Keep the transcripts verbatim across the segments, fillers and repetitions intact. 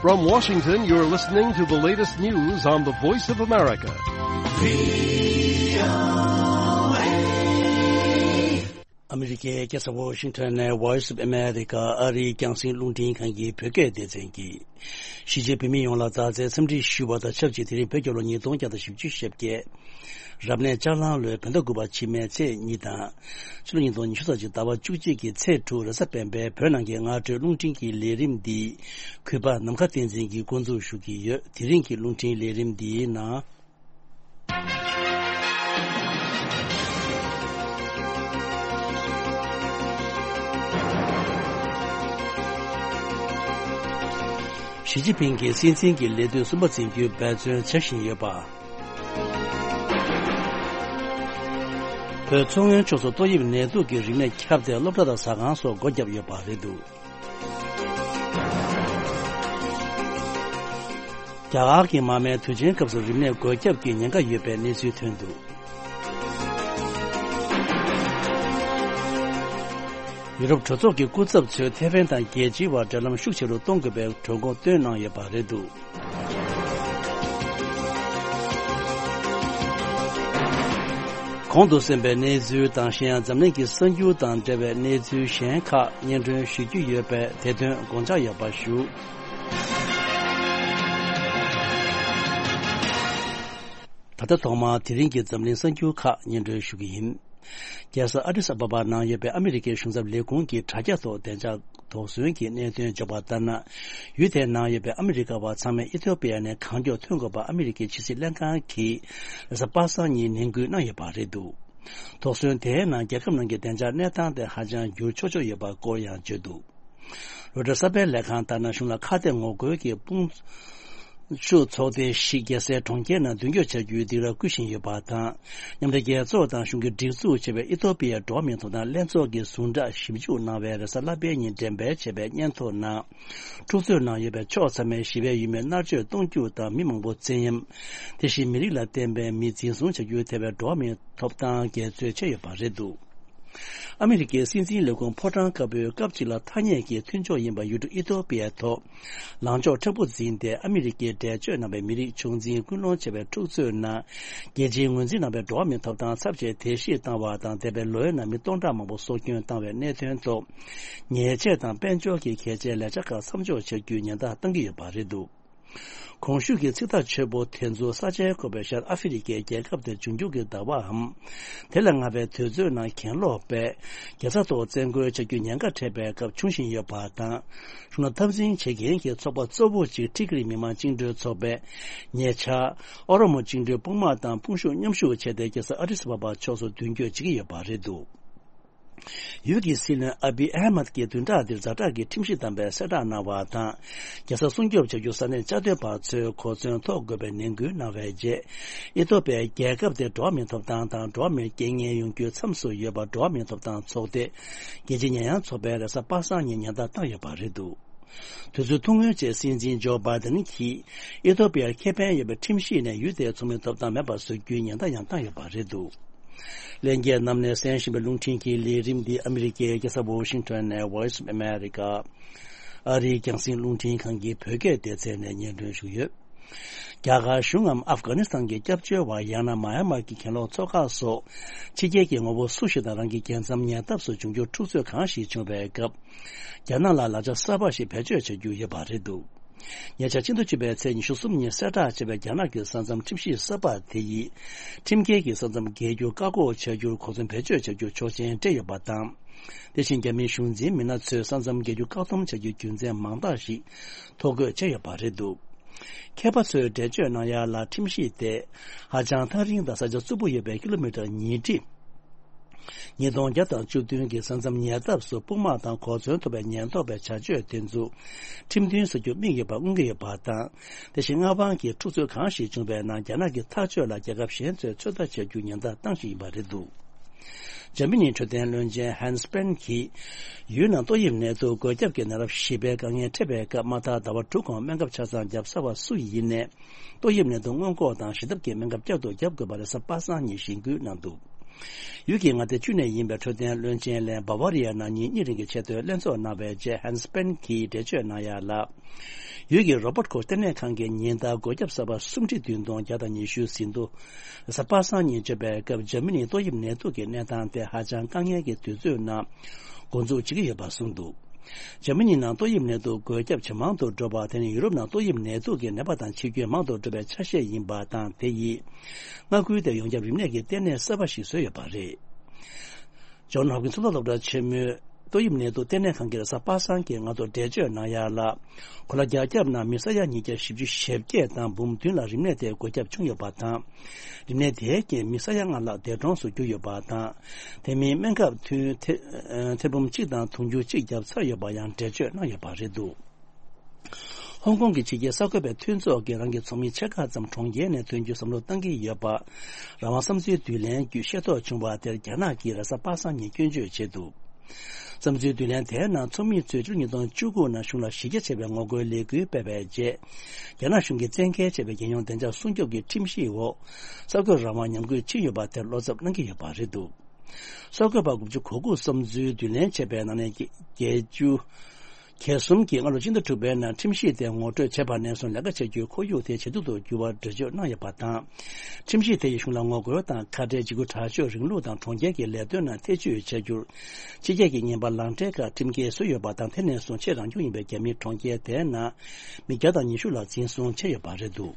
From Washington, you're listening to the latest news on the Voice of America. ཨ་མི་རི་ཀའི་རྒྱལ་ས་ཝོ་ཤིང་ཊོན་ནས་Voice of America ཨ་རིའི་རྒྱང་སྲིང་རླུང་འཕྲིན་ཁང་གི་བོད་སྐད་སྡེ་ཚན་གྱིས། གཞིས་བྱེས་བོད་མི་ཡོངས་ལ་མཛའ་བརྩེའི་འཚམས་འདྲི་ཞུ་བ་དང་ཆབས་ཅིག་དེ་རིང་བོད་རྒྱལ་ལོ་ཉིས་སྟོང་བརྒྱ་དང་བཞི་བཅུ་ཞེ་བརྒྱད། རབ་གནས་ལྕགས་གླང་ལོའི་བོད་ཟླ་དགུ་པ་ཕྱི་མའི་ཚེས་གཉིས་དང་། ཕྱི་ལོ་ཉིས་སྟོང་ཉི་ཤུ་རྩ་གཅིག་ཟླ་བ་བཅུ་གཅིག་གི་ཚེས་དྲུག་རེས་གཟའ་སྤེན་པའི་བོད་ནང་གི་སྔ་དྲོའི་རླུང་འཕྲིན་གྱི་ལས་རིམ་འདི། གུས་པ་ནམ་མཁའ་བསྟན་འཛིན་གྱིས་འགོ་འཛུགས་ཞུ་གི་ཡོད། དེ་རིང་གི་རླུང་འཕྲིན་ལས་རིམ་འདིའི་ནང་། ཞི་ཅིན་ཕིང་གིས་སྲིད་འཛིན་གྱི་ལས་དུས་གསུམ་པ་འཛིན་རྒྱུའི་འབད་བརྩོན་བྱེད་བཞིན་ཡོད་པ། བོད་མཚོ་སྔོན་ཕྱོགས་སུ་ཏོག་དབྱིབས་ནད་དུག་གི་རིམས་ནད་ཁྱབ་སྟེ་སློབ་གྲྭ་དང་ཟ་ཁང་སོགས་སྒོ་བརྒྱབ་ཡོད་པ་རེད་འདུག་རྒྱ་གར་གྱི་མ་མའི་དུས་ཆེན་སྐབས་སུ་རིམས་ནད་འགོས་ཁྱབ་ཀྱི་ཉེན་ཁ་ཡོད་པའི་གནས་ཚུལ་ཐོན་འདུག་ཡུ་རོབ་གྲོས་ཚོགས་ཀྱི་སྐུ་ཚབ་ཚོས་ཐེ་ཝན་དང་རྒྱལ་སྤྱིའི་བར་འབྲེལ་ལམ་ཤུགས་ཆེ་རུ་གཏོང་དགོས་པའི་གྲོས་འགོ་བཏོན་གནང་ཡོད་པ་རེད་འདུག་གོང་དུ་གསན་པའི་གནས་ཚུལ་དང་གཞན་ཡང་འཛམ་གླིང་གི་གསར་འགྱུར་དང་འབྲེལ་བའི་གནས་ཚུལ་གཞན་ཁག་སྙན་སྒྲོན་ཞུ་རྒྱུ་ཡོད་པས་དེ་དོན་དགོངས་འཇགས་ཡོད་པ་ཞུ། ད་ལྟ་ཐོག་མར་དེ་རིང་གི་འཛམ་གླིང་གསར་འགྱུར་ཁག་སྙན་སྒྲོན་ཞུ་གི་ཡིན། རྒྱལ་ས་ཨ་ཏིས་ཨ་བ་བ་ནང་ཡོད་པའི་ཨ་མི་རི་ཀའི་གཞུང་ཚབ་ལས་ཁུངས་ཀྱི་དྲ་རྒྱ་ཐོག་བདེ་འཇགས་དོགས་ཟོན་གྱི་གནད་དོན་འཇོག་པ་ལྟར་ན། ཡུལ་དེའི་ནང་ཡོད་པའི་ཨ་མི་རི་ཀ་བ་ཚང་མས་ཨི་ཐོ་པི་ཡ་ནས་གང་མགྱོགས་ཐོན་དགོས་པ་ཨ་མི་རི་ཀའི་ཕྱི་སྲིད་ལྷན་ཁང་གིས་རེས་གཟའ་པ་སངས་ཉིན་ནན་སྐུལ་གནང་ཡོད་པ་རེད་འདུག་དོགས་ཟོན་དེའི་ནང་རྒྱལ་ཁབ་ནང་གི་བདེ་འཇགས་གནས་སྟངས་དེ་ཧ་ཅང་འགྱུར་ཆོག་ཆོག་ཡོད་པ་སྐོར་ཡང་བརྗོད་འདུག་རོའི་ཊར་གསར་སྤེལ་ལས་ཁང་ལྟར་ན། གཞུང་ལ་ཁ་གཏད་ངོ་རྒོལ་གྱི་དཔུང་ཤུགས་ཚོགས་སྡེ་ཞིག་རྒྱལ་སའི་གྲོང་ཁྱེར་ནང་མདུན་སྐྱོད་བྱ་རྒྱུའི་སྡིགས་ར་བསྐུལ་བཞིན་ཡོད་པ་དང་། མཉམ་འབྲེལ་རྒྱལ་ཚོགས་དང་གཞུང་གིས་སྒྲིག་འཛུགས་བྱས་པའི་ཨི་ཐོ་པི་ཡའི་འགྲོ་བ་མིའི་ཐོབ་ཐང་ལྷན་ཚོགས་ཀྱི་ཟུང་འབྲེལ་ཞིབ་འཇུག་གནང་བའི་རེས་གཟའ་ལྷག་པའི་ཉིན་འགྲེམས་སྤེལ་བྱས་པའི་སྙན་ཐོ་ནང་། འཁྲུག་རྩོད་ནང་ཡོད་པའི་ཕྱོགས་ཚང་མས་ཞི་བའི་ཡུལ་མིར་མནར་གཅོད་གཏོང་རྒྱུ་དང་། མི་མང་པོ་བཙན་གཡེམ། དེ་བཞིན་མི་རིགས་ལ་བརྟེན་པའི་མི་འཛིན་བཟུང་བྱ་རྒྱུའི་ཐད་པའི་འགྲོ་བ་མིའི་ཐོབ་ཐང་འགལ་རྩོད་བྱས་ཡོད་པ་རེད་འདུག་ཨ་མི་རི་ཀའི་སྲིད་འཛིན་ལས་ཁུངས་ཕོ་བྲང་དཀར་པོའི་སྐབས་གཅིག་ལ་ཐ་སྙད་ཀྱི་མཐུན་ཕྱོགས་ཡིན་པ་ཡུལ་གྲུ་ཨི་ཐོ་པི་ཡའི་ཐོག་ལངས་ཕྱོགས་མཁྲེགས་པོ་འཛིན་ཏེ། ཨ་མི་རི་ཀའི་འགྲེལ་བརྗོད་གནང་བའི་མི་རིགས་ཆུང་འཛིན་སྐུལ་སློང་བྱས་པའི་འཁྲུག་རྩོད་ནང་། རྒྱལ་སྤྱིའི་ངོས་འཛིན་གནང་བའི་འགྲོ་བ་མིའི་ཐོབ་ཐང་ཚབས་ཆེ་བརྡལ་བཤིག་བཏང་བ་དང་། འདས་པའི་ལོའི་ནང་མི་སྟོང་ཕྲག་མང་པོ་སྲོག་སྐྱོན་བཏང་བའི་གནད་དོན་ཐོག་ཉེས་ཆད་དང་དཔལ་འབྱོར་གྱི་གལ་ཆེའི་ལས་འཆར་ཁག་མཚམས་འཇོག་བྱ་རྒྱུའི་ཉེན་བརྡ་བཏང་གི་ཡོད་པ་རེད་འདུག་གོང་ཞུས་ཀྱི་ཚིག་ཐག་ཆོད་པོ་དེ་ཚོ་ས་ཆའི་བཀོད་པའི་ཤར་ཨ་ཧྥེ་རི་ཀའི་རྒྱལ་ཁབ་དེར་འབྱུང་འགྱུར་གྱི་ཟླ་བའམ། དེ་ལས་སྔ་བའི་དུས་ཚོད་ནང་གྱེན་ལོག་པས་རྒྱལ་ས་ཐོག་བཙན་རྒོལ་བྱ་རྒྱུའི་ཉེན་ཁ་འཕྲད་པའི་སྐབས་འབྱུང་བཞིན་ཡོད་པ་དང་། གཞུང་ལ་འཐབ་འཛིང་བྱེད་མཁན་གྱི་ཚོགས་པ་གཙོ་བོ་གཅིག་ཊི་གྷི་རི་མི་དམངས་བཅིངས་འགྲོལ་ཚོགས་པས་ཉེ་ཆར་ཨོ་རོ་མོ་བཅིངས་འགྲོལ་དཔུང་དམག་དང་དཔུང་ཤུགས་མཉམ་ཞུགས་བྱས་ཏེ་རྒྱལ་ས་ཨ་ཏིས་ཨ་བ་བ་ཕྱོགས་སུ་མདུན་སྐྱོད་བྱེད་ཀྱི་ཡོད་པ་རེད་འདུག་ཡུལ་གྱི་སྲིད་བློན་ཨ་བི་ཨ་མད་ཀྱིས་བདུན་ཕྲག་འདིར་ཛ་དྲག་གི་ཁྲིམས་གཞི་བསྡམས་པའི་གསལ་བསྒྲགས་གནང་བ་དང་། རྒྱལ་ས་སྲུང་སྐྱོབ་བྱ་རྒྱུ་ས་གནས་བཅའ་སྡོད་པ་ཚོས་གོ་མཚོན་ཐོབ་དགོས་པའི་ནན་སྐུལ་གནང་བའི་རྗེས། ཨི་ཐོ་པི་ཡ་རྒྱལ་ཁབ་དེ་འགྲོ་བ་མིའི་ཐོབ་ཐང་དང་འགྲོ་བ་མིར་རྐྱེན་ངན་ཡོང་རྒྱུའི་མཚམས་སུ་ཡོད་པ་འགྲོ་བ་མིའི་ཐོབ་ཐང་ཚོགས་སྡེ་རྒྱལ་སྤྱིའི་ཉེས་ཡངས་ཚོགས་པས་རེས་གཟའ་པ་སངས་ཉིན་ཉེན་བརྡ་བཏང་ཡོད་པ་རེད་འདུག་དུས་ཚོད་ཐུང་ངུའི་རྗེས་སྲིད་འཛིན་ཇོ་བྷའི་ཏན་གྱིས་ཨི་ཐོ་པི་ཡར་ཁེ་ཕན་ཡོད་པའི་ཁྲིམས་གཞི་ནས་ཡུལ་དེའི་ཚོགས་མིའི་ཐོབ་ཐང་མེད་པར་བཟོ་རྒྱུའི་ཉེན་བརྡ་ཡང་བཏང་ཡོད་པ་རེད་འདུག་ལྷན་རྒྱས་རྣམས་ནས་གསན་བཞིན་པའི་རླུང་འཕྲིན་གྱི་ལས་རིམ་འདི་ཨ་མི་རི་ཀའི་རྒྱལ་ས་ཝོ་ཤིང་ཊོན་ནས་Voice of America ཨ་རིའི་རྒྱང་སྲིང་རླུང་འཕྲིན་ཁང་གི་བོད་སྐད་སྡེ་ཚན་ནས་སྙན་སྒྲོན་ཞུས་ཡོད། རྒྱ་གར་གཞུང་ངམ་ཨབ་གྷ་ནི་སི་ཐན་གྱི་སྐྱབས་བཅོལ་བ་ཡང་ན་མཱ་ཡན་མར་གྱི་གྱེན་ལོག་ཚོགས་ཁག་སོགས་ཕྱི་རྒྱལ་གྱི་ངོ་བོ་སུ་ཞིག་དང་རང་གི་རྒྱལ་མཚམས་ཉེ་འདབས་སུ་འབྱུང་འགྱུར་འཁྲུག་རྩོད་གང་ཞིག་བྱུང་བའི་སྐབས། རྒྱ་ནག་ལ་ལག་ཆ་གསར་པ་ཞིག་བེད་སྤྱོད་བྱ་རྒྱུ་ཡོད་པ་རེད་འདུག་ཉེ་ཆར་ཕྱི་ཟླ་བཅུ་པའི་ཚེས་ཉི་ཤུ་གསུམ་ཉིན་གསལ་བསྒྲགས་བྱས་པའི་རྒྱ་ནག་གི་ས་མཚམས་ཁྲིམས་གཞི་གསར་པ་དེ་ཡིས། ཁྲིམས་འགལ་གྱི་ས་མཚམས་བརྒལ་རྒྱུར་བཀག་འགོག་བྱ་རྒྱུར་གོ་མཚོན་བེད་སྤྱོད་བྱ་རྒྱུར་ཆོག་མཆན་སྤྲད་ཡོད་པ་དང་། དེ་བཞིན་རྒྱ་མིའི་གཞུང་འཛིན་མི་སྣ་ཚོས་ས་མཚམས་བརྒལ་རྒྱུ་བཀག་སྡོམ་བྱ་རྒྱུའི་རྒྱུ་མཚན་མང་དག་ཞིག་ཐོ་འགོད་བྱས་ཡོད་པ་རེད་འདུག་མཁས་པ་ཚོས་འགྲེལ་བརྗོད་གནང་ཡ་ལ། ཁྲིམས་གཞི་དེ་ཧ་ཅང་ཐག་རིང་དང་ས་ཆ་རྩུབ་པོ་ཡོད་པའི་ཀི་ལོ་མི་ཊར་ཉིས་ཁྲི། ཉིས་སྟོང་བརྒྱ་དང་བཅུ་བདུན་གྱི་ས་མཚམས་ཉེ་འདབས་སུ་དཔུང་དམག་དང་གོ་མཚོན་ཐོབ་པའི་ཉེན་རྟོག་པའི་བྱ་སྤྱོད་དེ་ཚོ་ཁྲིམས་མཐུན་བཟོ་རྒྱུར་དམིགས་ཡོད་པ་མངོན་གྱི་ཡོད་པ་དང་། དེ་བཞིན་མངའ་དབང་གི་འཁྲུག་རྩོད་གང་ཞིག་བྱུང་བའི་ནང་རྒྱ་ནག་གི་ཐག་གཅོད་ལ་རྒྱལ་ཁབ་གཞན་ཚོས་ཚོད་ལྟ་བྱ་རྒྱུ་ཉེན་བརྡ་བཏང་བཞིན་ཡིན་པ་རེད་འདུག་འཇར་མ་ནིའི་འཕྲོད་བསྟེན་བློན་ཆེན་ཧན་སི་པན་གྱིས། ཡུལ་ནང་ཏོག་དབྱིབས་ནད་དུག་འགོས་ཁྱབ་ཀྱི་ནད་རབས་ཞེས་པའི་དཀའ་ངལ་འཕྲད་པའི་སྐབས། མ་མཐའ་ཟླ་བ་དྲུག་གོང་སྨན་ཁབ་ཆ་ཚང་བརྒྱབ་ཚར་བ་སུ་ཡིན་ནས། ཏོག་དབྱིབས་ནད་དུག་སྔོན་འགོག་དང་ཞི་ཐབས་ཀྱི་སྨན་ཁབ་བསྐྱར་དུ་བརྒྱབ་དགོས་པ་རེས་གཟའ་པ་སངས་ཉིན་གཞེན་སྐུལ་གནང་འདུག་ཡུལ་གྱི་མངའ་སྡེ་བཅུ་ནས་ཡིན་པའི་འཕྲོད་བསྟེན་བློན་ཆེན་ལན་བྷ་ཝ་རི་ཡ་ནང་ཉིན་གཉིས་རིང་གི་ཆེད་དོན་ལྷན་ཚོགས་གནང་བའི་རྗེས། ཧན་སི་པན་གྱིས་འགྲེལ་བརྗོད་གནང་ཡ་ལ། ཡུལ་གྱི་རོ་པོར་ཁོ་ལྟེ་གནས་ཁང་གིས་ཉིན་ལྟར་འགོས་ཁྱབ་གསར་པ་སུམ་ཁྲི་བདུན་སྟོང་བརྒྱ་དང་ཉི་ཤུ་ཟིན་ཐོ། གཟའ་པ་སངས་ཉིན་བརྗོད་པའི་སྐབས། འཇར་མ་ནིའི་ཏོག་དབྱིབས་ནད་དུག་གི་གནས་སྟངས་དེ་ཧ་ཅང་དཀའ་ངལ་གྱི་དུས་ཚོད་ནང་འགོ་འཛུགས་བྱེད་ཀྱི་ཡོད་པ་གསུངས་འདུག་འཇར་མ་ནི་ནང་ཏོག་དབྱིབས་ནད་དུག་འགོས་ཁྱབ་ཇེ་མང་དུ་འགྲོ་བ་དེ་ནི་ཡུ་རོབ་ནང་ཏོག་དབྱིབས་ནད་དུག་གི་ནད་པ་དང་འཆི་སྐྱོན་མང་དུ་འགྲོ་བའི་ཆ་ཤས་ཡིན་པ་དང་། དེ་ཡིས་མངའ་ཁུལ་དེར་ཡོངས་ཁྱབ་རིམས་ནད་ཀྱི་ལྟེ་གནས་གསར་པ་ཞིག་བཟོས་ཡོད་པ་རེད། ཇོན་ཧོབ་ཀིན་ཚོགས་ལ་སློབ་གྲྭ་ཆེན་མོའི་ཏོག་དབྱིབས་ནད་དུག་ལྟེ་གནས་ཁང་གིས་གཟའ་པ་སངས་ཀྱི་སྔ་དྲོ་འགྲེལ་བརྗོད་གནང་ཡ་ལ། གོ་ལ་རྒྱ་ཁྱབ་ནང་མི་ས་ཡ་ཉིས་བརྒྱ་བཞི་བཅུ་ཞེ་བརྒྱད་དང་འབུམ་བདུན་ལ་རིམས་ནད་དེའི་འགོས་ཁྱབ་བྱུང་ཡོད་པ་དང་། རིམས་ནད་དེའི་རྐྱེན་མི་ས་ཡ་ལྔ་ལྷག་འདས་གྲོངས་སུ་གྱུར་ཡོད་པ་དང་། དེ་མིན་སྨན་ཁབ་ཐུན་ཐེ་ཐེར་འབུམ་གཅིག་དང་དུང་ཕྱུར་གཅིག་བརྒྱབ་ཚར་ཡོད་པ་ཡང་འགྲེལ་བརྗོད་གནང་ཡོད་པ་རེད་འདུག་ཧོང་ཀོང་གི་ཕྱི་རྒྱལ་གསར་འགོད་པའི་མཐུན་ཚོགས་ཀྱིས་རང་གི་ཚོགས་མི་ཕྱེད་ཀ་ཙམ་གྲོང་ཁྱེར་ནས་ཐོན་རྒྱུའི་བསམ་བློ་བཏང་གི་ཡོད་པ། རང་དབང་བསམ་ཚུལ་བསྡུ་ལེན་བརྒྱུད་ཤེས་རྟོགས་བྱུང་བ་དེར་རྒྱ་ནག་གིས་རེས་གཟའ་པ་སངས་ཉིན་སྐྱོན་བརྗོད་བྱས་འདུག་བསམ་ཚུལ་བསྡུ་ལེན་དེའི་ནང་ཚོགས་མི་ཚོས་ཕྱི་ལོ་ཉིས་སྟོང་བཅུ་དགུ་ནང་གཞུང་ལ་གཞི་རྒྱ་ཆེ་བའི་ངོ་རྒོལ་ལས་འགུལ་སྤེལ་བའི་རྗེས། རྒྱ་ནག་གཞུང་གིས་བཙན་འགེལ་བྱས་པའི་རྒྱལ་ཡོངས་བདེ་འཇགས་སྲུང་སྐྱོབ་ཀྱི་ཁྲིམས་གཞིའི་འོག་གསར་འགོད་རང་དབང་ཉམས་རྒུད་ཕྱིན་ཡོད་པ་དེར་བློ་འཚབ་གནང་གི་ཡོད་པ་རེད་འདུག་གསར་འགོད་པ་དགུ་བཅུ་གོ་དགུ་བསམ་ཚུལ་བསྡུ་ལེན་བྱས་པའི་ནང་ནས་བརྒྱད་ཅུ། གྱ་གསུམ་གྱིས་སྔ་ལོ་སྤྱི་ཟླ་དྲུག་པའི་ནང་ཁྲིམས་གཞི་དེ་ངོ་སྤྲོད་བྱས་པ་ནས་བཟུང་ལས་ཀ་བྱ་རྒྱུའི་ཁོར་ཡུག་དེ་ཇེ་སྡུག་ཏུ་གྱུར་བར་འགྲེལ་བརྗོད་གནང་ཡོད་པ་དང་། ཁྲིམས་གཞི་དེ་ཡིས་གཞུང་ལ་ངོ་རྒོལ་དང་ཁ་བྲལ་འཇིགས་སྐུལ་དྲག་སྤྱོད་རིང་ལུགས་དང་གྲོང་ཁྱེར་གྱི་ལས་དོན་ནང་ཐེ་བྱུས་བྱ་རྒྱུར། ཕྱི་རྒྱལ་གྱི་བརྙན་པར་ལག་འབྲེལ་ཁག་ཁྲིམས་འགལ་བཟོས་ཡོད་པ་དང་། དེ་ནས་བཟུང་ཆེས་རང་སྐྱོང་ཡིན་པའི་རྒྱ་མིའི་གྲོང་ཁྱེར་དེའི་ནང་མི་བརྒྱ་དང་ཉི་ཤུ་ལ་འཛིན་བཟུང་བྱས་ཡོད་པ་རེད་འདུག་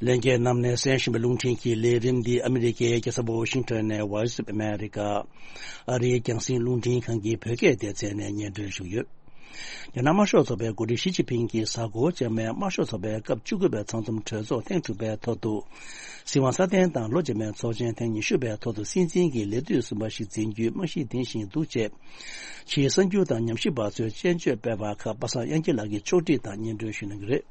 ལྷན་རྒྱས་རྣམས་ནས་གསན་བཞིན་པའི་རླུང་འཕྲིན་གྱི་ལས་རིམ་འདི་ཨ་མི་རི་ཀའི་རྒྱལ་ས་ཝ་ཤིང་ཊོན་ནས་Voice of America ཨ་རིའི་རྒྱང་སྲིང་རླུང་འཕྲིན་ཁང་གི་བོད་སྐད་སྡེ་ཚན་ནས་སྙན་སྒྲོན་ཞུས་ཡོད། རྒྱ་ནག་དམར་ཤོག་ཚོགས་པའི་འགོ་ཁྲིད་ཞི་ཅིན་ཕིང་གིས་གཟའ་འཁོར་རྗེས་མའི་དམར་ཤོག་ཚོགས་པའི་སྐབས་བཅུ་དགུ་པའི་ཚང་འཛོམས་གྲོས་ཚོགས་ཐེངས་དྲུག་པའི་ཐོག་ཏུ། སྲིད་དབང་སྲ་བརྟན་དང་ལོ་རྗེས་མའི་ཚོགས་ཆེན་ཐེངས་ཉི་ཤུ་པའི་ཐོག་ཏུ་སྲིད་འཛིན་གྱི་ལས་དུས་གསུམ་པ་ཞིག་འཛིན་རྒྱུའི་རྨང་གཞི་འདིང་བཞིན་འདུག་ཅེས། ཕྱིའི་གསར་འགྱུར་དང་ཉམས་ཞིབ་པ་ཚོས་དཔྱད་བརྗོད་སྤེལ་བ་ཁག་པ་སངས་དབྱངས་སྐྱིད་ལགས་ཀྱིས་ཕྱོགས་སྒྲིག་དང་སྙན་སྒྲོན་ཞུ་གནང་གི་རེད།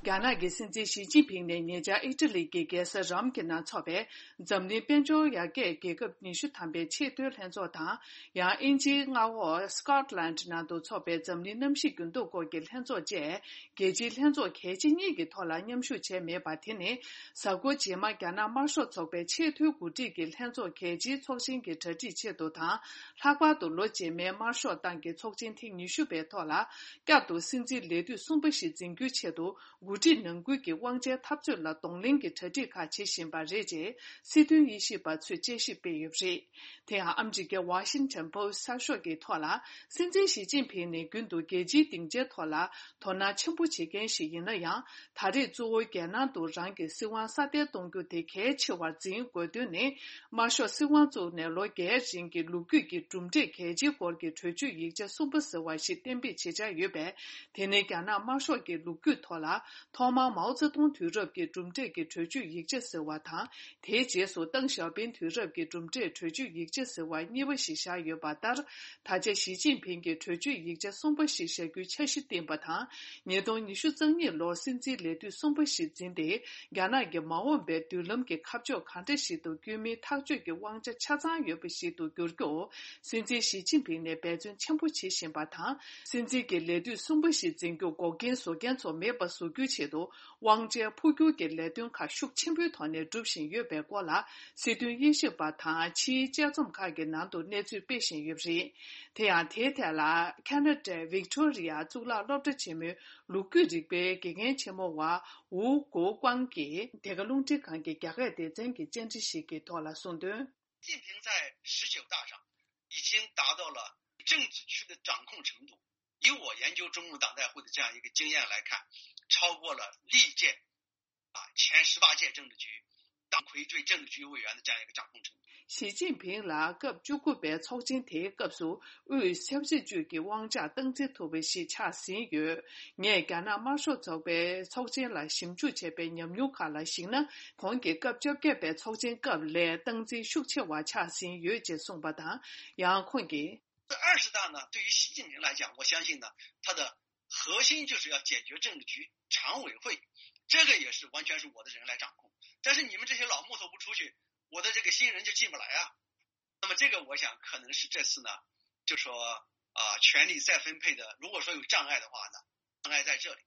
རྒྱ་ནག་གི་སྲིད་འཛིན་ཞི་ཅིན་ཕིང་ནས་ཉེ་ཆར་ཨི་ཊ་ལི་གི་རྒྱལ་ས་རོམ་གྱི་ནང་འཚོགས་པའི་འཛམ་གླིང་དཔལ་འབྱོར་ཡར་རྒྱས་རྒྱལ་ཁབ་ཉི་ཤུ་ཐམ་པའི་ཆེས་མཐོའི་ལྷན་ཚོགས་དང་། ཡང་དབྱིན་ཇིའི་མངའ་འོག་Scotland ནང་དུ་འཚོགས་པའི་འཛམ་གླིང་གནམ་གཤིས་འགྱུར་ལྡོག་སྐོར་གྱི་ལྷན་ཚོགས་བཅས། རྒྱལ་སྤྱིའི་ལྷན་ཚོགས་གལ་ཆེ་གཉིས་ཀྱི་ཐོག་ལ་མཉམ་ཞུགས་བྱས་མེད་པ་དེ་ནི། གཟའ་འཁོར་རྗེས་མ་རྒྱ་ནག་དམར་ཤོག་ཚོགས་པའི་ཆེས་མཐོའི་འགོ་ཁྲིད་ཀྱི་ལྷན་ཚོགས་གལ་ཆེའི་ཚོགས་ཆེན་གྱི་གྲ་སྒྲིག་ཆེད་དུ་དང་། ལྷག་པར་དུ་ལོ་རྗེས་མའི་དམར་ཤོག་ཏང་གི་ཚོགས་ཆེན་ཐེངས་ཉི་ཤུ་པའི་ཐོག་ལ། བསྐྱར་དུ་སྲིད་འཛིན་ལས་དུས་གསུམ་པ་ཞིག་འཛིན་རྒྱུའི་ཆེད་དུ། འགོ་ཁྲིད་ནང་ཁུལ་གྱི་དབང་ཆའི་འཐབ་རྩོད་ལ་གདོང་ལེན་གྱི་གྲ་སྒྲིག་ཁག་བྱེད་བཞིན་པ་རེད་ཅེས། སྲིད་དོན་དབྱེ་ཞིབ་པ་ཚོས་དཔྱད་ཞིབ་སྤེལ་ཡོད་པ་རེད། དེ་ཡང་ཨ་མི་རི་ཀའི་Washington Post་གསར་ཤོག་གི་ཐོག་ལ། སྲིད་འཛིན་ཞི་ཅིན་ཕིང་ནི་རྒྱུན་དུ་རྒྱལ་སྤྱིའི་སྡིངས་ཆའི་ཐོག་ལ་དོ་སྣང་ཆེན་པོ་བྱེད་མཁན་ཞིག་ཡིན་ན་ཡང་། ད་རེས་གཙོ་བོ་རྒྱལ་ནང་དུ་རང་གི་སྲིད་དབང་སྲ་བརྟན་གཏོང་རྒྱུ་དེ་གལ་ཆེ་བར་འཛིན་དགོས་དོན་ནི། དམར་ཤོག་སྲིད་དབང་བཙུགས་ནས་ལོ་བརྒྱའི་རིང་གི་ལོ་རྒྱུས་ཀྱི་གྲུབ་འབྲས་གལ་ཆེའི་སྐོར་གྱི་གྲོས་ཆོད་ཡིག་ཆ་གསུམ་པ་ཟེར་བ་ཞིག་གཏན་འབེབས་བྱེད་འཆར་ཡོད་པས། དེ་ནི་རྒྱ་ནག་དམར་ཤོག་གི་ལོ་རྒྱུས་ཐོག་ལ། ཐོག་མར་མའོ་ཙེ་ཏུང་དུས་རབས་ཀྱི་གྲུབ་འབྲས་ཀྱི་གྲོས་ཆོད་ཡིག་ཆ་ཟེར་བ་དང་། དེའི་རྗེས་སུ་ཏེང་ཞའོ་ཕིང་དུས་རབས་ཀྱི་གྲུབ་འབྲས་གྲོས་ཆོད་ཡིག་ཆ་ཟེར་བ་གཉིས་པ་ཞིག་བཞག་ཡོད་པ་ལྟར། ད་ཆ་ཞི་ཅིན་ཕིང་གིས་གྲོས་ཆོད་ཡིག་ཆ་གསུམ་པ་ཞིག་བཞག་རྒྱུའི་འཆར་གཞི་བཏིང་པ་དང་། ཉིས་སྟོང་ཉི་ཤུ་རྩ་གཉིས་ལོར་སྲིད་འཛིན་ལས་དུས་གསུམ་པ་ཞིག་འཛིན་ཏེ། རྒྱ་ནག་གི་མ་འོངས་པའི་མདུན་ལམ་གྱི་ཁ་ཕྱོགས་གང་འདྲ་ཞིག་ཏུ་བསྐྱོད་མིན་ཐག་གཅོད་ཀྱི་དབང་ཆ་ཆ་ཚང་ཡོད་པ་ཞིག་ཏུ་འགྱུར་རྒྱུར། སྲིད་འཛིན་ཞི་ཅིན་ཕིང་ནས་འབད་བརྩོན་ཆེན་པོ་བྱེད་བཞིན་པ་དང་། སྲིད་འཛིན་གྱི་ལས་དུས་གསུམ་པ་ཞིག་འཛིན་རྒྱུ་འགོག་རྐྱེན་བཟོ་མཁན་ཚོ་མེད་པ་བཟོ་རྒྱུའི་ཆེད་དུ། དབང་ཆའི་འཕོ་འགྱུར་གྱི་ལས་དོན་ཁག་ཤུགས་ཆེན་པོའི་ཐོག་ནས་སྒྲུབ་བཞིན་ཡོད་པའི་སྐོར་ལ། སྲིད་དོན་དབྱེ་ཞིབ་པ་དང་ཕྱིའི་དཔྱད་རྩོམ་ཁག་གི་ནང་དུ་གནས་ཚུལ་སྤེལ་བཞིན་ཡོད་པ་རེད། དེ་ཡང་དེའི་ཐད་ལ། ཁ་ན་ཌའི་ཝིག་ཏོ་རི་ཡ་གཙུག་ལག་སློབ་གྲྭ་ཆེན་མོའི་ལོ་རྒྱུས་རིག་པའི་དགེ་རྒན་ཆེན་མོ་བ་ཝུའུ་གོ་ཀོང་གིས། འདི་ག་རླུང་འཕྲིན་ཁང་གི་རྒྱ་སྐད་སྡེ་ཚན་གྱི་བཅར་འདྲི་ཞིག་གི་ཐོག་ལ་གསུངས་དོན། 习近平在十九大上已经达到了政治区的掌控程度。以我研究中共党代会的这样一个经验来看，超过了历届啊前十八届政治局党魁对政治局委员的这样一个掌控程度。 ཞི་ཅིན་ཕིང་ལ་སྐབས་བཅུ་དགུ་པའི་ཚོགས་ཆེན་དེའི་སྐབས་སུ་དབུས་ཆབ་སྲིད་ཅུས་ཀྱི་དབང་ཆ་སྟངས་འཛིན་ཐུབ་པ་ཞིག་ཆགས་ཟིན་ཡོད། ངས་རྒྱ་ནག་དམར་ཤོག་ཚོགས་པའི་ཚོགས་ཆེན་ལ་ཞིབ་འཇུག་བྱས་པའི་ཉམས་མྱོང་ཁག་ལ་གཞིགས་ན། གོང་གི་སྐབས་བཅོ་བརྒྱད་པའི་ཚོགས་ཆེན་སྐབས་ལས་སྟངས་འཛིན་ཤུགས་ཆེ་བ་ཆགས་ཟིན་ཡོད་ཅེས་གསུངས་པ་དང་། ཡང་ཁོང་གིས། 二十大呢，对于习近平来讲，我相信呢，他的核心就是要解决政治局常委会，这个也是完全是我的人来掌控。但是你们这些老木头不出去，我的这个新人就进不来啊。那么这个我想可能是这次呢，就说啊，权力再分配的，如果说有障碍的话呢，障碍在这里。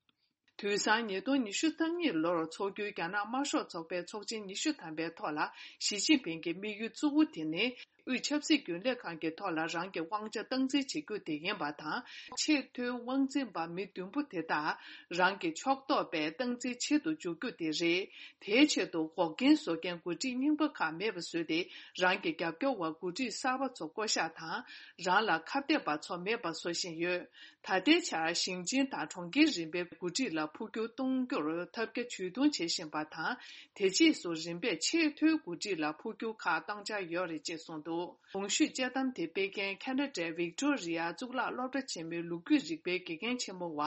དུས་སང་ཉིས་སྟོང་ཉི་ཤུ་རྩ་གཉིས་ལོར་འཚོགས་རྒྱུའི་རྒྱ་ནག་དམར་ཤོག་ཚོགས་པའི་ཚོགས་ཆེན་ཉི་ཤུ་ཐམ་པའི་ཐོག་ལ་ཞི་ཅིན་ཕིང་གི་དམིགས་ཡུལ་གཙོ་བོ་དེ་ནི། དབུས་ཆབ་སྲིད་རྒྱུན་ལས་ཁང་གི་ཐོག་ལ་རང་གི་དབང་ཆ་སྟངས་འཛིན་བྱེད་རྒྱུ་དེ་ཡིན་པ་དང་། ཆེས་མཐོའི་དབང་འཛིན་པ་མི་བདུན་པོ་དེ་དག་རང་གི་ཕྱོགས་གཏོགས་པའི་སྟངས་འཛིན་བྱེད་དུ་འཇུག་རྒྱུ་དེ་རེད། དེའི་ཆེད་དུ་འགོག་རྐྱེན་བཟོ་མཁན་འགོ་ཁྲིད་རྙིང་པ་ཁག་མེད་པ་བཟོས་ཏེ། རང་གི་རྒྱབ་སྐྱོར་བ་འགོ་ཁྲིད་གསར་པ་ཚོ་བསྐོ་གཞག་དང་། རང་ལ་ཁ་གཏད་པ་ཚོ་མེད་པ་བཟོ་བཞིན་ཡོད། ད་ལྟའི་ཆར་ཞིང་ཆེན་དང་གྲོང་ཁྱེར་རིམ་པའི་འགོ་ཁྲིད་ལ་འཕོ་འགྱུར་གཏོང་རྒྱུར་ཐབས་བརྒྱ་ཇུས་སྟོང་བྱེད་བཞིན་པ་དང་། དེ་རྗེས་སུ་རིམ་པས་ཆེས་མཐོའི་འགོ་ཁྲིད་ལ་འཕོ་འགྱུར་ཁག་གཏང་འཆར་ཡོད་རེད་ཅེས་གསུངས་འདུག་གོང་ཞུས་དཔྱད་གཏམ་དེ་སྤེལ་མཁན་ཁ་ན་ཌའི་ཝིག་ཏོ་རི་ཡ་གཙུག་ལག་སློབ་གྲྭ་ཆེན་མོའི་ལོ་རྒྱུས་རིག་པའི་དགེ་རྒན་ཆེན་མོ་བ་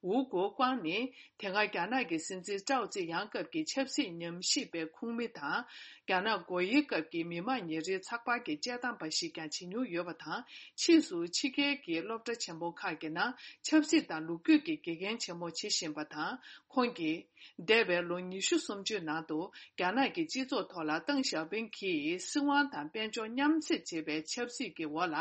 ཝུའུ་གོ་ཀུང་ནི། དེ་སྔ་རྒྱ་ནག་གི་སྲིད་འཛིན་ཀྲའོ་ཙེ་ཡང་སྐབས་ཀྱི་ཆབ་སྲིད་ཉམས་ཞིབ་པའི་ཁོངས་མི་དང་། རྒྱ་ནག་སྒོ་དབྱེའི་སྐབས་ཀྱི་མི་དམངས་ཉིན་རེའི་ཚགས་པར་གྱི་དཔྱད་གཏམ་པ་ཞིག་ཀྱང་བྱེད་མྱོང་ཡོད་པ་དང་། ཕྱིས་སུ་ཕྱི་རྒྱལ་གྱི་སློབ་གྲྭ་ཆེན་མོ་ཁག་གི་ནང་ཆབ་སྲིད་དང་ལོ་རྒྱུས་ཀྱི་དགེ་རྒན་ཆེན་མོ་བྱེད་བཞིན་པ་དང་། ཁོང་གིས། འདས་པའི་ལོ་ཉི་ཤུ་སུམ་ཅུའི་ནང་དུ། རྒྱ་ནག་གི་སྤྱི་ཚོགས་ཐོག་ལ་ཏེང་ཞའོ་ཕིང་གིས་སྲིད་དབང་དང་དཔལ་འབྱོར་མཉམ་བསྲེས་བྱེད་པའི་ཆབ་སྲིད་ཀྱི་འོག་ལ།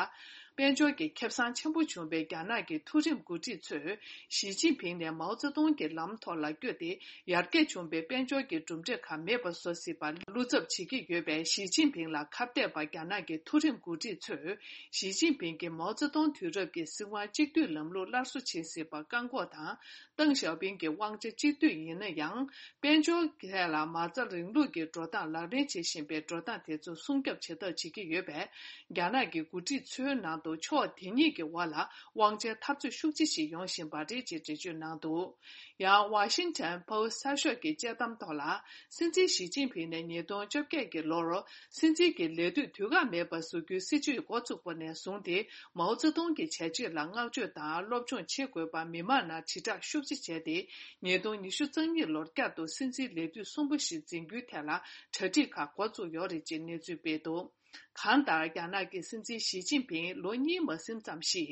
དཔལ་འབྱོར་གྱི་ཁེ་བཟང་ཆེན་པོ་བྱུང་བའི་རྒྱ་ནག་གི་མཐོ་རིམ་འགོ་ཁྲིད་ཚོས། ཞི་ཅིན་ཕིང་ནས་མའོ་ཙེ་ཏུང་གི་ལམ་ཐོག་ལ་བསྐྱོད་དེ། ཡར་རྒྱས་བྱུང་བའི་དཔལ་འབྱོར་གྱི་གྲུབ་འབྲས་ཁག་མེད་པ་བཟོ་སྲིད་པར་བློ་འཚབ་བྱེད་ཀྱི་ཡོད་པས། ཞི་ཅིན་ཕིང་ལ་ཁ་གཏད་པ་རྒྱ་ནག་གི་མཐོ་རིམ་འགོ་ཁྲིད་ཚོས། ཞི་ཅིན་ཕིང་གིས་མའོ་ཙེ་ཏུང་དུས་རབས་ཀྱི་སྲིད་དབང་གཅིག་སྡུད་ལམ་ལུགས་སླར་གསོ་བྱེད་སྲིད་པར་བཀག་འགོག་དང་། ཏེང་ཞའོ་ཕིང་གི་དབང་ཆ་གཅིག་སྡུད་ཡིན་ན་ཡང་། དཔལ་འབྱོར་ཐད་ལ་མ་རྩ་རིང་ལུགས་ཀྱི་འགྲོ་སྟངས་ལག་ལེན་བྱེད་བཞིན་པའི་འགྲོ་སྟངས་དེ་ཚོ་སྲུང་སྐྱོབ་བྱེད་ཐབས་བྱེད་ཀྱི་ཡོད་པས། རྒྱ་ནག་གི་འགོ་ཁྲིད་ཚོའི་ནང་དུ་ཕྱོགས་དེ་གཉིས་ཀྱི་དབར་ལ་དབང་ཆའི་འཐབ་རྩོད་ཤུགས་ཆེ་ཞིག་ཡོང་བཞིན་པ་རེད་ཅེས་འགྲེལ་བརྗོད་གནང་འདུག་ཡང་ཝ་ཤིང་ཊོན་པོ་སི་གསར་ཤོག་གི་དཔྱད་གཏམ་ཐོག་ལ། སྲིད་འཛིན་ཞི་ཅིན་ཕིང་ནས་ཉིས་སྟོང་བཅོ་བརྒྱད་ཀྱི་ལོར། སྲིད་འཛིན་གྱི་ལས་དུས་དུས་བཀག་མེད་པར་ཟུར་འགྱུར་སྲིད་ཇུས་འགོ་བཙུགས་པ་ནས་བཟུང་སྟེ། མའོ་ཙེ་ཏུང་གི་བྱས་རྗེས་ལ་བསྔགས་བརྗོད་དང་སློབ་སྦྱོང་བྱེད་དགོས་པར་མི་མང་ནང་དྲིལ་བསྒྲགས་ཤུགས་ཆེ་བྱས་ཏེ། ཉིས་སྟོང་ཉི་ཤུ་རྩ་གཉིས་ལོར་བསྐྱར་དུ་སྲིད་འཛིན་ལས་དུས་གསུམ་པ་ཞིག་འཛིན་རྒྱུའི་ཐད་ལ་གྲ་སྒྲིག་ཁག་འགོ་བཙུགས་ཡོད་རེད་ཅེས་གནས་ཚུལ་སྤེལ་འདུག་གང་ལྟར། རྒྱ་ནག་གི་སྲིད་འཛིན་ཞི་ཅིན་ཕིང་ལོ་གཉིས་མ་ཟིན་ཙམ་ཞིག་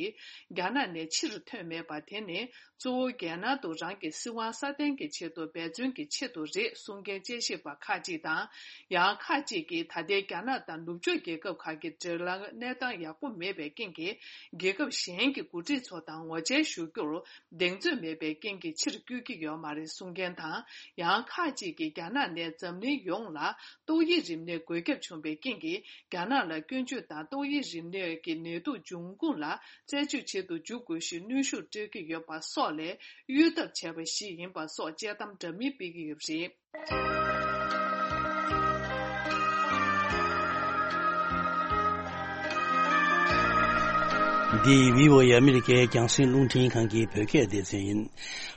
རྒྱ་ནག་ནས་ཕྱིར་ཐོན་མེད་པ་དེ་ནི། གཙོ་བོ་རྒྱལ་ནང་དུ་རང་གི་སྲིད་དབང་སྲ་བརྟན་གྱི་ཆེད་དུ་འབད་བརྩོན་གྱི་ཆེད་དུ་རེད་གསུང་མཁན་དཔྱད་ཞིབ་པ་ཁག་ཅིག་དང་། ཡང་ཁག་ཅིག་གིས་ད་ལྟའི་རྒྱ་ནག་དང་ནུབ་ཕྱོགས་རྒྱལ་ཁབ་ཁག་གི་འབྲེལ་བ་གནས་སྟངས་ཡག་པོ་མེད་པའི་རྐྱེན་གྱིས། རྒྱལ་ཁབ་གཞན་གྱི་འགོ་ཁྲིད་ཚོ་དང་ངོ་མཇལ་ཞུ་རྒྱུར་གདེང་ཚོད་མེད་པའི་རྐྱེན་གྱིས་ཕྱིར་བསྐྱོད་ཀྱི་ཡོད་མ་རེད་གསུང་མཁན་དང་། ཡང་ཁག་ཅིག་གིས་རྒྱ་ནག་ནས་འཛམ་གླིང་ཡོངས་ལ་ཏོག་དབྱིབས་རིམས་ནད་འགོས་ཁྱབ་བྱུང་བའི་རྐྱེན་གྱིས། རྒྱ་ནག་ལ་སྐྱོན་བརྗོད་དང་ཏོག་དབྱིབས་རིམས་ནད་ཀྱི་ནད་དུག་འབྱུང་ཁུངས་ལ་རྩད་གཅོད་བྱེད་དུ་འཇུག་དགོས་ཞེས་གནོན་ཤུགས་སྤྲོད་ཀྱི་ཡོད་པ་སོགས་ལས་གཡོལ་ཐབས་བྱས་པ་ཞིག་ཡིན་པ་སོགས་དཔྱད་གཏམ་འདྲ་མིན་སྤེལ་གྱི་ཡོད་པ་རེད། འདི་བྷི་ཨོ་ཨེ་ཨ་མི་རི་ཀའི་རྒྱང་སྲིང་རླུང་འཕྲིན་ཁང་གི་བོད་སྐད་སྡེ་ཚན་ཡིན།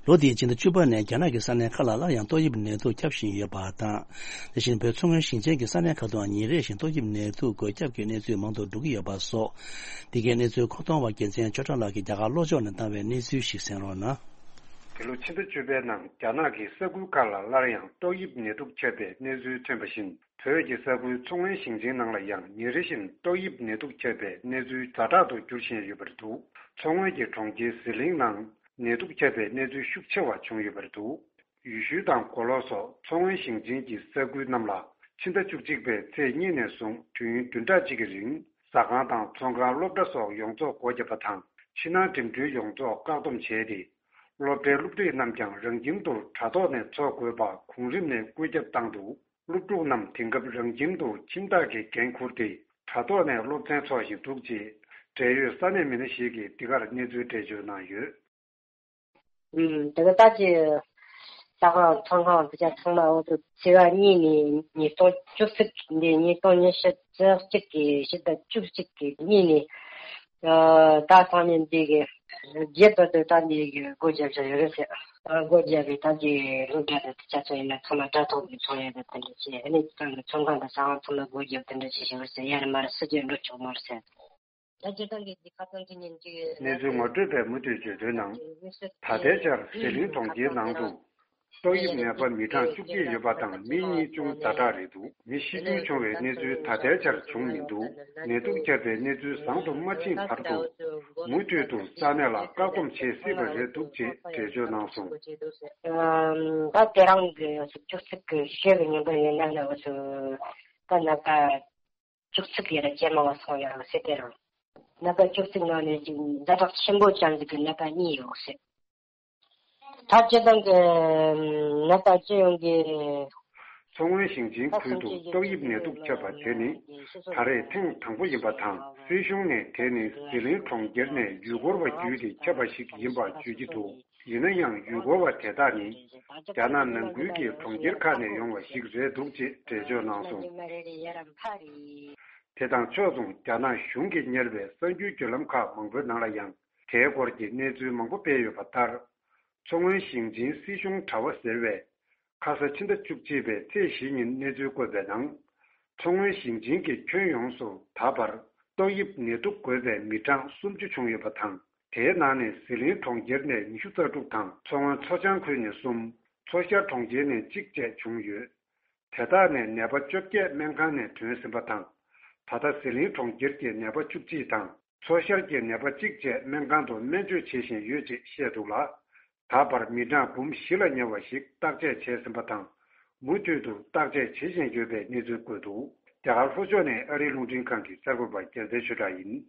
ལོ་འདིའི་ཕྱི་ཟླ་བཅུ་པ་ནས་རྒྱ་ནག་གི་ས་གནས་ཁག་ལ་སླར་ཡང་ཏོག་དབྱིབས་ནད་དུག་ཁྱབ་བཞིན་ཡོད་པ་དང་། དེ་བཞིན་བོད་མཚོ་སྔོན་ཞིང་ཆེན་གྱི་ས་གནས་ཁག་ཏུའང་ཉིན་རེ་བཞིན་ཏོག་དབྱིབས་ནད་དུག་འགོས་ཁྱབ་ཀྱི་གནས་ཚུལ་མང་དུ་འགྲོ་གི་ཡོད་པ་སོགས། འདི་གའི་གནས་ཚུལ་མཁོ་གཏོང་བ་རྒྱལ་མཚན་ཆོས་གྲགས་ལགས་ཀྱིས་རྒྱ་གར་ལྷོ་ཕྱོགས་ནས་བཏང་བའི་གནས་ཚུལ་ཞིག་གསན་རོགས་གནང་། འདི་ལོ་ཕྱི་ཟླ་བཅུ་པའི་ནང་རྒྱ་ནག་གི་ས་ཁུལ་ཁག་ལ་སླར་ཡང་ཏོག་དབྱིབས་ནད་དུག་ཁྱབ་པའི་གནས་ཚུལ་ཐོན་པ་བཞིན། བོད་ཀྱི་ས་ཁུལ་མཚོ་སྔོན་ཞིང་ཆེན་ནང་ལ་ཡང་ཉིན་རེ་བཞིན་ཏོག་དབྱིབས་ནད་དུག་ཁྱབ་པའི་གནས་ཚུལ་ཛ་དྲག་ཏུ་འགྱུར་བཞིན་ཡོད་པ་རེད་འདུག་མཚོ་སྔོན་གྱི་གྲོང་ཁྱེར་ཟི་ལིང་ནང་ནད་དུག་ཁྱབ་པའི་གནས་ཚུལ་ཤུགས་ཆེ་བ་བྱུང་ཡོད་པ་རེད་འདུག་ཡུལ་ཤུལ་དང་མགོ་ལོག་སོགས་མཚོ་སྔོན་ཞིང་ཆེན་གྱི་ས་ཁུལ་རྣམས་ལ་ཕྱི་ཟླ་བཅུ་གཅིག་པའི་ཚེས་གཉིས་ནས་བཟུང་དུས་ཡུན་བདུན་ཕྲག་གཅིག་གི་རིང་ཟ་ཁང་དང་ཚོང་ཁང་སློབ་གྲྭ་སོགས་ཡོངས་རྫོགས་སྒོ་བརྒྱབ་པ་དང་ཕྱི་ནང་འགྲིམ་འགྲུལ་ཡོངས་རྫོགས་བཀག་སྡོམ་བྱས་ཏེ། སློབ་གྲྭའི་སློབ་ཁྲིད་རྣམས་ཀྱང་རང་ཁྱིམ་དུ་དྲ་ཐོག་ནས་འཚོགས་དགོས་པ་གོང་རིམ་ནས་བཀོད་ཁྱབ་བཏང་འདུག་སློབ་ཕྲུག་རྣམས་དེང་སྐབས་རང་ཁྱིམ་དུ་ཁྱིམ་བདག་གིས་འགན་འཁུར་ཏེ་དྲ་ཐོག་ནས་སློབ་ཚན་འཚོགས་བཞིན་འདུག་ཅེས་འབྲེལ་ཡོད་ས་གནས་མི་སྣ་ཞིག་གིས་འདི་གར་གནས་ཚུལ་འགྲེལ་བརྗོད་གནང་ཡོད། ཨུམ། དེ་ག་ད་ཅི། ཟ་ཁང་ཚོང་ཁང་དེ་ཚོ་ཚང་མ་འོ་དེ་ཚེས་པ་གཉིས་ནས་ཉིས་སྟོང་བཅུ་གཅིག་འདི་ཉིས་སྟོང་ཉི་ཤུ་རྩ་གཅིག་གི་ཕྱི་ཟླ་བཅུ་གཅིག་གི་གཉིས་ནས། ཨ། ད་སང་ཉིན་འདི་གི་རྗེས་བར་དུ་ད་འདི་གི་སྒོ་བརྒྱབ་བཞག་ཡོད་རེད་ཟེར། ཨ། སྒོ་བརྒྱབ་པའི་ད་འདི་སློབ་གྲྭ་དང་དེ་ཚོ་ཡིན་ན་ཚང་མ་དྲ་ཐོག་གི་ཚོང་ཡོད་པ་དེ་འདྲ་བྱས། ཨ་ནི་ཚང་གི་ཚོང་ཁང་དང་ཟ་ཁང་ཚང་མ་སྒོ་བརྒྱབ་དེ་འདྲ་བྱས་བཞག་ཡོད་རེད་ཟེར། ཡར་མར་སུ་གཅིག་འགྲོ་ཆོག་མ་རེད་ཟེར། ད་སྤྱིར་བཏང་གི་འདི་ཁ་སང་གི་ཉིན་གཅིག་གནས་ཚུལ་ངོ་སྤྲོད་པས་མུ་མཐུད་བརྗོད་དོན་ནང་། ད་ལྟའི་ཆར་ཟི་ལིང་གྲོང་ཁྱེར་ནང་དུ་ཏོག་དབྱིབས་ནད་པ་མི་གྲངས་བཅུ་གཅིག་ཡོད་པ་དང་མི་གཉིས་ཅུང་ཛ་དྲག་རེད་འདུག་མི་ཤི་སྐྱོན་བྱུང་བའི་གནས་ཚུལ་ད་ལྟའི་ཆར་བྱུང་མི་འདུག་ནད་དུག་ཁྱབ་པའི་གནས་ཚུལ་བཟང་དུ་མ་ཕྱིན་བར་དུ་མུ་མཐུད་དུ་ས་གནས་ལ་བཀག་སྡོམ་བྱེད་སྲིད་པ་རེད་འདུག་ཅེས་འགྲེལ་བརྗོད་གནང་སོང་། ད་དེ་རིང་གི་བཅུ་གཅིག་གི་ཞོགས་ཀྱི་ཉིན་པ་ཡིན་ན་ནི་ད་ནད་པ་བཅུ་གཅིག་ཡོད་རེད། ཇེ་མང་བ་སོང་ཡོད་རེད་ཟེར། དེ་རིང་ནད་པ་བཅུ་གཅིག་ནང་ནས་ཅིག་ཛ་དྲག་ཆེན་པོ་ཅན་ཟིག་གི་ནད་པ་གཉིས་ཡོད་ཟེར། ད་སྤྱིར་བཏང་གི་ནད་པ་སྤྱི་ཡོངས་ཀྱི། མཚོ་སྔོན་ཞིང་ཆེན་ཁུལ་དུ་ཏོག་དབྱིབས་ནད་དུག་ཁྱབ་པ་དེ་ནི་ད་རེས་ཐེངས་དང་པོ་ཡིན་པ་དང་། སྲིད་གཞུང་ནས་དེ་ནི་ཟི་ལིང་གྲོང་ཁྱེར་ནས་ཡུལ་སྐོར་བ་བརྒྱུད་དེ་ཁྱབ་པ་ཞིག་ཡིན་པ་བརྗོད་ཀྱི་འདུག་ཡིན་ན་ཡང་། ཡུལ་སྐོར་བ་དེ་དག་ནི་རྒྱ་ནག་ནང་ཁུལ་གྱི་གྲོང་ཁྱེར་ཁག་ནས་ཡོང་བ་ཞིག་རེད་འདུག་ཅེས་འགྲེལ་བརྗོད་གནང་སོང་། དེ་དང་ཕྱོགས་མཚུངས། རྒྱ་ནག་གཞུང་གིས་གཉེར་བའི་གསར་འགྱུར་བརྒྱུད་ལམ་ཁག་མང་པོའི་ནང་ལ་ཡང་དེའི་སྐོར་གྱི་གནས་ཚུལ་མང་པོ་སྤེལ་ཡོད་པ་ལྟར། མཚོ་སྔོན་ཞིང་ཆེན་སྲིད་གཞུང་དྲ་བ་ཟེར་བས། ཁ་ས་ཕྱི་ཟླ་བཅུ་གཅིག་པའི་ཚེས་བཞི་ཉིན་གནས་ཚུལ་བཀོད་པའི་ནང་། མཚོ་སྔོན་ཞིང་ཆེན་གྱི་ཁྱོན་ཡོངས་སུ་ད་བར་ཏོག་དབྱིབས་ནད་དུག་འགོས་པའི་མི་གྲངས་སུམ་ཅུ་བྱུང་ཡོད་པ་དང་། དེའི་ནང་ནས་ཟི་ལིང་གྲོང་ཁྱེར་ནས་ཉི་ཤུ་རྩ་དྲུག་དང་། མཚོ་སྔོན་མཚོ་བྱང་ཁུལ་ནས་གསུམ། མཚོ་ཤར་གྲོང་ཁྱེར་ནས་གཅིག་བཅས་བྱུང་ཡོད། དེ་དག་ནས་ནད་པ་བཅོ་བརྒྱད་སྨན་ཁང་ནས་ཐོན་ཟིན་པ་དང་། ད་ལྟ་ཟི་ལིང་གྲོང་ཁྱེར་གྱི་ནད་པ་བཅུ་གཅིག་དང་། མཚོ་ཤར་གྱི་ནད་པ་གཅིག་བཅས་སྨན་ཁང་དུ་སྨན་བཅོས་བྱེད་བཞིན་ཡོད་ཅེས་བཤད་འདུག་ལ། ད་བར་མི་གྲངས་འབུམ་བཞི་ལ་ཉེ་བ་ཞིག་བརྟག་དཔྱད་བྱས་ཟིན་པ་དང་། མུ་མཐུད་དུ་བརྟག་དཔྱད་བྱེད་བཞིན་ཡོད་པའི་གནས་ཚུལ་བཀོད་འདུག་རྒྱ་གར་ལྷོ་ཕྱོགས་ནས་ཨ་རིའི་རླུང་འཕྲིན་ཁང་གི་གསར་འགོད་པ་རྒྱལ་མཚན་ཆོས་གྲགས་ཡིན།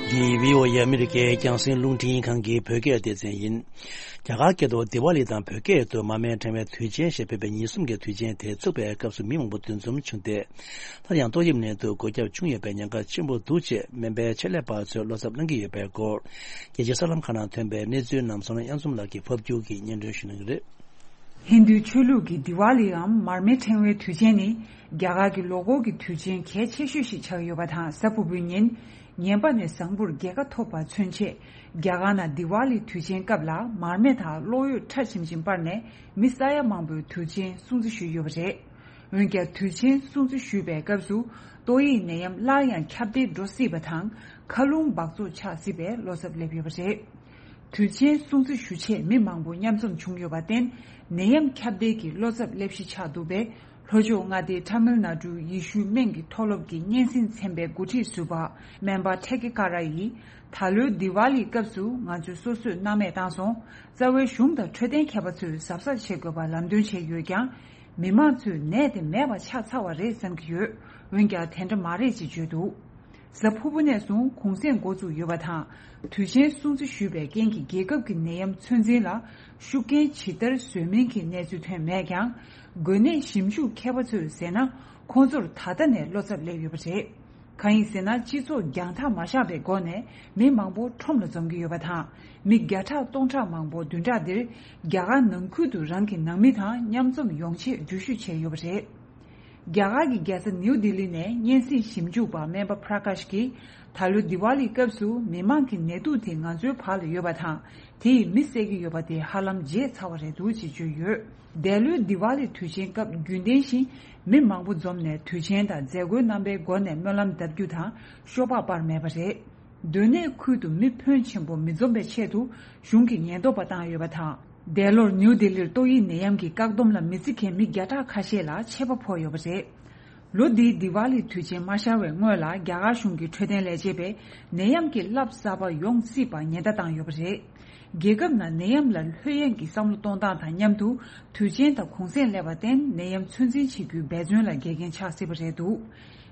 འདི་བྷི་ཨོ་ཨེ་ཨ་མི་རི་ཀའི་རྒྱང་སྲིང་རླུང་འཕྲིན་ཁང་གི་བོད་སྐད་སྡེ་ཚན་ཡིན། རྒྱ་གར་སྐད་དུ་དི་ཝཱ་ལི་དང་བོད་སྐད་དུ་མར་མེ་ཕྲེང་བའི་དུས་ཆེན་ཞེས་འབོད་པའི་ཉིན་གསུམ་གྱི་དུས་ཆེན་དེ་ཚུགས་པའི་སྐབས་སུ་མི་མང་པོ་འདུ་འཛོམས་བྱུང་སྟེ། སླར་ཡང་ཏོག་དབྱིབས་ནད་དུག་འགོས་ཁྱབ་བྱུང་ཡོད་པའི་ཉེན་ཁ་ཆེན་པོ་འདུག་ཅེས་སྨན་པའི་ཆེད་ལས་པ་ཚོས་བློ་འཚབ་གནང་གི་ཡོད་པའི་སྐོར། རྒྱལ་སྤྱིའི་གསར་ལམ་ཁག་ནང་ཐོན་པའི་གནས་ཚུལ་རྣམས་བསོད་ནམས་དབྱངས་འཛོམས་ལགས་ཀྱིས་ཕབ་སྒྱུར་གྱིས་སྙན་སྒྲོན་ཞུ་གནང་གི་རེད། ཧིན་རྡུའི་ཆོས་ལུགས་ཀྱི་དི་ཝཱ་ལི་འམ་མར་མེ་ཕྲེང་བའི་དུས་ཆེན་ནི། རྒྱ་གར་གྱི་ལོ་འཁོར་གྱི་དུས་ཆེན་གལ་ཆེ་ཤོས་ཤིག་ཆགས་ཡོད་པ་དང་། གཟའ་ཕུར་བུའི་ཉིན། ངན་པ་ནས་བཟང་པོར་རྒྱལ་ཁ་ཐོབ་པ་མཚོན་ཆེད། རྒྱ་གར་ནང་དི་ཝཱ་ལི་དུས་ཆེན་སྐབས་ལ་མར་མེ་དང་གློག་འོད་ཁྲ་ཆིམ་ཆིམ་སྤར་ནས་མི་ས་ཡ་མང་པོས་དུས་ཆེན་སྲུང་བརྩི་ཞུས་ཡོད་པ་རེད། འོན་ཀྱང་། དུས་ཆེན་སྲུང་བརྩི་ཞུས་པའི་སྐབས་སུ་ཏོག་དབྱིབས་ནད་ཡམས་སླར་ཡང་ཁྱབ་གདལ་འགྲོ་སྲིད་པ་དང་། མཁའ་རླུང་འབག་བཙོག་ཆགས་སྲིད་པའི་བློ་འཚབ་སླེབས་ཡོད་པ་རེད། དུས་ཆེན་སྲུང་བརྩི་ཞུ་ཆེད་མི་མང་པོ་མཉམ་འཛོམས་བྱུང་ཡོད་པར་བརྟེན། ནད་ཡམས་ཁྱབ་གདལ་གྱི་བློ་འཚབ་སླེབས་གཞི་ཆགས་འདུག་པས། ལྷོ་ཕྱོགས་མངའ་སྡེ་ཐ་མིལ་ནཱ་ཌུའི་ཡེ་ཤུའི་སྨན་གྱི་མཐོ་སློབ་ཀྱི་སྙན་སེང་ཚན་པའི་འགོ་ཁྲིད་ཟུར་པ་སྨན་པ་ཐེ་ཀེ་ཀ་ར་ཡིས། ད་ལོའི་དི་ཝཱ་ལིའི་སྐབས་སུ་ང་ཚོས་སོ་སོས་སྣང་མེད་བཏང་སོང་། རྩ་བའི་གཞུང་དང་འཕྲོད་བསྟེན་མཁས་པ་ཚོས་གཟབ་གཟབ་བྱེད་དགོས་པ་ལམ་སྟོན་བྱས་ཡོད་ཀྱང་། མི་མང་ཚོས་ནད་དེ་མེད་པ་ཆགས་ཚར་བ་རེད་བསམ་གྱི་ཡོད། འོན་ཀྱང་དེ་འདྲ་མ་རེད་ཅེས་བརྗོད་འདུག་གཟའ་ཕུར་བུ་ནས་བཟུང་གུང་གསེང་འགོ་བཙུགས་ཡོད་པ་དང་། དུས་ཆེན་སྲུང་བརྩི་ཞུས་པའི་རྐྱེན་གྱིས་རྒྱལ་ཁབ་ཀྱི་ནད་ཡམས་ཚོད་འཛིན་ལ་ཤུགས་རྐྱེན་ཇི་ལྟར་བཟོས་མིན་གྱི་གནས་ཚུལ་ཐོན་མེད་ཀྱང་། འགོས་ནད་ཞིབ་འཇུག་མཁས་པ་ཚོས་ཟེར་ན། ཁོང་ཚོར་ད་ལྟ་ནས་བློ་འཚབ་སླེབས་ཡོད་པ་རེད། གང་ཡིན་ཟེར་ན། སྤྱི་ཚོགས་རྒྱང་ཐག་མ་བཞག་པའི་སྒོ་ནས་མི་མང་པོ་ཁྲོམ་ལ་འཛོམས་ཀྱི་ཡོད་པ་དང་། མི་བརྒྱ་ཕྲག་སྟོང་ཕྲག་མང་པོ་བདུན་ཕྲག་འདིར་རྒྱ་གར་ནང་ཁུལ་དུ་རང་གི་ནང་མི་དང་མཉམ་འཛོམས་ཡོང་ཆེད་འགྲུལ་བཞུད་བྱས་ཡོད་པ་རེད། རྒྱ་གར་གྱི་རྒྱལ་ས་ནིའུ་ལྡི་ལི་ནས་སྙན་སེང་ཞིབ་འཇུག་པ་སྨན་པ་པྲ་ཀཱཤ་གིས། ད་ལོའི་དི་ཝཱ་ལིའི་སྐབས་སུ་མི་མང་གི་ནད་དུག་དེ་ང་ཚོའི་བར་ལ་ཡོད་པ་དང་། དེ་ཡིས་མི་བསད་ཀྱི་ཡོད་པ་དེ་ཧ་ལམ་བརྗེད་ཚར་བ་རེད་འདུག་ཅེས་བརྗོད་ཡོད། འདས་ལོའི་དི་ཝཱ་ལིའི་དུས་ཆེན་སྐབས་རྒྱུན་ལྡན་བཞིན་མི་མང་པོ་འཛོམས་ནས་དུས་ཆེན་དང་མཛད་སྒོའི་རྣམ་པའི་སྒོ་ནས་སྨོན་ལམ་བཏབ་རྒྱུ་དང་ཤོག་སྦག་སྤར་མེད་པ་རེད། སྡོད་གནས་ཁུལ་དུ་མི་ཕོན་ཆེན་པོ་མི་འཛོམས་པའི་ཆེད་དུ་གཞུང་གིས་ཉེན་རྟོག་པ་བཏང་ཡོད་པ་དང་། འདས་ལོར་ནིའུ་ལྡི་ལིར་ཏོག་དབྱིབས་ནད་ཡམས་ཀྱི་བཀག་སྡོམ་ལ་མི་བརྩི་མཁན་མི་བརྒྱ་ཕྲག་ཁ་ཤས་ལ་ཆད་པ་ཕོག་ཡོད་པ་རེད། ལོ་འདིའི་དི་ཝཱ་ལིའི་དུས་ཆེན་མ་ཤར་བའི་སྔོན་ལ་རྒྱ་གར་གཞུང་གི་འཕྲོད་བསྟེན་ལས་བྱེད་པས་ནད་ཡམས་ཀྱི་རླབས་གསར་པ་ཡོང་སྲིད་པ་ཉེན་བརྡ་བཏང་ཡོད་པ་རེད། རྒྱལ་ཁབ་ནང་ནད་ཡམས་ལ་ལྷོད་གཡེང་གི་བསམ་བློ་གཏོང་སྟངས་དང་མཉམ་དུ་དུས་ཆེན་དང་གུང་གསེང་སླེབས་པར་བརྟེན་ནད་ཡམས་ཚོད་འཛིན་བྱེད་རྒྱུའི་འབད་བརྩོན་ལ་འགལ་རྐྱེན་ཆགས་སྲིད་པ་རེད་འདུག་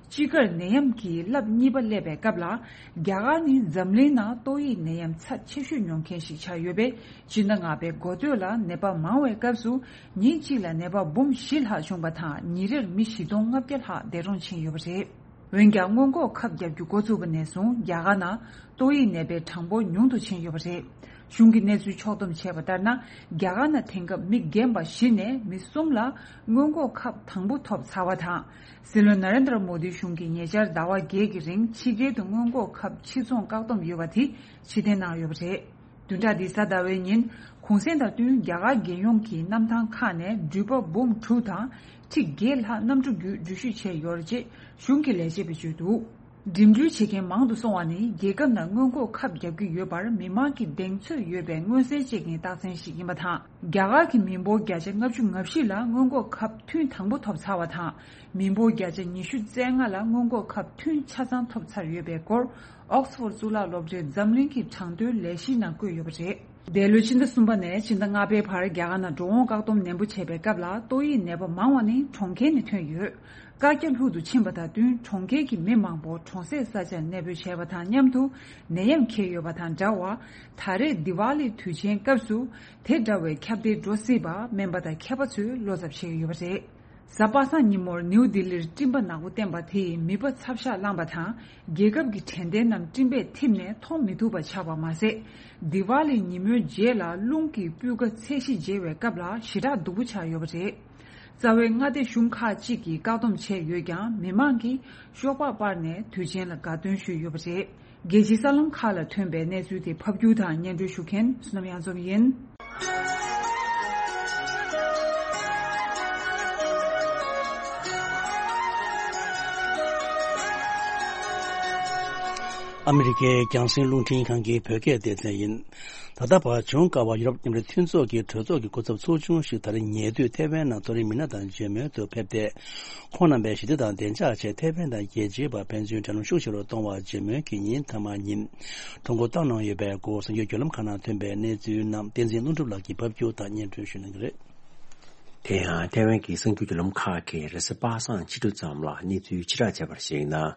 དཔྱིད་ཀར་ནད་ཡམས་ཀྱི་རླབས་གཉིས་པ་སླེབས་པའི་སྐབས་ལ། རྒྱ་གར་ནི་འཛམ་གླིང་ནང་ཏོག་དབྱིབས་ནད་ཡམས་ཚབས་ཆེ་ཤོས་མྱོང་མཁན་ཞིག་ཆགས་ཡོད་པས། སྤྱི་ཟླ་ལྔ་པའི་འགོ་སྟོད་ལ་ནད་པ་མང་བའི་སྐབས་སུ། ཉིན་གཅིག་ལ་ནད་པ་འབུམ་བཞི་ལྷག་བྱུང་བ་དང་། ཉིན་རེར་མི་བཞི་སྟོང་ལྔ་བརྒྱ་ལྷག་འདས་གྲོངས་ཕྱིན་ཡོད་པ་རེད། འོན་ཀྱང་། སྔོན་འགོག་ཁབ་བརྒྱབ་རྒྱུ་འགོ་ཚུགས་པ་ནས་བཟུང་རྒྱ་གར་ནང་ཏོག་དབྱིབས་ནད་པའི་གྲངས་འབོར་ཉུང་དུ་ཕྱིན་ཡོད་པ་རེད། གཞུང་གི་གནས་ཚུལ་ཕྱོགས་བསྡོམས་བྱས་པ་ལྟར་ན། རྒྱ་གར་ནང་དེང་སྐབས་མི་རྒན་པ་བཞི་ནས་མི་གསུམ་ལ་སྔོན་འགོག་ཁབ་དང་པོ་ཐོབ་ཚར་བ་དང་། སྲིད་བློན་ན་རེན་དྲ་མོ་དིའི་གཞུང་གིས་ཉེ་ཆར་ཟླ་བ་བརྒྱད་ཀྱི་རིང་ཕྱི་རྒྱལ་དུ་སྔོན་འགོག་ཁབ་ཕྱིར་ཚོང་བཀག་སྡོམ་ཡོད་པ་དེ་ཕྱིར་འཐེན་གནང་ཡོད་པ་རེད། བདུན་ཕྲག་འདིའི་གཟའ་ཟླ་བའི་ཉིན་གུང་གསེང་དང་བསྟུན་རྒྱ་གར་རྒྱལ་ཡོངས་ཀྱི་གནམ་ཐང་ཁག་ནས་འགྲུལ་པ་འབུམ་དྲུག་དང་ཁྲི་བརྒྱད་ལྷག་གནམ་གྲུ་བརྒྱུད་འགྲུལ་བཞུད་བྱས་ཡོད་རེད་ཅེས་གཞུང་གི་ལས་བྱེད་པས་བརྗོད་འདུག་འགྲིམ་འགྲུལ་བྱེད་མཁན་མང་དུ་སོང་བ་ནི་རྒྱལ་ཁབ་ནང་སྔོན་འགོག་ཁབ་བརྒྱབ་ཀྱི་ཡོད་པར་མི་མང་གིས་གདེང་ཚོད་ཡོད་པའི་མངོན་གསལ་བྱེད་མཁན་རྟགས་མཚན་ཞིག་ཡིན་པ་དང་། རྒྱ་གར་གྱི་མི་འབོར་བརྒྱ་ཆ་ལྔ་བཅུ་ང་བཞི་ལ་སྔོན་འགོག་ཁབ་ཐུན་དང་པོ་ཐོབ་ཚར་བ་དང་། མི་འབོར་བརྒྱ་ཆ་ཉི་ཤུ་རྩ་ལྔ་ལ་སྔོན་འགོག་ཁབ་ཐུན་ཆ་ཚང་ཐོབ་ཚར་ཡོད་པའི་སྐོར་ཨོག་སི་ཕོར་གཙུག་ལག་སློབ་གྲྭའི་འཛམ་གླིང་གི་གྲངས་ཐོའི་ལས་གཞིའི་ནང་བཀོད་ཡོད་པ་རེད། འདས་ལོའི་ཕྱི་ཟླ་གསུམ་པ་ནས་ཕྱི་ཟླ་ལྔ་པའི་བར་རྒྱ་གར་ནང་འགྲོ་འོང་བཀག་སྡོམ་ནན་པོ་བྱས་པའི་སྐབས་ལ་ཏོག་དབྱིབས་ནད་པ་མང་བ་ནི་གྲོང་ཁྱེར་ནས་ཐོན་ཡོད། བཀའ་རྒྱ་ལྷུག་ཏུ་ཕྱིན་པ་དང་བསྟུན། གྲོང་ཁྱེར་གྱི་མི་མང་པོ་གྲོང་གསེབ་ས་ཆར་གནས་སྤོས་བྱས་པ་དང་མཉམ་དུ་ནད་ཡམས་ཁེལ་ཡོད་པ་དང་འདྲ་བར། ད་རེས་དི་ཝཱ་ལི་དུས་ཆེན་སྐབས་སུ་དེ་འདྲ་བའི་ཁྱབ་གདལ་འགྲོ་སྲིད་པ་སྨན་པ་དང་མཁས་པ་ཚོས་བློ་འཚབ་བྱེད་ཀྱི་ཡོད་པ་རེད། གཟའ་པ་སངས་ཉིན་མོར་ནིའུ་ལྡི་ལིར་སྤྲིན་པ་ནག་པོ་བསྟན་པ་དེས་མི་པ་ཚབ་ཤག་བསླངས་པ་དང་། རྒྱལ་ཁབ་ཀྱི་དྲན་རྟེན་རྣམས་སྤྲིན་པས་འཐིབས་ནས་མཐོང་མི་ཐུབ་པ་ཆགས་པ་མ་ཟད། དི་ཝཱ་ལི་ཉིན་མོའི་རྗེས་ལ་རླུང་གིས་སྤུས་ཀ་ཚད་གཞི་འཇལ་བའི་སྐབས་ལ་ཞེ་དྲག་སྡུག་པོ་ཆགས་ཡོད་པ་རེད། རྩ་བའི་མངའ་སྡེ་གཞུང་ཁག་ཅིག་གིས་བཀག་སྡོམ་བྱས་ཡོད་ཀྱང་། མི་མང་གིས་ཤོག་སྦག་སྤར་ནས་དུས་ཆེན་ལ་དགའ་སྟོན་ཞུས་ཡོད་པ་རེད། རྒྱལ་སྤྱིའི་གསར་ལམ་ཁག་ལ་ཐོན་པའི་གནས་ཚུལ་དེ་ཕབ་སྒྱུར་དང་སྙན་སྒྲོན་ཞུ་མཁན་བསོད་ནམས་གཡང་འཛོམས་ཡིན། ཨ་མི་རི་ཀའི་རྒྱང་སྲིང་རླུང་འཕྲིན་ཁང་གི་བོད་སྐད་སྡེ་ཚན་ཡིན། ད་ལྟ་བར་བྱུང་དཀའ་བ་ཡུ་རོབ་མཉམ་འབྲེལ་མཐུན་ཚོགས་ཀྱི་གྲོས་ཚོགས་ཀྱི་སྐུ་ཚབ་ཚོགས་ཆུང་ཞིག་ད་རེས་ཉེ་དུས་ཐེ་ཝན་ནང་མཐོ་རིམ་མི་སྣ་དང་མཇལ་མོལ་དུ་ཕེབས་ཏེ། ཁོང་རྣམ་པས་ཞི་བདེ་དང་བདེ་འཇགས་ཆེད་ཐེ་ཝན་དང་རྒྱལ་སྤྱིའི་བར་ཕན་ཚུན་འབྲེལ་ལམ་ཤུགས་ཆེ་རུ་གཏོང་བར་མཇལ་མོལ་གྱི་ཉིན་མཐའ་མ་ཉིན། ཐོ་འགོད་བཏང་གནང་ཡོད་པའི་སྐོར་གསར་འགྱུར་བརྒྱུད་ལམ་ཁག་ནང་ཐོན་པའི་གནས་ཚུལ་རྣམས་བསྟན་འཛིན་ལྷུན་གྲུབ་ལགས་ཀྱིས་ཕབ་སྒྱུར་དང་སྙན་སྒྲོན་ཞུ་གནང་གི་རེད། དེ་ཡང་ཐེ་ཝན་གྱི་གསར་འགྱུར་བརྒྱུད་ལམ་ཁག་གིས་རེས་གཟའ་པ་སངས་ཕྱི་དྲོ་ཙམ་ལ་གནས་ཚུལ་ཕྱིར་བསྒྲགས་བྱས་པར་གཞིགས་ན།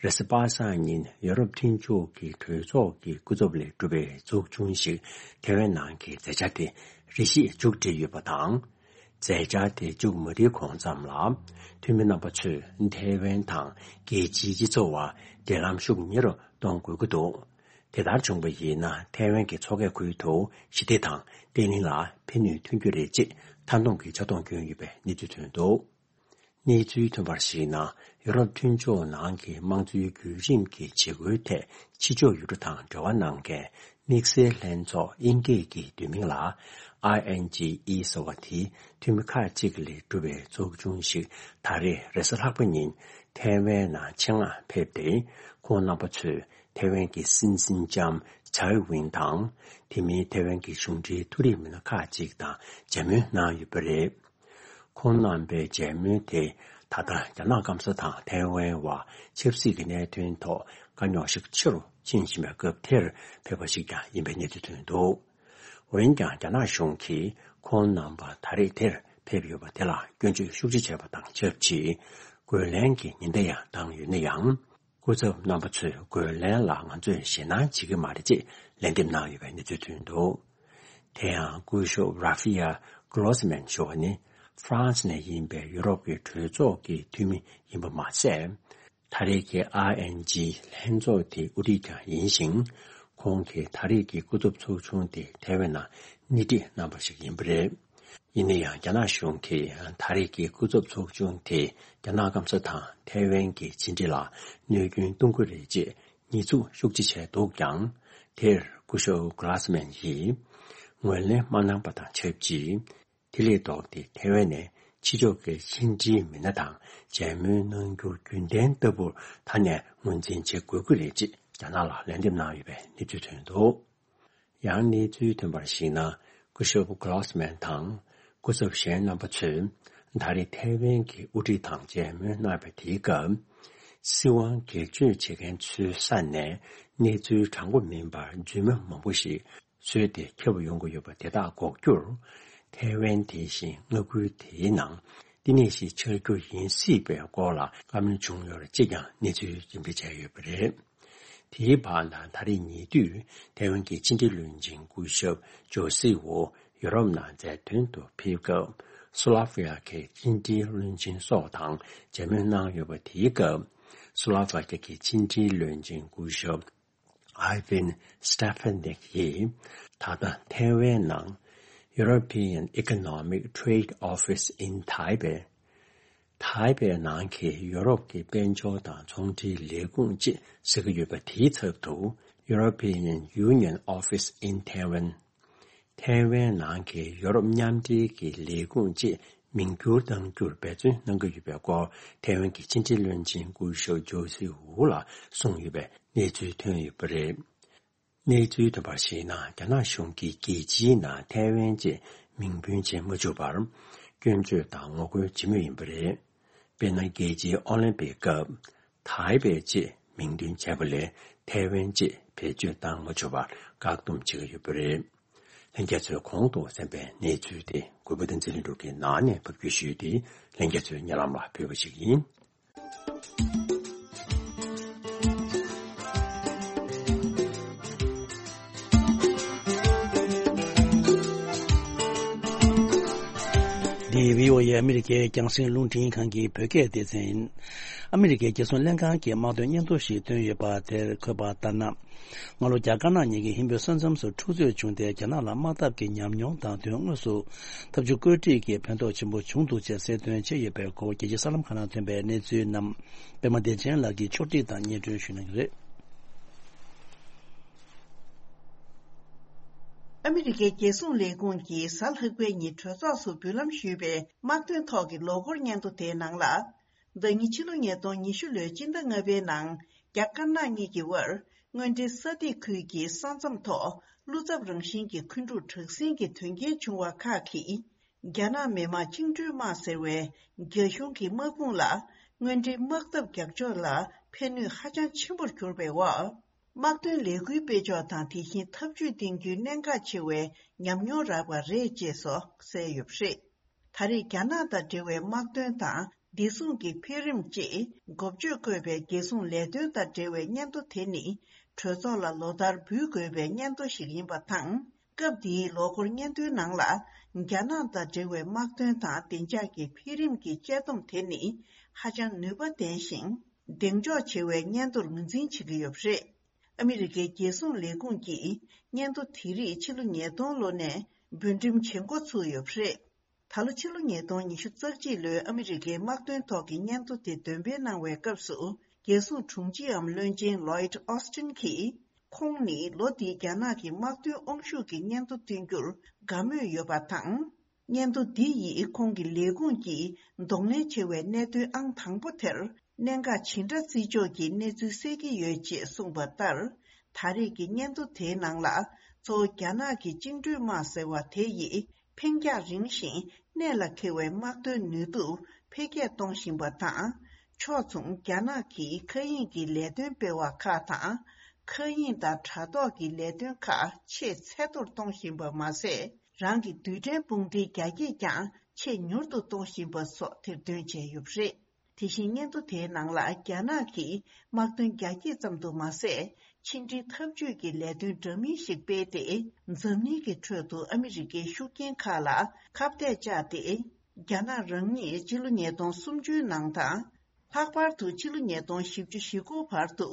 རེས་གཟའ་པ་སངས་ཉིན་ཡོ་རོབ་མཐུན་ཕྱོགས་ཀྱི་གྲོས་ཚོགས་ཀྱི་སྐུ་ཚབ་ལས་གྲུབ་པའི་ཚོགས་ཆུང་ཞིག་ཐེ་ཝན་ནང་གི་མཛད་འཆར་དེ་རེ་ཞིག་མཇུག་སྒྲིལ་ཡོད་པ་དང་། མཛད་འཆར་དེ་མཇུག་མ་སྒྲིལ་གོང་ཙམ་ལ། འཐུས་མི་རྣམ་པ་ཚོས་ཐེ་ཝན་དང་རྒྱལ་སྤྱིའི་སྤྱི་ཚོགས་བར་འབྲེལ་ལམ་ཤུགས་ཉེ་རུ་གཏོང་དགོས་ཀྱི་འདུག་དེ་ལྟར་བྱུང་བ་ཡིན་ན། ཐེ་ཝན་གྱི་མཚོ་ཁའི་ཁུལ་དུ་ཞི་བདེ་དང་བརྟན་ལྷིང་ལ་ཕན་ནུས་ཐོན་རྒྱུ་རེད་ཅེས་མཐའ་སྡོམ་གྱི་ཕྱོགས་གཏོགས་བསྐྱོན་ཡོད་པའི་གནས་ཚུལ་ཐོན་འདུག་གནས་ཚུལ་ཐོན་པར་གཞིགས་ན། ཡུ་རོབ་མཐུན་ཕྱོགས་ནང་གི་དམངས་གཙོའི་བརྒྱུད་རིམ་གྱི་བྱེད་སྒོའི་ཐད་ཕྱི་ཕྱོགས་ཡུལ་གྲུ་དང་འབྲེལ་བ་གནང་མཁན་དམིགས་བསལ་ལྷན་ཚོགས། དབྱིན་སྐད་ཀྱི་བསྡུས་མིང་ལ་ཨའི་ཨེན་ཇི་ཨི་ཟེར་བ་དེའི་འཐུས་མི་ཁག་ཅིག་ལས་གྲུབ་པའི་ཚོགས་ཆུང་ཞིག་ད་རེས་རེས་གཟའ་ལྷག་པ་ཉིན་ཐེ་ཝན་ནང་ཆེད་མངགས་ཕེབས་ཏེ། ཁོང་རྣམ་པ་ཚོས་ཐེ་ཝན་གྱི་སྲིད་འཛིན་ལྕམ་ཚའེ་ཝིན་དང་། དེ་མིན་ཐེ་ཝན་གྱི་གཞུང་འབྲེལ་མཐོ་རིམ་མི་སྣ་ཁག་ཅིག་དང་མཇལ་མོལ་གནང་ཡོད་པ་རེད། ཁོང་རྣམ་པའི་མཇལ་མོལ་དེ་ད་ལྟ་རྒྱ་ནག་སྐམ་ས་དང་ཐའེ་ཝན་བར་ཆབ་སྲིད་ཀྱི་གནད་དོན་ཐོག་དཀའ་རྙོག་ཤུགས་ཆེ་རུ་ཕྱིན་བཞིན་པའི་སྐབས་དེར་ཕེབས་པ་ཞིག་ཀྱང་ཡིན་པའི་གནས་ཚུལ་ཐོན་འདུག་འོན་ཀྱང་རྒྱ་ནག་གཞུང་གིས་ཁོང་རྣམ་པ་ད་རེས་དེར་ཕེབས་ཡོད་པ་དེ་ལ་སྐྱོན་བརྗོད་ཤུགས་ཆེ་བྱས་པ་དང་ཆབས་ཅིག་རྒོལ་ལན་གྱི་ཉེན་བརྡ་ཡང་བཏང་ཡོད་ན་ཡང་། སྐུ་ཚབ་རྣམ་པ་ཚོས་རྒོལ་ལན་ལ་ང་ཚོས་ཞེད་སྣང་བྱེད་ཀྱི་མ་རེད་ཅེས་ལན་འདེབས་གནང་ཡོད་པའི་གནས་ཚུལ་ཐོན་འདུག་དེ་ཡང་སྐུ་ཞབས་ར་ཧྥི་ཡ་གྷི་རོ་སི་མན་ཞུ་བ་ནི་ཧྥ་རན་སི་ནས་ཡིན་པའི་ཡུ་རོབ་ཀྱི་གྲོས་ཚོགས་ཀྱི་འཐུས་མི་ཡིན་པ་མ་ཟད། ད་རེས་ཀྱི་ཨའི་ཨེན་ཇི་ལྷན་ཚོགས་དེའི་དབུ་ཁྲིད་ཀྱང་ཡིན་ཞིང་། ཁོང་གིས་ད་རེས་ཀྱི་སྐུ་ཚབ་ཚོགས་ཆུང་དེ་ཐེ་ཝན་ནང་སྣེ་ཁྲིད་གནང་པ་ཞིག་ཡིན་པ་རེད། ཡིན་ན་ཡང་རྒྱ་ནག་གཞུང་གིས་ད་རེས་ཀྱི་སྐུ་ཚབ་ཚོགས་ཆུང་དེ་རྒྱ་ནག་སྐམ་ས་དང་ཐའེ་ཝན་གྱི་ཕྱི་འབྲེལ་ལ་གནོད་སྐྱོན་གཏོང་གི་རེད་ཅེས་ཉེས་འཛུགས་ཤུགས་ཆེ་བྱས་འདུག་ཀྱང་། དེར་སྐུ་ཞབས་གྷི་ལ་སི་མན་ཡིས་ངོས་ལེན་མ་གནང་པ་དང་ཆབས་ཅིག་དེ་ལས་ལྡོག་སྟེ་ཐའེ་ཝན་ནས་ཕྱི་ཕྱོགས་ཀྱི་ཕྱི་འབྲེལ་མི་སྣ་དང་མཇལ་མོལ་གནང་རྒྱུ་རྒྱུན་ལྡན་ལྟ་བུར་ད་ནས་ངོས་འཛིན་བྱེད་དགོས་ཀྱི་རེད་ཅེས་རྒྱ་ནག་ལ་ལན་འདེབས་གནང་ཡོད་པའི་གནས་ཚུལ་ཐོན་འདུག་ཡང་གནས་ཚུལ་ཐོན་པར་གཞིགས་ན། སྐུ་ཞབས་གྷི་ལོ་སི་མན་དང་སྐུ་ཚབ་གཞན་རྣམ་པ་ཚོས་ད་རེས་ཐའེ་ཝན་གྱི་དབུ་ཁྲིད་དང་མཇལ་མོལ་གནང་བའི་དེའི་སྐབས། སྲིད་དབང་སྒེར་གཅོད་བྱེད་མཁན་ཚོའི་ས་ནས་གནས་ཚུལ་དྲང་པོ་མིན་པར་རྫུན་མ་མང་པོ་ཞིག་བཟོས་ཏེ་ཁྱབ་ཡོང་གི་ཡོད་པ་དེ་དག་འགོག་རྒྱུར། ཐའེ་ཝན་དེ་བཞིན་མངའ་ཁུལ་དེའི་ནང་བསྟི་གནས་ཤིག་ཆགས་རྒྱུ་ཡིན་སྲིད་པའི་སྐོར་ལ་བཀའ་མོལ་བྱུང་ཡོད་ཅེས་ཀྱང་གནས་ཚུལ་རྒྱུན་སྤེལ་བྱས་ཡོད་པ་རེད། དེའི་བར་ན་ད་རེས་ཉེ་དུས་ཐའེ་ཝན་གྱི་ཕྱི་འབྲེལ་བློན་ཆེན་སྐུ་ཞབས་ཇོ་སི་འུ་ཡུ་རོབ་ནང་མཛད་དོན་དུ་ཕེབས་སྐབས། སུ་ལ་ཝི་ཡ་གི་ཕྱི་འབྲེལ་བློན་ཆེན་སོགས་དང་མཇལ་མོལ་གནང་ཡོད་པ་དེའི་སྐབས། སུ་ལ་ཝི་ཡ་གི་ཕྱི་འབྲེལ་བློན་ཆེན་སྐུ་ཞབས་ཨའི་ཝིན་སི་ཏེ་ཕེ་ནིག་ཡིས་ད་ལྟ་ཐའེ་ཝན་ནང་European Economic Trade Office in Taipei། ཐའེ་པེ་ནང་གི་ཡོ་རོབ་ཀྱི་དཔལ་འབྱོར་དང་ཚོང་འབྲེལ་ལས་ཁུངས་ཅེས་ཟེར་གྱི་ཡོད་པ་དེའི་ཚབ་ཏུ། European Union Office in Taiwan། ཐའེ་ཝན་ནང་གི་ཡོ་རོབ་མཉམ་འབྲེལ་གྱི་ལས་ཁུངས་ཅེས་མིང་བསྒྱུར་གཏང་རྒྱུར་འབད་བརྩོན་གནང་གི་ཡོད་པའི་སྐོར། ཐའེ་ཝན་གྱི་ཕྱི་འབྲེལ་བློན་ཆེན་སྐུ་ཞབས་ཇོ་སི་འུ་ལ་གསུངས་ཡོད་པའི་གནས་ཚུལ་ཐོན་ཡོད་པ་རེད། གནས་ཚུལ་ཐོན་པར་གཞིགས་ན། རྒྱ་ནག་གཞུང་གིས་རྒྱལ་སྤྱིའི་ནང་ཐའེ་ཝན་ཅེས་མིང་འབོད་བྱེད་མ་བཅུག་པར། སྐྱོན་བརྗོད་དང་ངོ་རྒོལ་བྱེད་མུས་ཡིན་པ་རེད། དཔེར་ན། རྒྱལ་སྤྱིའི་ཨོ་ལིམ་པིག་སྐབས། ཐའེ་པེ་ཅེས་མིང་འདོན་བྱས་པ་ལས། ཐའེ་ཝན་ཅེས་བེད་སྤྱོད་བཏང་མ་བཅུག་པར་བཀག་སྡོམ་བྱེད་ཀྱི་ཡོད་པ་རེད། ལྷན་རྒྱས་ཚོས་གོང་དུ་གསན་པའི་གནས་ཚུལ་དེ་གུས་པ་བསྟན་འཛིན་ལྷུན་གྲུབ་ཀྱི་ནང་ནས་ཕབ་སྒྱུར་ཞུས་ཏེ། ལྷན་རྒྱས་ཚོའི་སྙན་ལམ་ལ་ཕུལ་བ་ཞིག་ཡིན། འདི་བྷི་ཨོ་ཨེ་ཨ་མི་རི་ཀའི་རྒྱང་སྲིང་རླུང་འཕྲིན་ཁང་གི་བོད་སྐད་སྡེ་ཚན་ཡིན། ཨ་མི་རི་ཀའི་རྒྱལ་སྲུང་ལྷན་ཁང་གིས་དམག་དོན་སྙན་ཐོ་ཞིག་བཏོན་ཡོད་པ་དེར་འཁོད་པ་ལྟར་ན། སྔ་ལོ་རྒྱ་དཀར་ནག་གཉིས་ཀྱི་ཧིན་བོད་ས་མཚམས་སུ་འཁྲུག་རྩོད་བྱུང་སྟེ། རྒྱ་ནག་ལ་དམག་འཐབ་ཀྱི་ཉམས་མྱོང་དང་། དོན་དངོས་སུ་ཐབས་ཇུས་བཀོད་སྒྲིག་གིས་ཕན་ཐོགས་ཆེན་པོ་བྱུང་འདུག་ཅེས་གསལ་སྟོན་བྱས་ཡོད་པའི་སྐོར། རྒྱལ་སྤྱིའི་གསར་ལམ་ཁག་ནང་ཐོན་པའི་གནས་ཚུལ་རྣམས་པད་མ་བདེ་ཆེན་ལགས་ཀྱིས་ཕྱོགས་སྒྲིག་དང་སྙན་སྒྲོན་ཞུ་གནང་གི་རེད། ཨ་མི་རི་ཀའི་རྒྱལ་སྲུང་ལས་ཁུངས་ཀྱིས་གཟའ་ལྷག་པའི་ཉིན་གྲོས་ཚོགས་སུ་འབུལ་ལམ་ཞུས་པའི་དམག་དོན་ཐོག་གི་ལོ་འཁོར་སྙན་ཐོ་དེའི་ནང་ལ། ཟླ་ཉིན་ཕྱི་ལོ་ཉིས་སྟོང་ཉི་ཤུ་ལོའི་སྤྱི་ཟླ་ལྔ་པའི་ནང་རྒྱ་དཀར་ནག་གཉིས་ཀྱི་དབར་དངོས་འབྲེལ་ས་ཐིག་ཁུལ་གྱི་ས་མཚམས་ཐོག་བློ་འཚབ་རང་བཞིན་གྱི་འཁོན་འཁྲུག་དྲག་ཟིང་གི་དོན་རྐྱེན་བྱུང་བ་ཁག་གིས། རྒྱ་ནག་མི་དམངས་བཅིངས་འགྲོལ་དམག་ཟེར་བའི་རྒྱ་གཞུང་གི་དམག་དཔུང་ལ་དངོས་འབྲེལ་དམག་འཐབ་རྒྱག་ཕྱོགས་ལ་ཕན་ནུས་ཧ་ཅང་ཆེན་པོར་གྱུར་པའི་འོག་དམག་དོན་ལས་འགུལ་སྤེལ་ཕྱོགས་དང་། དེ་བཞིན་ཐབས་ཇུས་འདིང་རྒྱུའི་གནད་འགག་ཆེ་བའི་ཉམས་མྱོང་རག་པ་རེད་ཅེས་སོགས་གསལ་ཡོད་པ་རེད། ད་རེས་རྒྱ་ནག་དང་འབྲེལ་བའི་དམག་དོན་དང་བདེ་སྲུང་གི་འཕེལ་རིམ་བཅས་འགོ་བརྗོད་བཀོད་པའི་རྒྱལ་སྲུང་ལས་དོན་དང་འབྲེལ་བའི་སྙན་ཐོ་དེ་ནི། གྲོས་ཚོགས་ལ་ལོ་ལྟར་འབུལ་དགོས་པའི་སྙན་ཐོ་ཞིག་ཡིན་པ་དང་། སྐབས་འདིའི་ལོ་འཁོར་སྙན་ཐོའི་ནང་ལ། རྒྱ་ནག་དང་འབྲེལ་བའི་དམག་དོན་དང་བདེ་འཇགས་ཀྱི་འཕེལ་རིམ་གྱི་དཔྱད་སྡོམ་དེ་ནི། ཧ་ཅང་ནུས་པ་ལྡན་ཞིང་། གདེང་འཇོག་ཆེ་བའི་སྙན་ཐོར་ངོས་འཛིན་བྱེད་ཀྱི་ཡོད་པ་རེད། ཨ་མི་རི་ཀའི་རྒྱལ་སྲུང་ལས་ཁུངས་ཀྱིས་སྙན་ཐོ་དེ་རིགས་ཕྱི་ལོ་ཉིས་སྟོང་ལོ་ནས་འབུལ་འགྲེམས་བྱེད་འགོ་ཚུགས་ཡོད་པ་རེད། ད་ལོ་ཕྱི་ལོ་ཉིས་སྟོང་ཉི་ཤུ་རྩ་གཅིག་ལོའི་ཨ་མི་རི་ཀའི་དམག་དོན་ཐོག་གི་སྙན་ཐོ་དེ་འདོན་སྤེལ་གནང་བའི་སྐབས་སུ། རྒྱལ་སྲུང་དྲུང་ཆེའམ་བློན་ཆེན་ལོའིད་ཨོ་སི་ཊིན་གྱིས། ཁོང་ནི་ལོ་འདིའི་རྒྱ་ནག་གི་དམག་དོན་དབང་ཤུགས་ཀྱི་སྙན་ཐོ་བཏོན་རྒྱུར་དགའ་མོས་ཡོད་པ་དང་། སྙན་ཐོ་འདི་ཡིས་ཁོང་གི་ལས་ཁུངས་ཀྱི་གདོང་ལེན་ཆེ་བའི་གནད་དོན་ཨང་དང་པོ་དེར། གནད་འགག་ཇི་འདྲ་བརྩི་ཕྱོགས་ཀྱི་གནས་ཚུལ་གསལ་གྱི་ཡོད་ཅེས་གསུངས་པ་ལྟར། ད་རེས་ཀྱི་སྙན་ཐོ་དེའི་ནང་ལ། གཙོ་བོ་རྒྱ་ནག་གི་བཅིངས་འགྲོལ་དམག་ཟེར་བ་དེ་ཡིས། འཕེན་རྒྱང་རིང་ཞིང་གནད་ལ་འཁེལ་བའི་དམག་དོན་ནུས་སྟོབས་འཕེལ་རྒྱས་གཏོང་བཞིན་པ་དང་། ཕྱོགས་མཚུངས་རྒྱ་ནག་གིས་མཁའ་དབྱིངས་ཀྱི་ལས་དོན་སྤེལ་བ་ཁག་དང་། མཁའ་དབྱིངས་དང་དྲ་ཐོག་གི་ལས་དོན་ཁག་ཆེས་ཚད་མཐོར་གཏོང་བཞིན་པ་མ་ཟད། རང་གི་རྡུལ་ཕྲན་དཔུང་སྡེའི་རྒྱ་སྐྱེད་ཀྱང་ཆེས་མྱུར་དུ་གཏོང་བཞིན་པ་སོགས་ཐེར་འདོན་བྱས་ཡོད་པ་རེད། དེ་བཞིན་སྙན་ཐོ་དེའི་ནང་ལ། རྒྱ་ནག་གིས་དམག་དོན་རྒྱ་སྐྱེད་ཙམ་དུ་མ་ཟད། ཕྱི་འབྲེལ་འཐབ་ཇུས་ཀྱི་ལས་དོན་འདྲ་མིན་ཞིག་སྤེལ་ཏེ། འཛམ་གླིང་གི་ཁྲོད་དུ་ཨ་མི་རི་ཀའི་ཤུགས་རྐྱེན་ཁག་ལ་ཁ་གཏད་བཅག་སྟེ། རྒྱ་ནག་རང་ཉིད་ཕྱི་ལོ་ཉིས་སྟོང་སུམ་ཅུའི་ནང་དང་། ལྷག་པར་དུ་ཕྱི་ལོ་ཉིས་སྟོང་བཞི་བཅུ་ཞེ་དགུ་བར་དུ།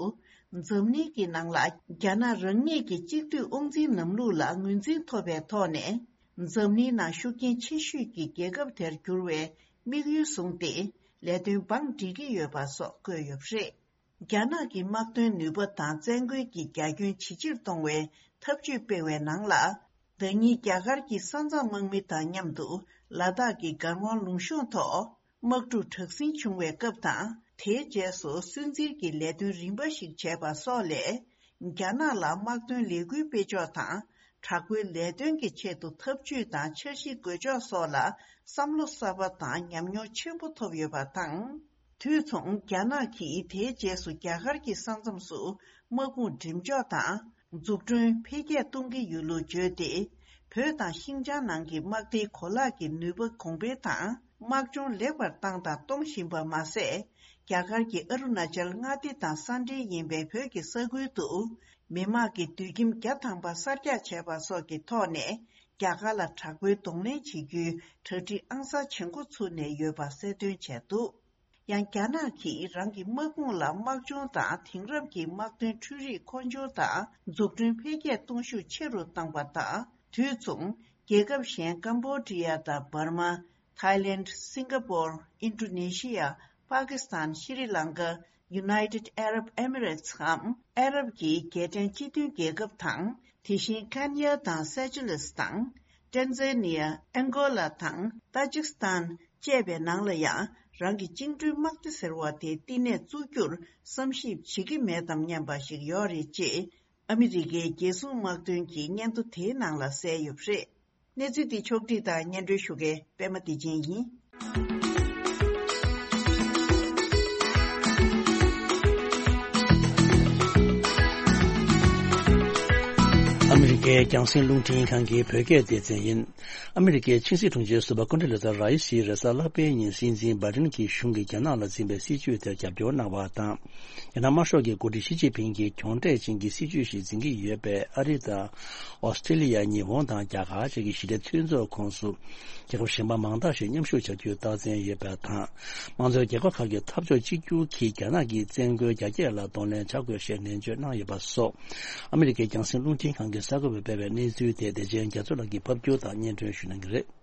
འཛམ་གླིང་གི་ནང་ལ་རྒྱ་ནག་རང་ཉིད་ཀྱི་གཅིག་སྡུད་དབང་འཛིན་ལམ་ལུགས་ལ་ངོས་འཛིན་ཐོབ་པའི་ཐོག་ནས། འཛམ་གླིང་ནང་ཤུགས་རྐྱེན་ཆེ་ཤོས་ཀྱི་རྒྱལ་ཁབ་དེར་འགྱུར་བའི་དམིགས་ཡུལ་བཟུང་སྟེ། ལས་དོན་བང་སྒྲིག་གི་ཡོད་པ་སོགས་བཀོད་ཡོད་པ་རེད། རྒྱ་ནག་གི་དམག་དོན་ནུས་པ་དང་བཙན་རྒོལ་གྱི་རྒྱ་ཁྱོན་ཇེ་ཆེར་གཏོང་བའི་ཐབས་ཇུས་སྤེལ་བའི་ནང་ལ། ཟླ་ཉིན་རྒྱ་གར་གྱི་ས་མཚམས་དམག་མི་དང་མཉམ་དུ་ལ་དྭགས་ཀྱི་གར་ཝང་ལུང་གཤོང་ཐོག་དམག་འཁྲུག་དྲག་ཟིང་བྱུང་བའི་སྐབས་དང་། དེའི་རྗེས་སུ་སུན་གཙེར་གྱི་ལས་དོན་རིམ་པ་ཞིག་བྱས་པ་སོགས་ལས། རྒྱ་ནག་ལ་དམག་དོན་ལས་འགུལ་སྤེལ་ཕྱོགས་དང་། དྲག་པོའི་ལས་དོན་གྱི་ཆེད་དུ་ཐབས་ཇུས་དང་འཆར་གཞི་འགོད་ཕྱོགས་སོགས་ལ་བསམ་བློ་གསར་པ་དང་ཉམས་མྱོང་ཆེན་པོ་ཐོབ་ཡོད་པ་དང་། དུས་མཚུངས་རྒྱ་ནག་གིས་དེའི་རྗེས་སུ་རྒྱ་གར་གྱི་ས་མཚམས་སུ་དམག་དཔུང་འགྲེམས་འཇོག་དང་འཛུགས་སྐྲུན་འཕེལ་རྒྱས་གཏོང་གི་ཡོད་ལུགས་བརྗོད་དེ། བོད་དང་ཤིན་ཅང་ནང་གི་དམག་སྡེའི་གོ་ལག་གི་ནུས་པ་གོང་འཕེལ་དང་། དམག་སྦྱོང་ལེགས་པར་བཏང་དང་གཏོང་བཞིན་པ་མ་ཟད། རྒྱ་གར་གྱི་ཨ་རུ་ན་ཅལ་མངའ་སྡེ་དང་ས་འབྲེལ་ཡིན་པའི་བོད་ཀྱི་ས་ཁུལ་དུ། མི་དམངས་ཀྱི་སྡོད་ཁྱིམ་བརྒྱ་ཐམ་པ་གསར་རྒྱག་བྱས་པ་སོགས་ཀྱི་ཐོག་ནས། རྒྱ་གར་ལ་དྲག་པོའི་གདོང་ལེན་བྱེད་རྒྱུའི་གྲ་སྒྲིག་ཨང་གསར་བྱེད་འགོ་ཚུགས་ནས་ཡོད་པ་གསལ་སྟོན་བྱས་འདུག། ཡང་རྒྱ་ནག་གིས་རང་གི་དམག་དཔུང་ལ་དམག་སྦྱོང་དང་དེང་རབས་ཀྱི་དམག་དོན་འཕྲུལ་རིག་མཁོ་སྦྱོར་དང་འཛུགས་སྐྲུན་འཕེལ་རྒྱས་གཏོང་ཤུགས་ཆེ་རུ་བཏང་པ་དང་། དུས་མཚུངས། རྒྱལ་ཁབ་གཞན་ཀམ་བོ་ཌི་ཡ་དང་འབར་མ། ཐའི་ལེནྜ། སིང་ག་པོར། ཨིན་ཌོ་ནེ་ཤི་ཡ། པ་ཀི་སི་ཐན། ཤི་རི་ལང་ཀ། United Arab Emirates འམ་ཨ་རབ་ཀྱི་རྒྱལ་ཕྲན་སྤྱི་མཐུན་རྒྱལ་ཁབ་དང་། དེ་བཞིན་ཁེན་ཡ་དང་སེ་ཅེ་ལེས་དང་། ཏན་ཛ་ནི་ཡ། ཨན་གོ་ལ་དང་ཏ་ཇིག་སི་ཐན་བཅས་པའི་ནང་ལ་ཡང་རང་གི་བཅིངས་འགྲོལ་དམག་སྡེ་ཟེར་བ་དེ་བསྟི་གནས་བཙུགས་རྒྱུར་བསམ་ཞིབ་བྱེད་ཀྱི་མེད་དམ་སྙམ་པ་ཞིག་ཡོད་རེད་ཅེས། ཨ་མི་རི་ཀའི་རྒྱལ་སྲུང་དམག་དོན་གྱི་སྙན་ཐོ་དེའི་ནང་ལ་གསལ་ཡོད་པ་རེད། གནས་ཚུལ་འདི་ཕྱོགས་བསྒྲིགས་དང་སྙན་སྒྲོན་ཞུ་མཁན་པད་མ་བདེ་ཆེན་ཡིན། ཨ་མི་རི་ཀའི་ རྒྱང་སྲིང་རླུང་འཕྲིན་ཁང་གི་བོད་སྐད་སྡེ་ཚན་ཡིན། ཨ་མི་རི་ཀའི་ཆིང་སྲིད་དྲུང་ཆེ་ཟུར་པ་ཀོན་ཌོ་ལེ་ཛ་ར་ཡི་སི་རེས་གཟའ་ལྷག་པའི་ཉིན་སྲིད་འཛིན་བྷའི་ཌེན་གྱི་གཞུང་གིས་རྒྱ་ནག་ལ་འཛིན་པའི་སྲིད་བྱུས་དེར་རྒྱབ་སྐྱོར་གནང་བ་དང་། རྒྱ་ནག་དམར་ཤོག་གི་འགོ་ཁྲིད་ཞི་ཅིན་ཕིང་གིས་གྱོང་ཕྲད་ཅན་གྱི་སྲིད་བྱུས་ཤིག་འཛིན་གྱི་ཡོད་པས། ཨ་རི་དང་། ཨོ་སི་ཀྲི་ལི་ཡ། ཉི་ཧོང་དང་རྒྱ་གར་བཅས་ཀྱི་ཞི་བདེ་མཐུན་ཚོགས་ཁོངས་སུ། རྒྱལ་ཁབ་གཞན་པ་མང་དག་ཞིག་མཉམ་ཞུགས་བྱ་རྒྱུའི་རྟགས་མཚན་ཡོད་པ་དང་། དམངས་གཙོའི་རྒྱལ་ཁབ་ཁག་གི་འཐབ་ཕྱོགས་གཅིག་གྱུར་གྱིས་རྒྱ་ནག་གི་བཙན་རྒོལ་རྒྱ་སྐྱེད་ལ་གདོང་ལེན་བྱ་དགོས་ཞེས་ནན་བརྗོད་གནང་ཡོད་པ་སོགས། ཨ་མི་རི་ཀའི་རྒྱང་སྲིང་རླུང་འཕྲིན་ཁང་གིས་གསར་འགོད་པར་སྤེལ་བའི་གནས་ཚུལ་དེ་བདེ་ཆེན་རྒྱ་མཚོ་ལགས་ཀྱིས་ཕབ་སྒྱུར་དང་སྙན་སྒྲོན་ཞུ་གནང་གི་རེད།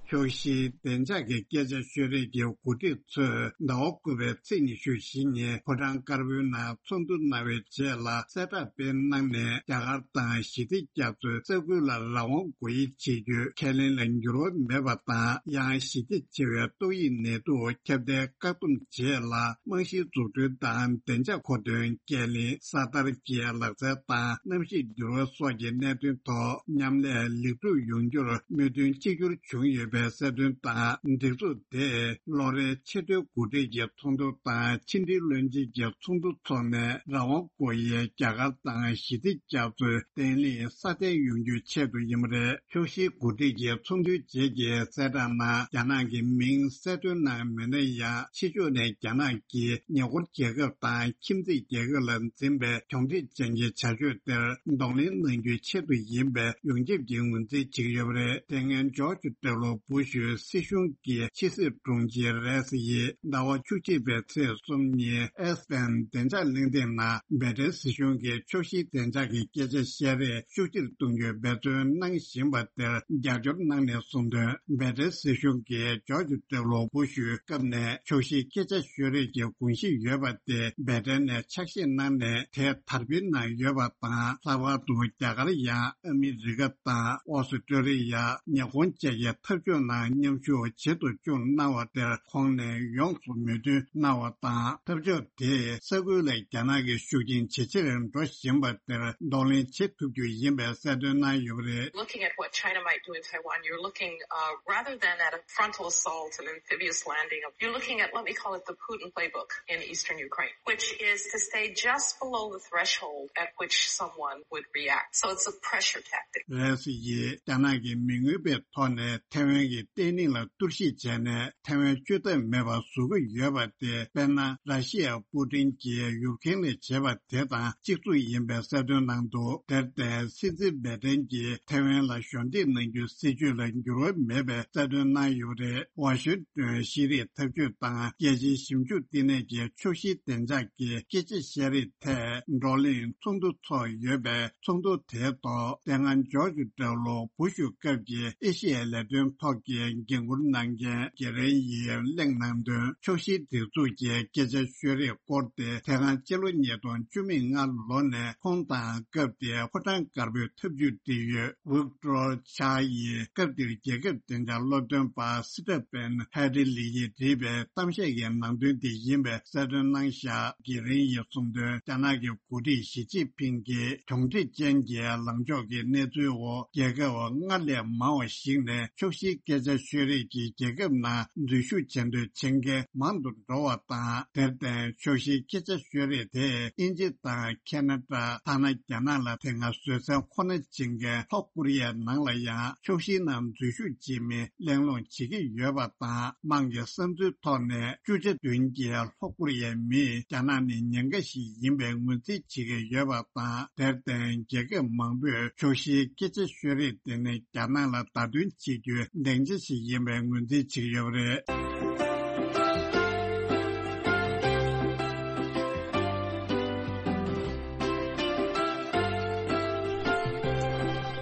ཕྱོགས་བཞིའི་བདེ་འཇགས་ཀྱི་སྐད་ཆ་ཤོད་རེས་ཀྱི་འགོ་ཁྲིད་ཚོས་ཟླ་བ་དགུ་པའི་ཚེས་ཉི་ཤུ་བཞི་ཉིན་ཕོ་བྲང་དཀར་པོའི་ནང་ཚོགས་འདུ་གནང་བའི་རྗེས་ལ་གསལ་བསྒྲགས་སྤེལ་གནང་ནས། རྒྱ་གར་དང་ཞི་བདེ་རྒྱ་མཚོའི་ས་ཁུལ་ལ་རང་དབང་དགོས་ཡིག་བྱེད་རྒྱུའི་ཁས་ལེན་ལ་འགྱུར་བ་མེད་པ་དང་། ཡང་ཞི་རྒྱ་ཆེ་བའི་ཏོག་དབྱིབས་ནད་དུག་ཁྱབ་གདལ་བཀག་སྡོམ་རྗེས་ལ། རྨང་གཞིའི་འཛུགས་སྐྲུན་དང་བདེ་འཇགས་མཁོ་འདོན། སྐྱེལ་འདྲེན། གསར་དར་གྱི་ལག་རྩལ་དང་གནམ་གཤིས་འགྱུར་བ་སོགས་ཀྱི་གནད་དོན་ཐོག་མཉམ་ལས་ལེགས་གྲུབ་ཡོང་རྒྱུར་མོས་མཐུན་གཅིག་གྱུར་བྱུང་ཡོད་པའི་གསལ་སྟོན་དང་། སྒྲིག་འཛུགས་དེས་ལོ་རེའི་ཆེས་མཐོའི་འགོ་ཁྲིད་ཀྱི་ཚོགས་འདུ་དང་ཕྱི་འབྲེལ་བློན་ཆེན་གྱི་ཚོགས་འདུ་འཚོགས་ནས། རང་དབང་དགོས་ཡའི་རྒྱ་གར་དང་ཞི་བདེ་རྒྱ་མཚོའི་བརྟན་ལྷིང་སྲ་བརྟན་ཡོང་རྒྱུའི་ཆེད་དུ་ཡིན་པ་རེད། ཕྱོགས་བཞིའི་འགོ་ཁྲིད་ཀྱི་ཚོགས་འདུའི་རྗེས་ཀྱི་གསལ་བསྒྲགས་ནང་། རྒྱ་ནག་གི་མིང་གསལ་སྟོན་གནང་མེད་ན་ཡང་། ཕྱི་ཕྱོགས་ནས་རྒྱ་ནག་གིས་ཉེ་འཁོར་རྒྱལ་ཁབ་དང་ཁྱིམ་མཚེས་རྒྱལ་ཁབ་ལ་འཛིན་པའི་གྱོང་ཁྲིད་ཅན་གྱི་བྱ་སྤྱོད་དེར་གདོང་ལེན་གནང་རྒྱུའི་ཆེད་དུ་ཡིན་པའི་ཡོངས་ཁྱབ་ཀྱི་ངོས་འཛིན་བྱེད་ཀྱི་ཡོད་པ་རེད། དེ་སྔོན་ཇོརྗ་ཌབ་ལུ་བུ་ཤུ་སྲིད་གཞུང་གི་ཕྱི་སྲིད་དྲུང་ཆེ་རེས་ཡིས་ཟླ་བ་བཅུ་གཅིག་པའི་ཚེས་གསུམ་ཉིན་ཨེ་སི་བདེ་འཇགས་གླེང་སྟེགས་ནང་། བྷེ་ཏྲེན་སྲིད་གཞུང་གིས་ཕྱོགས་བཞིའི་བདེ་འཇགས་ཀྱི་སྐད་ཆ་བཤད་རེས་ཤུགས་ཆེར་གཏོང་རྒྱུའི་འབད་བརྩོན་གནང་བཞིན་པ་དེར་རྒྱབ་སྐྱོར་གནང་ནས་གསུངས་དོན། བྷེ་ཏྲེན་སྲིད་གཞུང་གིས་ཇོརྗ་ཌབ་ལུ་བུ་ཤུའི་སྐབས་ནས་ཕྱོགས་བཞིའི་སྐད་ཆ་ཤོད་རེས་ཀྱི་དགོངས་གཞི་ཡོད་པ་དེ་བྷེ་ཏྲེན་ནས་ཆ་ཤས་གནང་ནས་དེ་དར་སྤེལ་གནང་ཡོད་པ་དང་། ལྷག་པར་དུ་རྒྱ་གར་ཡང་ཨ་མི་རི་ཀ་དང་ཨོ་སི་ཀྲོ་ལི་ཡ། ཉི་ཧོང་བཅས་ཀྱི་འཐབ་ཕྱོགས་ནང་མཉམ་ཞུགས་བྱེད་དུ་བཅུག་གནང་བ་དེར་ཁོང་ནས་ཡོངས་སུ་མོས་མཐུན་གནང་བ་དང་། འཐབ་ཕྱོགས་དེས་ས་ཁུལ་ལ་རྒྱ་ནག་གི་ཤུགས་རྐྱེན་ཇེ་ཆེར་འགྲོ་བཞིན་པ་དེར་གདོང་ལེན་བྱེད་ཐུབ་རྒྱུ་ཡིན་པའི་གསལ་སྟོན་གནང་ཡོད་པ་རེད། Looking at what China might do in Taiwan, you're looking, uh, rather than at a frontal assault, an amphibious landing, you're looking at, let me call it, the Putin playbook in eastern Ukraine, which is to stay just below the threshold at which someone would react. So it's a pressure tactic. རེས་ཡིས་རྒྱ་ནག་གི་མི་མངོན་པའི་ཐོག་ནས་ཐའེ་ཝན་གྱི་བརྟན་ལྷིང་ལ་གཏོར་བཤིག་བྱས་ནས། ཐའེ་ཝན་བཅོས་ཐབས་མེད་པར་བཟོ་གི་ཡོད་པ་དེ། དཔེར་ན། ར་ཤི་ཡ་པུ་ཏིན་གྱིས་ཡུཀ་རེན་ལ་བྱས་པ་དེ་དང་གཅིག་མཚུངས་ཡིན་པའི་གསལ་སྟོན་གནང་འདུག་དེར་བརྟེན། སྲིད་འཛིན་བྷེ་ཏྲེན་གྱིས་ཐའེ་ཝན་ལ་གཞོགས་འདེགས་གནང་རྒྱུའི་སྲིད་བྱུས་ལ་འགྱུར་བ་མེད་པའི་གསལ་སྟོན་གནང་ཡོད་པ་རེད། ཝ་ཤིང་ཏོན་ཤེས་རིག་ཐབས་ཇུས་དང་རྒྱལ་སྤྱིའི་ཞིབ་འཇུག་ལྟེ་གནས་ཀྱི་ཕྱོགས་བཞིའི་བདེ་འཇགས་ཀྱི་སྐད་ཆ་བཤད་རེས་ཐད་བགྲོ་གླེང་ཚོགས་འདུ་འཚོགས་ཡོད་པས། ཚོགས་འདུ་དེའི་ཐོག་དེ་སྔ་ཇོརྗ་ཌབ་ལུ་བུ་ཤུ་སྐབས་ཀྱི་ཨེ་ཤི་ཡའི་ལས་དོན་ཐོག་གི་འགན་འཁུར་གནང་མཁན་ཀེ་རེན་ཡིས་གླེང་གནང་དོན། ཕྱོགས་བཞིའི་སྒྲིག་འཛུགས་ཀྱི་སྐད་ཆ་ཤོད་རེས་སྐོར་དེ་དེ་སྔ་ཕྱི་ལོ་ཉིས་སྟོང་བཅུ་མེད་ལྔ་ལོ་ནས་ཁོང་དང་སྐབས་དེའི་ཕོ་བྲང་དཀར་པོའི་ཐབས་ཇུས་འབྲེལ་ཡོད་ཝིག་ཏོར་ཆཱ་ཡིས་སྐབས་དེར་རྒྱལ་ཁབ་བདེ་འཇགས་སློབ་སྟོན་པ་སི་ཏྲ་པེན་ཧེ་ཏི་ལི་ཡིས་བྲིས་པའི་གཏམ་བཤད་ཀྱི་ནང་དོན་དེ་ཡིན་པའི་གསལ་སྟོན་གནང་བཞག་ཀེ་རེན་ཡིས་གསུངས་དོན། རྒྱ་ནག་གི་འགོ་ཁྲིད་ཞི་ཅིན་ཕིང་གིས་གྱོང་ཁྲིད་ཅན་གྱི་ལངས་ཕྱོགས་ཀྱི་གནས་ཚུལ་འོག་རྒྱལ་ཁབ་སྔར་ལས་མང་བ་ཞིག་ནས་ཕྱོགས་བཞིའི་སྐད་ཆ་ཤོད་རེས་ཀྱི་རྒྱལ་ཁབ་ནང་འཛུལ་ཞུགས་བྱེད་འདོད་བྱེད་མཁན་མང་དུ་འགྲོ་བ་དང་། དེར་བརྟེན། ཕྱོགས་བཞིའི་སྐད་ཆ་ཤོད་རེས་དེས་དབྱིན་ཇི་དང་ཁེ་ན་ཌ། ཐ་ན་རྒྱ་ནག་ལ་དེ་སྔ་བཟོད་བསྲན་ཁོ་ན་བྱེད་མཁན་ལྷོ་ཀོ་རི་ཡའི་ནང་ལ་ཡང་ཕྱོགས་བཞིའི་ནང་འཛུལ་ཞུགས་བྱེད་མིན་གླེང་སློང་བྱེད་ཀྱི་ཡོད་པ་དང་། དམངས་ཀྱི་བསམ་ཚུལ་ཐོག་ནས་བཅུ་ཆ་བདུན་གྱིས་ལྷོ་ཀོ་རི་ཡའི་མིས་རྒྱ་ནག་ནི་ཉེན་ཁ་ཞིག་ཡིན་པའི་ངོས་འཛིན་བྱེད་ཀྱི་ཡོད་པ་དང་། དེར་བརྟེན། རྒྱལ་ཁབ་མང་པོས་ཕྱོགས་བཞིའི་སྐད་ཆ་ཤོད་རེས་དེ་ནི་རྒྱ་ནག་ལ་བརྡ་སྟོན་བྱེད་རྒྱུའི་སྡིངས་ཆ་ཞིག་ཡིན་པའི་ངོས་འཛིན་བྱེད་ཀྱི་ཡོད་པ་རེད།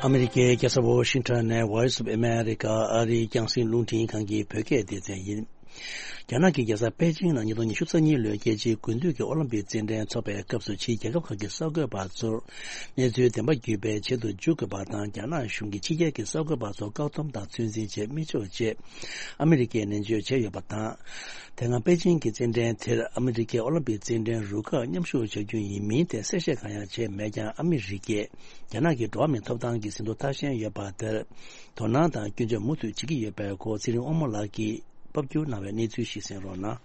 ཨ་མི་རི་ཀའི་རྒྱལ་ས་ཝོ་ཤིང་ཊོན་ནས་Voice of America ཨ་རིའི་རྒྱང་སྲིང་རླུང་འཕྲིན་ཁང་གི་བོད་སྐད་སྡེ་ཚན་ཡིན། རྒྱ་ནག་གི་རྒྱལ་ས་པེ་ཅིང་ནང་ཉིས་སྟོང་ཉི་ཤུ་རྩ་གཉིས་ལོའི་རྒྱལ་སྤྱིའི་དགུན་དུས་ཀྱི་ཨོ་ལིམ་པིག་རྩེད་འགྲན་འཚོགས་པའི་སྐབས་སུ། ཕྱིའི་རྒྱལ་ཁབ་ཁག་གི་གསར་འགོད་པ་ཚོར་གནས་ཚུལ་བདེན་པ་བརྒྱུད་སྤེལ་བྱེད་དུ་འཇུག་དགོས་པ་དང་། རྒྱ་ནག་གཞུང་གིས་ཕྱི་རྒྱལ་གྱི་གསར་འགོད་པ་ཚོར་བཀག་སྡོམ་དང་ཚོད་འཛིན་བྱེད་མི་ཆོག་ཅེས་ཨ་མི་རི་ཀས་ནན་བརྗོད་བྱས་ཡོད་པ་དང་། དེ་སྔ་པེ་ཅིང་གི་རྩེད་འགྲན་དེར་ཨ་མི་རི་ཀའི་ཨོ་ལིམ་པིག་རྩེད་འགྲན་རུ་ཁག་མཉམ་ཞུགས་བྱ་རྒྱུ་ཡིན་མིན་ཐད་གསལ་བཤད་གང་ཡང་བྱས་མེད་ཀྱང་། ཨ་མི་རི་ཀས་རྒྱ་ནག་གི་འགྲོ་བ་མིའི་ཐོབ་ཐང་གི་ཟིན་ཐོ་མཐའ་ཞན་ཡོད་པ་དེར་དོ་སྣང་དང་སྐྱོན་བརྗོད་མུ་མཐུད་བྱེད་ཀྱི་ཡོད་པའི་སྐོར་ཚེ་རིང་དབང་མོ་ལགས་ཀྱིས་ཕབ་སྒྱུར་གནང་བའི་གནས་ཚུལ་ཞིག་གསན་རོགས་གནང་།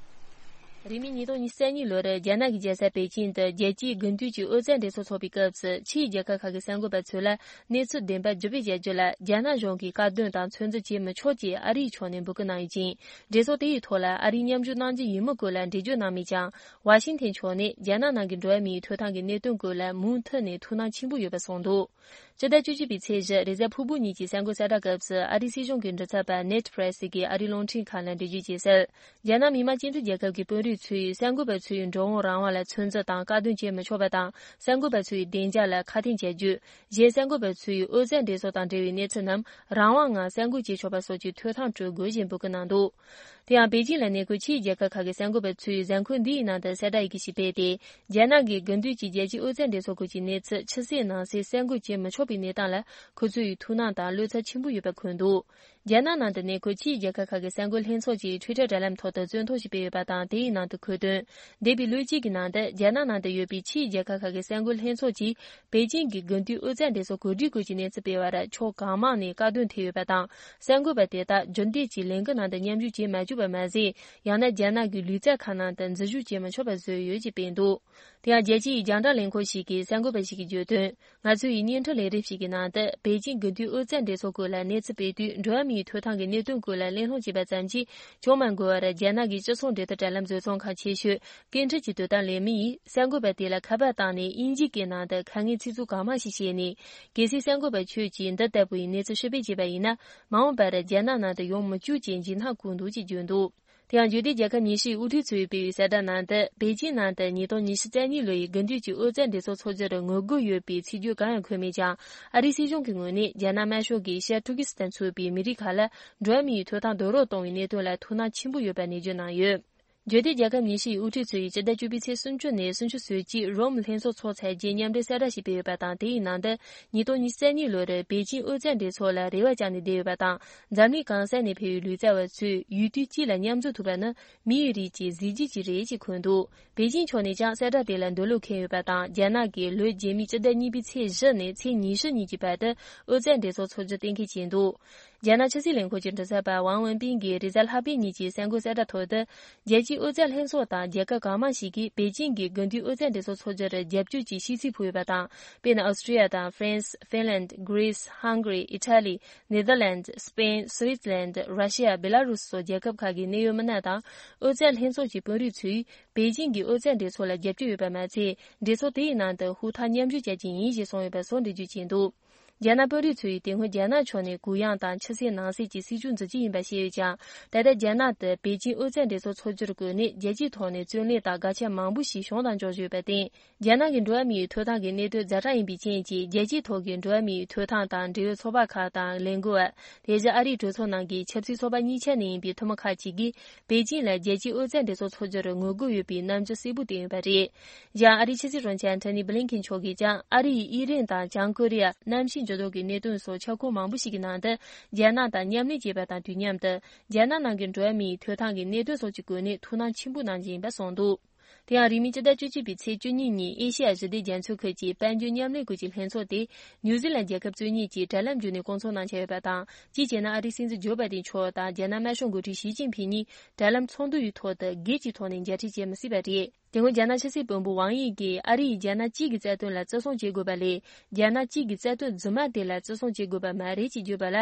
རིང་མིན་ཉིས་སྟོང་ཉི་ཤུ་རྩ་གཉིས་ལོར་རྒྱ་ནག་གི་རྒྱལ་ས་པེ་ཅིང་དུ་རྒྱལ་སྤྱིའི་དགུན་དུས་ཀྱི་ཨོ་རྩལ་འགྲན་ཚོགས་འཚོགས་པའི་སྐབས་སུ། ཕྱིའི་རྒྱལ་ཁབ་ཁག་གི་གསར་འགོད་པ་ཚོ་ལ་གནས་ཚུལ་བདེན་པ་བརྗོད་པའི་བྱ་སྤྱོད་ལ། རྒྱ་ནག་གཞུང་གིས་བཀག་སྡོམ་དང་ཚོད་འཛིན་བྱེད་མི་ཆོག་ཅེས་ཨ་རིའི་ཕྱོགས་ནས་འབོད་སྐུལ་གནང་ཡོད་ཅིང་། འགྲན་ཚོགས་དེ་ཡི་ཐོག་ལ་ཨ་རིའི་མཉམ་ཞུགས་གནང་རྒྱུ་ཡིན་མིན་སྐོར་ལ་འགྲེལ་བརྗོད་གནང་མེད་ཀྱང་། ཝ་ཤིང་ཐན་ཕྱོགས་ནས་རྒྱ་ནག་ནང་གི་འགྲོ་བ་མིའི་ཐོབ་ཐང་གི་གནད་དོན་སྐོར་ལ་མུ་མཐུད་ནས་ཐུགས་སྣང་ཆེན་པོ་ཡོད་པ་གསུངས་འདུག་སྤྱི་ཟླ་བཅུ་གཅིག་པའི་ཚེས་བཞི། རེས་གཟའ་ཕུར་བུ་ཉིན་གྱི་གསར་འགོད་གསལ་བསྒྲགས་སྐབས་སུ། ཨ་རིའི་སྲིད་གཞུང་གི་མགྲིན་ཚབ་པ་ནེད་པྲེ་སི་གིས་ཨ་རིའི་རླུང་འཕྲིན་ཁང་ལ་འགྲེལ་བརྗོད་བྱས་གསལ། རྒྱ་ནག་མི་དམངས་སྤྱི་མཐུན་རྒྱལ་ཁབ་ཀྱི་དཔོན་རིགས་ཚོས་གསར་འགོད་པ་ཚོའི་འགྲོ་འོང་རང་དབང་ལ་ཚོད་འཛིན་དང་བཀག་སྡོམ་བྱེད་མི་ཆོག་པ་དང་། གསར་འགོད་པ་ཚོའི་བདེ་འཇགས་ལ་ཁག་ཐེག་བྱ་རྒྱུ། གཞན་གསར་འགོད་པ་ཚོས་ཨོ་རྩལ་འགྲན་ཚོགས་དང་འབྲེལ་བའི་གནས་ཚུལ་རྣམས་རང་དབང་ངང་གསར་འགོད་བྱེད་ཆོག་པ་སོགས་ཀྱི་ཐོབ་ཐང་སྤྲོད་དགོས་ཞེས་འབོད་སྐུལ་གནང་འདུག་དེ་ཡང་པེ་ཅིང་ལ་གནས་འཁོད་ཕྱིའི་རྒྱལ་ཁབ་ཁག་གི་གསར་འགོད་པ་ཚོས་གཟའ་འཁོར་འདིའི་ནང་དུ་གསལ་བསྒྲགས་ཡི་གེ་ཞིག་སྤེལ་ཏེ། རྒྱ་ནག་གི་དགུན་དུས་ཀྱི་རྒྱལ་སྤྱིའི་ཨོ་རྩལ་འགྲན་ཚོགས་སྐོར་གྱི་གནས་ཚུལ་ཕྱི་གསལ་ནང་གསལ་གསར་འགོད་བྱེད་མི་ཆོག་པའི་གནས་སྟངས་ལ། ཁོ་ཚོ་ཡི་ཐུགས་སྣང་དང་བློ་འཚབ་ཆེན་པོ་ཡོད་པ་འཁོད་འདུག་རྒྱ་ནག་ནང་དུ་གནས་འཁོད་ཕྱིའི་རྒྱལ་ཁབ་ཁག་གི་གསར་འགོད་ལྷན་ཚོགས་ཀྱིས་ཊུའི་ཊར་དྲ་ལམ་ཐོག་ཏུ་རྩོད་ཐོ་ཞིག་སྤེལ་ཡོད་པ་དང་། དེའི་ནང་དུ་འཁོད་དོན། འདས་པའི་ལོ་གཅིག་གི་ནང་དུ་རྒྱ་ནག་ནང་དུ་ཡོད་པའི་ཕྱིའི་རྒྱལ་ཁབ་ཁག་གི་གསར་འགོད་ལྷན་ཚོགས་ཀྱིས་པེ་ཅིང་གི་དགུན་དུས་ཨོ་རྩལ་འགྲན་ཚོགས་གོ་སྒྲིག་སྐོར་གྱི་གནས་ཚུལ་སྤེལ་བར་ཕྱོགས་གང་མང་ནས་བཀག་སྡོམ་ཐེབས་ཡོད་པ་དང་། གསར་འགོད་པ་དེ་དག་རྒྱུན་ལྡན་གྱི་ལས་འགུལ་ནང་དུ་མཉམ་ཞུགས་བྱེད་མ་བཅུག་པ་མ་ཟད། ཡང་ན་རྒྱ་ནག་གི་ལུས་རྩལ་ཁང་ནང་དུ་འཛུལ་ཞུགས་བྱེད་མི་ཆོག་པ་བཟོས་ཡོད་ཅེས་སྤེལ་འདུག་དེ་ཡང་རྒྱལ་སྤྱིའི་རྒྱང་བསྒྲགས་ལས་ཁུངས་ཤིག་གིས་གསར་འགོད་པ་ཞིག་གིས་བརྗོད་དོན། ང་ཚོ་ཡི་བརྙན་འཕྲིན་ལས་རིམ་ཞིག་གི་ནང་དུ། པེ་ཅིང་དགུན་དུས་ཨོ་རྩལ་འགྲན་ཚོགས་སྐོར་ལ་གནས་ཚུལ་སྤེལ་དུས། འགྲོ་བ་མིའི་ཐོབ་ཐང་གི་གནད་དོན་སྐོར་ལ་གླེང་སློང་བྱས་པ་ཙམ་གྱིས་བྱུང་མ་དགོས་པར། རྒྱ་ནག་གི་སྤྱི་ཚོགས་འབྲེལ་མཐུད་དྲ་ལམ་བཟོ་ཚོགས་ཁང་ཆེ་ཤོས་སྐད་འཕྲིན་གྱི་དོ་དམ་ལས་མི་ཡིས་གསར་འགོད་པ་དེ་ལ་ཁ་པར་བཏང་ནས་དབྱིན་ཇིའི་སྐད་ནང་དུ་ཁ་ངན་ཚིག་རྩུབ་གང་མང་ཞིག་བཤད་ནས། གལ་སྲིད་གསར་འགོད་པ་ཁྱོད་ཀྱིས་འདི་ལྟ་བུའི་གནས་ཚུལ་ཕྱིར་འབུད་བྱས་པ་ཡིན་ན། མ་འོངས་པར་རྒྱ་ནག་ནང་དུ་ཡོང་མི་བཅུག་ཅེས་འཇིགས་སྣང་བསྐུལ་འདུག་ཅེས་བརྗོད་འདུག་དེ་ཡང་འབྱོར་ལྡན་རྒྱལ་ཁབ་ཉི་ཤུའི་དབུ་ཁྲིད་ཚོས་སྤེལ་བའི་གསལ་བསྒྲགས་ནང་དུ། པེ་ཅིང་ནང་དུ་ཉིས་སྟོང་ཉི་ཤུ་རྩ་གཉིས་ལོའི་དགུན་དུས་ཀྱི་ཨོ་རྩལ་འགྲན་ཚོགས་འཚོགས་རྒྱུར་ངོ་རྒོལ་ཡོད་པའི་ཚིག་བརྗོད་གང་ཡང་འཁོད་མེད་ཀྱང་། ཨ་རིའི་སྲིད་གཞུང་གི་ངོས་ནས་རྒྱ་ནག་དམར་ཤོག་གིས་ཤར་ཏུར་ཀི་སི་ཐན་ཚུད་པའི་མི་རིགས་ཁག་ལ་འགྲོ་བ་མིའི་ཐོབ་ཐང་རྡོག་རོལ་གཏོང་བའི་གནད་དོན་ལ་ཐུགས་སྣང་ཆེན་པོ་ཡོད་པ་ནན་བརྗོད་གནང་ཡོད། འབྱོར་ལྡན་རྒྱལ་ཁབ་ཉི་ཤུ་ཡི་དབུ་ཁྲིད་ཚོས་སྤྱི་ཟླ་བཅུ་པའི་ཚེས་སུམ་ཅུ་ནས་སུམ་ཅུ་སོ་གཅིག་རོམ་ལྷན་ཚོགས་ཚོགས་ཚར་རྗེས་མཉམ་འབྲེལ་གསལ་བསྒྲགས་ཤིག་སྤེལ་ཡོད་པ་དང་། དེའི་ནང་དུ་ཉིས་སྟོང་ཉི་ཤུ་རྩ་གཉིས་ལོར་པེ་ཅིང་ཨོ་རྩལ་འགྲན་ཚོགས་ལ་རེ་བ་བཅངས་ནས་བསྡད་ཡོད་པ་དང་། འཛམ་གླིང་གང་ས་ནས་ཕེབས་པའི་ལུས་རྩལ་བ་ཚོས་ཡུལ་དུས་གཅིག་ལ་མཉམ་འཛོམས་ཐུབ་པ་ནི་མིའི་རིགས་ཀྱི་གཟི་བརྗིད་ཅིག་རེད་ཅེས་འཁོད་འདུག་པེ་ཅིང་ཕྱོགས་ནས་ཀྱང་གསལ་བསྒྲགས་དེ་ལ་འདོད་བློ་ཁེངས་ཡོད་པ་དང་། རྒྱ་ནག་གིས་ལོ་རྗེས་མའི་སྤྱི་ཟླ་གཉིས་པའི་ཚེས་བཞི་ནས་ཚེས་ཉི་ཤུ་ཉིན་གྱི་བར་དུ་ཨོ་རྩལ་འགྲན་ཚོགས་འཚོགས་རྒྱུ་གཏན་འཁེལ་བྱས་འདུག་རྒྱ་ནག་ཕྱི་སྲིད་ལས་ཁུངས་ཀྱི་མགྲིན་ཚབ་པ་ཝང་ཝུན་པིན་གྱིས་རེས་གཟའ་ལྷག་པའི་ཉིན་གྱི་གསར་འགོད་གསལ་བསྒྲགས་ཐོག་ཏུ། རྒྱལ་སྤྱིའི་ཨོ་རྩལ་ལྷན་ཚོགས་དང་རྒྱལ་ཁབ་གང་མང་ཞིག་གིས་པེ་ཅིང་གི་དགུན་དུས་ཨོ་རྩལ་འགྲན་ཚོགས་འཚོགས་རྒྱུར་རྒྱབ་སྐྱོར་གྱི་ཤིས་ཚིག་ཕུལ་ཡོད་པ་དང་། དཔེར་ན། ཨོ་སི་ཀྲི་ཡ་དང་ཧྥ་རན་སི། ཧྥིན་ལན། གྷི་རི་སི། ཧང་གྷི་རི། ཨི་ཊ་ལི། ནེ་དར་ལན། སི་པེན། སུའི་ཙི་ལན། ར་ཤི་ཡ། བེ་ལ་རུ་སི་སོགས་རྒྱལ་ཁབ་ཁག་གི་གནད་ཡོད་མི་སྣ་དང་། ཨོ་རྩལ་ལྷན་ཚོགས་ཀྱི་དཔོན་རིགས་ཚོས་པེ་ཅིང་གི་ཨོ་རྩལ་འགྲན་ཚོགས་ལ་རྒྱབ་སྐྱོར་ཡོད་པ་མ་ཚད། འགྲན་ཚོགས་དེའི་ནང་དུ་ཧུར་ཐག་མཉམ་ཞུགས་བྱ་རྒྱུ་ཡིན་ཞེས་གསུངས་ཡོད་པ་སོགས་འགྲེལ་བརྗོད་བྱས་འདུག་རྒྱ་ནག་དཔོན་རིགས་ཚོ་ཡིས་དེ་སྔོན་རྒྱ་ནག་ཕྱོགས་ནས་གུ་ཡངས་དང་ཕྱི་གསལ་ནང་གསལ་གྱི་སྲིད་ཇུས་འཛིན་གྱི་ཡིན་པ་བཤད་ཡོད་ཀྱང་། ད་ལྟ་རྒྱ་ནག་ཏུ་པེ་ཅིང་ཨོ་རྩལ་འགྲན་ཚོགས་འཚོགས་རྒྱུར་བཀོད་ནས་རྒྱལ་སྤྱིའི་ཐོག་ནས་བརྩོན་ལེན་དང་དགག་བྱ་མང་པོ་ཞིག་བྱུང་དང་འབྱུང་བཞིན་ཡོད་པར་བརྟེན། རྒྱ་ནག་གི་འགྲོ་བ་མིའི་ཐོབ་ཐང་གི་གནད་དོན་ཛ་དྲག་ཡིན་པའི་རྐྱེན་གྱིས། རྒྱལ་སྤྱིའི་ཐོག་གི་འགྲོ་བ་མིའི་ཐོབ་ཐང་དང་འབྲེལ་ཡོད་ཚོགས་པ་ཁག་དང་ལས་འགུལ་བ། དེ་བཞིན་ཨ་རིའི་གྲོས་ཚོགས་ནང་གི་ཆབ་སྲིད་ཚོགས་པ་གཉིས་ཆ་ནས་ཡིན་པའི་འཐུས་མི་ཁག་ཅིག་གིས། པེ་ཅིང་ལ་རྒྱལ་སྤྱིའི་ཨོ་རྩལ་འགྲན་ཚོགས་འཚོགས་རྒྱུར་ངོ་རྒོལ་ཡོད་པའི་རྣམ་འགྱུར་གསལ་པོ་བསྟན་ཡོད་པ་རེད། ཡང་ཨ་རིའི་ཕྱི་སྲིད་བློན་ཆེན་ཨན་ཐོ་ནི་བྷི་ལིན་ཁེན་མཆོག་གིས་ཀྱང་། ཨ་རི་ཡིས་དབྱི་རན་དང་བྱང་ཀོ་རི་ཡ། གནམ་གཤིས་འགྱུར་ལྡོག་གི་གནད་དོན་སོགས་ཁྱབ་ཁོངས་མང་པོ་ཞིག་གི་ནང་དུ། རྒྱ་ནག་དང་མཉམ་ལས་བྱེད་པ་དང་དུས་མཉམ་དུ། རྒྱ་ནག་ནང་གི་འགྲོ་བ་མིའི་ཐོབ་ཐང་གི་གནད་དོན་སོགས་ཀྱི་སྒོ་ནས་ཐུགས་སྣང་ཆེན་པོ་གནང་བཞིན་ཡིན་པ་གསུངས་འདུག་དེ་ཡང་རིང་མིན་སྤྱི་ཟླ་བཅུ་གཅིག་པའི་ཚེས་བཅུ་གཉིས་ཉིན་ཨེ་ཤེ་ཡ་ཞི་བདེ་རྒྱ་མཚོའི་ཁུལ་གྱི་དཔལ་འབྱོར་མཉམ་ལས་ཁུལ་གྱི་ལྷན་ཚོགས་དེ་ནིའུ་ཛི་ལན་རྒྱལ་ཁབ་བཙུན་གཉིས་ཀྱིས་དྲ་ལམ་བརྒྱུད་ནས་སྐོང་ཚོགས་གནང་འཆར་ཡོད་པ་དང་། གཅིག་བྱས་ན་ཨ་རིའི་སྲིད་འཛིན་ཇོ་བྷའི་ཏིན་མཆོག་དང་རྒྱ་ནག་དམར་ཤོག་འགོ་ཁྲིད་ཞི་ཅིན་ཕིང་གཉིས་དྲ་ལམ་ཚོགས་འདུ་ཡི་ཐོག་ཏུ་སྒེར་གྱི་ཐོག་ནས་མཇལ་འཕྲད་བྱེད་མི་སྲིད་པ་རེད། དེ་སྔོན་རྒྱ་ནག་ཕྱི་སྲིད་བློན་པོ་ཝང་དབྱི་གིས་ཨ་རི་ཡིས་རྒྱ་ནག་གཅིག་གི་རྩ་དོན་ལ་བརྩི་སྲུང་བྱེད་དགོས་པ་ལས། རྒྱ་ནག་གཅིག་གི་རྩ་དོན་རྫུན་མ་དེ་ལ་བརྩི་སྲུང་བྱེད་དགོས་པ་མ་རེད་ཅེས་བརྗོད་པ་ལ།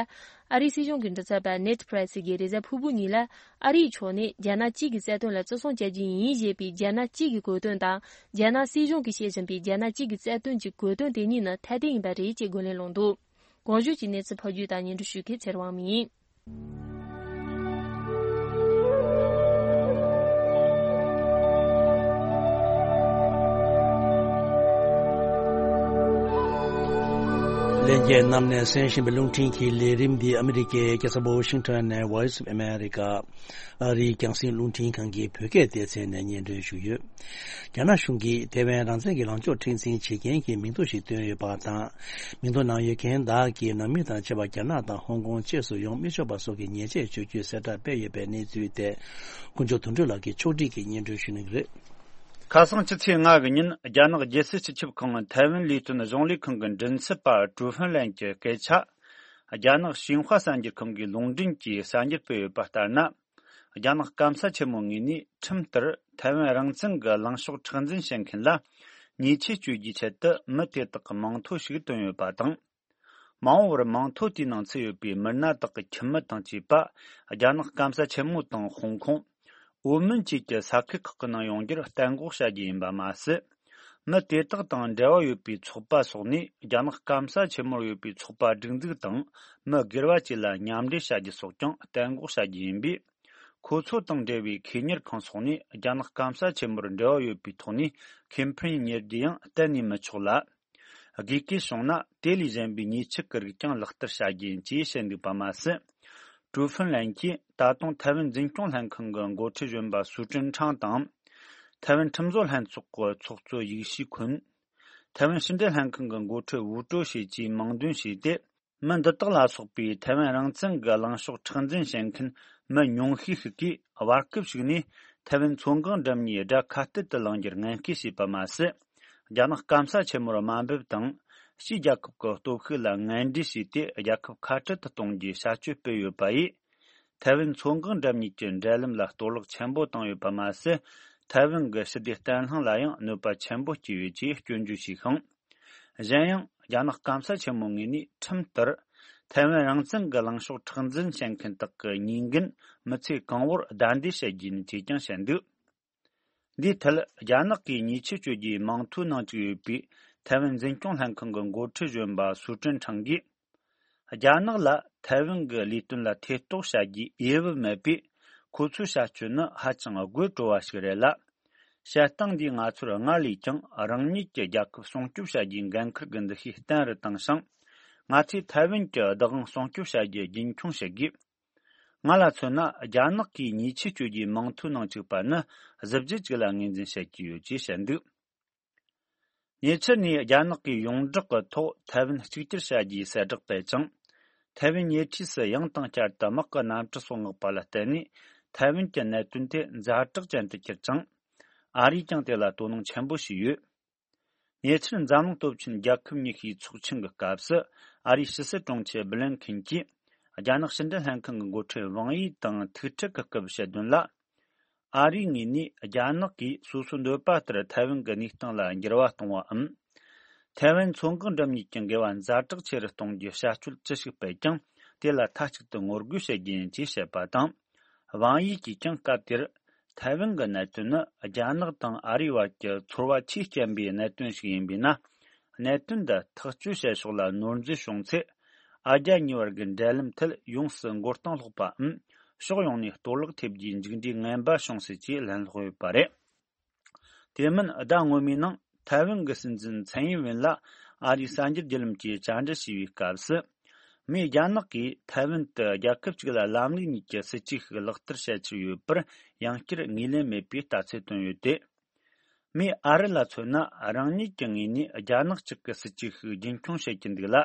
ཨ་རིའི་སྲིད་གཞུང་གི་མགྲིན་ཚབ་པ་ནེད་པྲེ་སི་གིས་རེས་གཟའ་ཕུར་བུ་ཉིན་ལ། ཨ་རིའི་ཕྱོགས་ནས་རྒྱ་ནག་གཅིག་གི་རྩ་དོན་ལ་བརྩི་སྲུང་བྱ་རྒྱུ་ཡིན་ཞེས་པའི་རྒྱ་ནག་གཅིག་གི་གོ་དོན་དང་། རྒྱ་ནག་སྲིད་གཞུང་གིས་བཤད་བཞིན་པའི་རྒྱ་ནག་གཅིག་གི་རྩ་དོན་གྱི་གོ་དོན་དེ་གཉིས་ནི་ཐ་དད་ཡིན་པ་རེད་ཅེས་རྒོལ་ལན་སློང་འདུག་གོང་ཞུས་ཀྱི་གནས་ཚུལ་ཕབ་སྒྱུར་དང་སྙན་སྒྲོན་ཞུ་མཁན་ཚེ་རིང་དབང་མོ་ཡིན། ལྷན་རྒྱས་རྣམས་ནས་གསན་བཞིན་པའི་རླུང་འཕྲིན་གྱི་ལས་རིམ་འདི་ཨ་མི་རི་ཀའི་རྒྱལ་ས་ཝ་ཤིང་ཊོན་ནས་Voice of America ཨ་རིའི་རྒྱང་སྲིང་རླུང་འཕྲིན་ཁང་གི་བོད་སྐད་སྡེ་ཚན་ནས་སྙན་སྒྲོན་ཞུས་ཡོད། རྒྱ་ནག་གཞུང་གིས་ཐེ་ཝན་རང་བཙན་གྱི་ལངས་ཕྱོགས་མཁྲེགས་འཛིན་བྱེད་མཁན་གྱི་མིང་ཐོ་ཞིག་བཏོན་ཡོད་པ་དང་། མིང་ཐོ་ནང་ཡོད་མཁན་དག་གིས་ནང་མི་དང་བཅས་པ་རྒྱ་ནག་དང་ཧོང་ཀོང་བཅས་སུ་ཡོང་མི་ཆོག་པ་སོགས་ཀྱི་ཉེས་ཆད་གཅོད་རྒྱུའི་གསལ་བསྒྲགས་སྤེལ་ཡོད་པའི་གནས་ཚུལ་ཐད། དཀོན་མཆོག་དོན་གྲུབ་ལགས་ཀྱིས་ཕྱོགས་སྒྲིག་གིས་སྙན་སྒྲོན་ཞུ་གནང་གི་རེད། ཁ་སང་ཕྱི་ཚེས་ལྔ་གི་ཉིན་རྒྱ་ནག་རྒྱལ་སྲིད་སྤྱི་ཁྱབ་ཁང་ཐའེ་ཝན་ལས་དོན་གཞུང་ལས་ཁང་གི་མགྲིན་ཚབ་པ་ཀྲུའུ་ཧྥུན་ལན་གྱིས་སྐད་ཆ། རྒྱ་ནག་ཤིན་ཧྭ་གསར་འགྱུར་ཁང་གིས་ལུང་འདྲེན་གྱིས་གསར་འགྱུར་སྤེལ་ཡོད་པ་ལྟར་ན། རྒྱ་ནག་སྐམ་ས་ཆེན་མོའི་ངོས་ནས་ཁྲིམས་ལྟར་ ཐའེ་ཝན་རང་བཙན་གྱི་ལངས་ཕྱོགས་མཁྲེགས་འཛིན་བྱེད་མཁན་ལ་ཉེས་ཆད་གཅོད་རྒྱུའི་ཆེད་དུ་མི་དེ་དག་གི་མིང་ཐོ་ཞིག་བཏོན་ཡོད་པ་དང་། མ་འོངས་པར་མིང་ཐོ་དེའི་ནང་ཚུད་ཡོད་པའི་མི་སྣ་དག་གི་ཁྱིམ་མི་དང་བཅས་པ་རྒྱ་ནག་སྐམ་ས་ཆེན་མོ་དང་ཧོང་ཀོང་། ཨོ་མོན་བཅས་ཀྱི་ས་ཁུལ་ཁག་གི་ནང་ཡོང་རྒྱུར་གཏན་འགོག་བྱ་རྒྱུ་ཡིན་པ་མ་ཟད། མི་དེ་དག་དང་འབྲེལ་བ་ཡོད་པའི་ཚོགས་པ་སོགས་ནས་རྒྱ་ནག་སྐམ་ས་ཆེན་མོར་ཡོད་པའི་ཚོགས་པ་སྒྲིག་འཛུགས་དང་མི་སྒེར་བ་བཅས་ལ་མཉམ་འབྲེལ་བྱ་རྒྱུ་སོགས་ཀྱང་གཏན་འགོག་བྱ་རྒྱུ་ཡིན་པས། ཁོ་ཚོ་དང་འབྲེལ་བའི་ཁེ་གཉེར་ཁང་སོགས་ནས་རྒྱ་ནག་སྐམ་ས་ཆེན་མོར་འབྲེལ་བ་ཡོད་པའི་ཐོག་ནས་ཁེ་ཕན་གཉེར་རྒྱུ་ཡང་གཏན་ནས་མི་ཆོག་ལ། དགོས་གལ་བྱུང་ན་དེ་ལས་གཞན་པའི་ཉེས་ཆད་ཀྱི་རིགས་ཀྱང་ལག་བསྟར་བྱ་རྒྱུ་ཡིན་ཅེས་བཤད་འདུག་པ་མ་ཟད། ཀྲུའུ་ཧྥུན་ལན་གྱིས་ད་དུང་ཐའེ་ཝན་འཛིན་སྐྱོང་ལྷན་ཁང་གི་འགོ་ཁྲིད་གཞོན་པ་སུའུ་ཀྲིན་ཁྲང་དང་། ཐའེ་ཝན་ཁྲིམས་བཟོ་ལྷན་ཚོགས་ཀྱི་ཚོགས་གཙོ་ཡིག་ཤི་ཁུན། ཐའེ་ཝན་ཕྱི་འབྲེལ་ལྷན་ཁང་གི་འགོ་ཁྲིད་ཝུའུ་ཀྲོ་ཞེས་བཅས་མིང་འདོན་བྱས་ཏེ། མི་འདི་དག་ལ་སོགས་པའི་ཐའེ་ཝན་རང་བཙན་གྱི་ལངས་ཕྱོགས་མཁྲེགས་འཛིན་བྱེད་མཁན་མི་ཉུང་ཤས་ཤིག་གིས་བར་སྐབས་ཤིག་ནས་ཐའེ་ཝན་མཚོ་འགག་འགྲམ་གཉིས་དགྲ་ཁ་གཏད་དུ་ལེན་རྒྱུར་ངན་སྐུལ་བྱས་པ་མ་ཟད། རྒྱ་ནག་སྐམ་ས་ཆེན་མོར་དམའ་འབེབས་དང་། ཕྱིའི་རྒྱལ་ཁབ་ཀྱི་སྟོབས་ཤུགས་ལ་ངན་འབྲེལ་བྱས་ཏེ་རྒྱལ་ཁབ་ཁ་བྲལ་དུ་གཏོང་རྒྱུའི་བྱ་སྤྱོད་སྤེལ་ཡོད་པ་ཡིས། ཐའེ་ཝན་མཚོ་འགག་འགྲམ་གཉིས་ཀྱི་འབྲེལ་ལམ་ལ་གཏོར་བརླག་ཆེན་པོ་བཏང་ཡོད་པ་མ་ཟད། ཐའེ་ཝན་གྱི་ཞི་བདེ་བརྟན་ལྷིང་ལ་ཡང་གནོད་པ་ཆེན་པོ་བསྐྱལ་ཡོད་ཅེས་སྐྱོན་བརྗོད་བྱས་ཤིང་། གཞན་ཡང་རྒྱ་ནག་སྐམ་ས་ཆེན་མོའི་ངོས་ནས་ཁྲིམས་ལྟར། ཐའེ་ཝན་རང་བཙན་གྱི་ལངས་ཕྱོགས་མཁྲེགས་འཛིན་བྱེད་མཁན་དག་གི་ཉེས་འགན་མི་ཚེ་གང་བོར་བདའ་འདེད་བྱེད་རྒྱུ་ཡིན་ཅེས་ཀྱང་བཤད་འདུག་འདིའི་ཐད་རྒྱ་ནག་གིས་ཉེས་ཆད་གཅོད་རྒྱུའི་མིང་ཐོའི་ནང་བཅུག་ཡོད་པའི་ཐའེ་ཝན་འཛིན་སྐྱོང་ལྷན་ཁང་གི་འགོ་ཁྲིད་གཞོན་པ་སུའུ་ཀྲིན་ཁྲང་གིས། རྒྱ་ནག་ལ་ཐའེ་ཝན་གྱི་ལས་དོན་ལ་ཐེ་གཏོགས་བྱ་རྒྱུའི་འོས་བབ་མེད་པས། ཁོ་ཚོའི་བྱ་སྤྱོད་ནི་ཧ་ཅང་དགོད་བྲོ་བ་ཞིག་རེད་ལ། བྱེད་སྟངས་འདིས་ང་ཚོར་སྔར་ལས་ཀྱང་རང་ཉིད་ཀྱི་རྒྱལ་ཁབ་སྲུང་སྐྱོབ་བྱ་རྒྱུའི་འགན་འཁུར་གྱི་འདུ་ཤེས་བརྟན་རུ་བཏང་ཞིང་། ང་ཚོས་ཐའེ་ཝན་གྱི་བདག་དབང་སྲུང་སྐྱོབ་བྱ་རྒྱུ་རྒྱུན་འཁྱོངས་བྱེད་དགོས། ང་ལ་མཚོན་ན་རྒྱ་ནག་གིས་ཉེས་ཆད་གཅོད་རྒྱུའི་མིང་ཐོའི་ནང་བཅུག་པ་ནི་གཟི་བརྗིད་ཅིག་ལ་ངོས་འཛིན་བྱེད་ཀྱི་ཡོད་ཅེས་བཤད་འདུག་ཉེ་ཆར་ནས་རྒྱ་ནག་གིས་ཡོངས་བསྒྲགས་ཀྱི་ཐོག་ཐའེ་ཝན་གཅིག་གྱུར་བྱ་རྒྱུའི་གསལ་བསྒྲགས་སྤེལ་ཅིང་། ཐའེ་ཝན་ཉེ་འཁྲིས་སུ་ཡང་དང་བསྐྱར་དུ་དམག་གི་གནམ་གྲུ་སོགས་མངགས་པ་ལ་བརྟེན་ནས་ཐའེ་ཝན་གྱི་གནད་དོན་དེ་ཛ་དྲག་ཅན་དུ་གྱུར་ཅིང་། ཨ་རིས་ཀྱང་དེ་ལ་དོ་སྣང་ཆེན་པོ་བྱས་ཡོད། ཉེ་ཆར་འཛམ་གླིང་སྟོབས་ཆེན་རྒྱལ་ཁབ་ཉི་ཤུའི་ཚོགས་ཆེན་གྱི་སྐབས་སུ་ཨ་རིའི་ཕྱི་སྲིད་དྲུང་ཆེ་བྷི་ལིན་ཁིན་གྱིས་རྒྱ་ནག་ཕྱི་འབྲེལ་ལྷན་ཁང་གི་འགོ་ཁྲིད་ཝང་ཡི་དང་ཐུག་འཕྲད་ཀྱི་སྐབས་བཤད་དོན་ལ། ཨ་རིའི་ངོས་ནས་རྒྱ་ནག་གིས་སོ་སོའི་འདོད་པ་ལྟར་ཐའེ་ཝན་གྱི་གནས་སྟངས་ལ་འགྱུར་བ་གཏོང་བའམ། ཐའེ་ཝན་མཚོ་འགག་འགྲམ་གཉིས་ཀྱི་འགལ་བ་ཛ་དྲག་ཆེ་རུ་གཏོང་རྒྱུའི་བྱ་སྤྱོད་ཅི་ཞིག་སྤེལ་ཀྱང་དེ་ལ་མཐའ་གཅིག་ཏུ་ངོ་རྒོལ་བྱེད་རྒྱུ་ཡིན་ཅེས་བཤད་པ་དང་། ཝང་ཡི་གིས་ཀྱང་སྐབས་དེར་ཐའེ་ཝན་གྱི་གནད་དོན་ནི་རྒྱ་ནག་དང་ཨ་རིའི་བར་གྱི་ཚོར་བ་ཆེས་རྐྱེན་པའི་གནད་དོན་ཞིག་ཡིན་པས་ན། གནད་དོན་འདི་ཐག་གཅོད་བྱེད་ཕྱོགས་ལ་ནོར་འཛོལ་བྱུང་ཚེ། ཨ་རྒྱ་གཉིས་བར་གྱི་འབྲེལ་ལམ་ཐད་ཡོངས་སུ་མགོ་རྟིང་སློག་པའམ། ཕྱོགས་ཡོངས་ནས་གཏོར་བརླག་ཐེབས་རྒྱུའི་མཇུག་འབྲས་ངན་པ་བྱུང་སྲིད་ཅེས་ལན་སློག་ཡོད་པ་རེད། དེ་མིན་ཟླ་སྔོན་མའི་ནང་ཐའེ་ཝན་གྱི་སྲིད་འཛིན་ཚན་ཡིན་ཝེན་ལ་ཨ་རིའི་གསར་འགྱུར་བརྒྱུད་ལམ་གྱིས་བཅར་འདྲི་བྱས་པའི་སྐབས་སུ། མིས་རྒྱ་ནག་གིས་ཐའེ་ཝན་དུ་རྒྱལ་ཁབ་གཅིག་ལ་ལམ་ལུགས་གཉིས་ཀྱི་སྲིད་ཇུས་ཤིག་ལག་བསྟར་བྱེད་ཀྱི་ཡོད་པར་ཡང་བསྐྱར་ངོས་ལེན་མེད་པའི་ལྟ་ཚུལ་བཏོན་ཡོད་དེ། མིས་ཨ་རི་ལ་མཚོན་ན་རང་ཉིད་ཀྱི་ངོས་ནས་རྒྱ་ནག་གཅིག་གི་སྲིད་ཇུས་ཤིག་རྒྱུན་འཁྱོངས་བྱེད་ཀྱི་འདུག་ལ།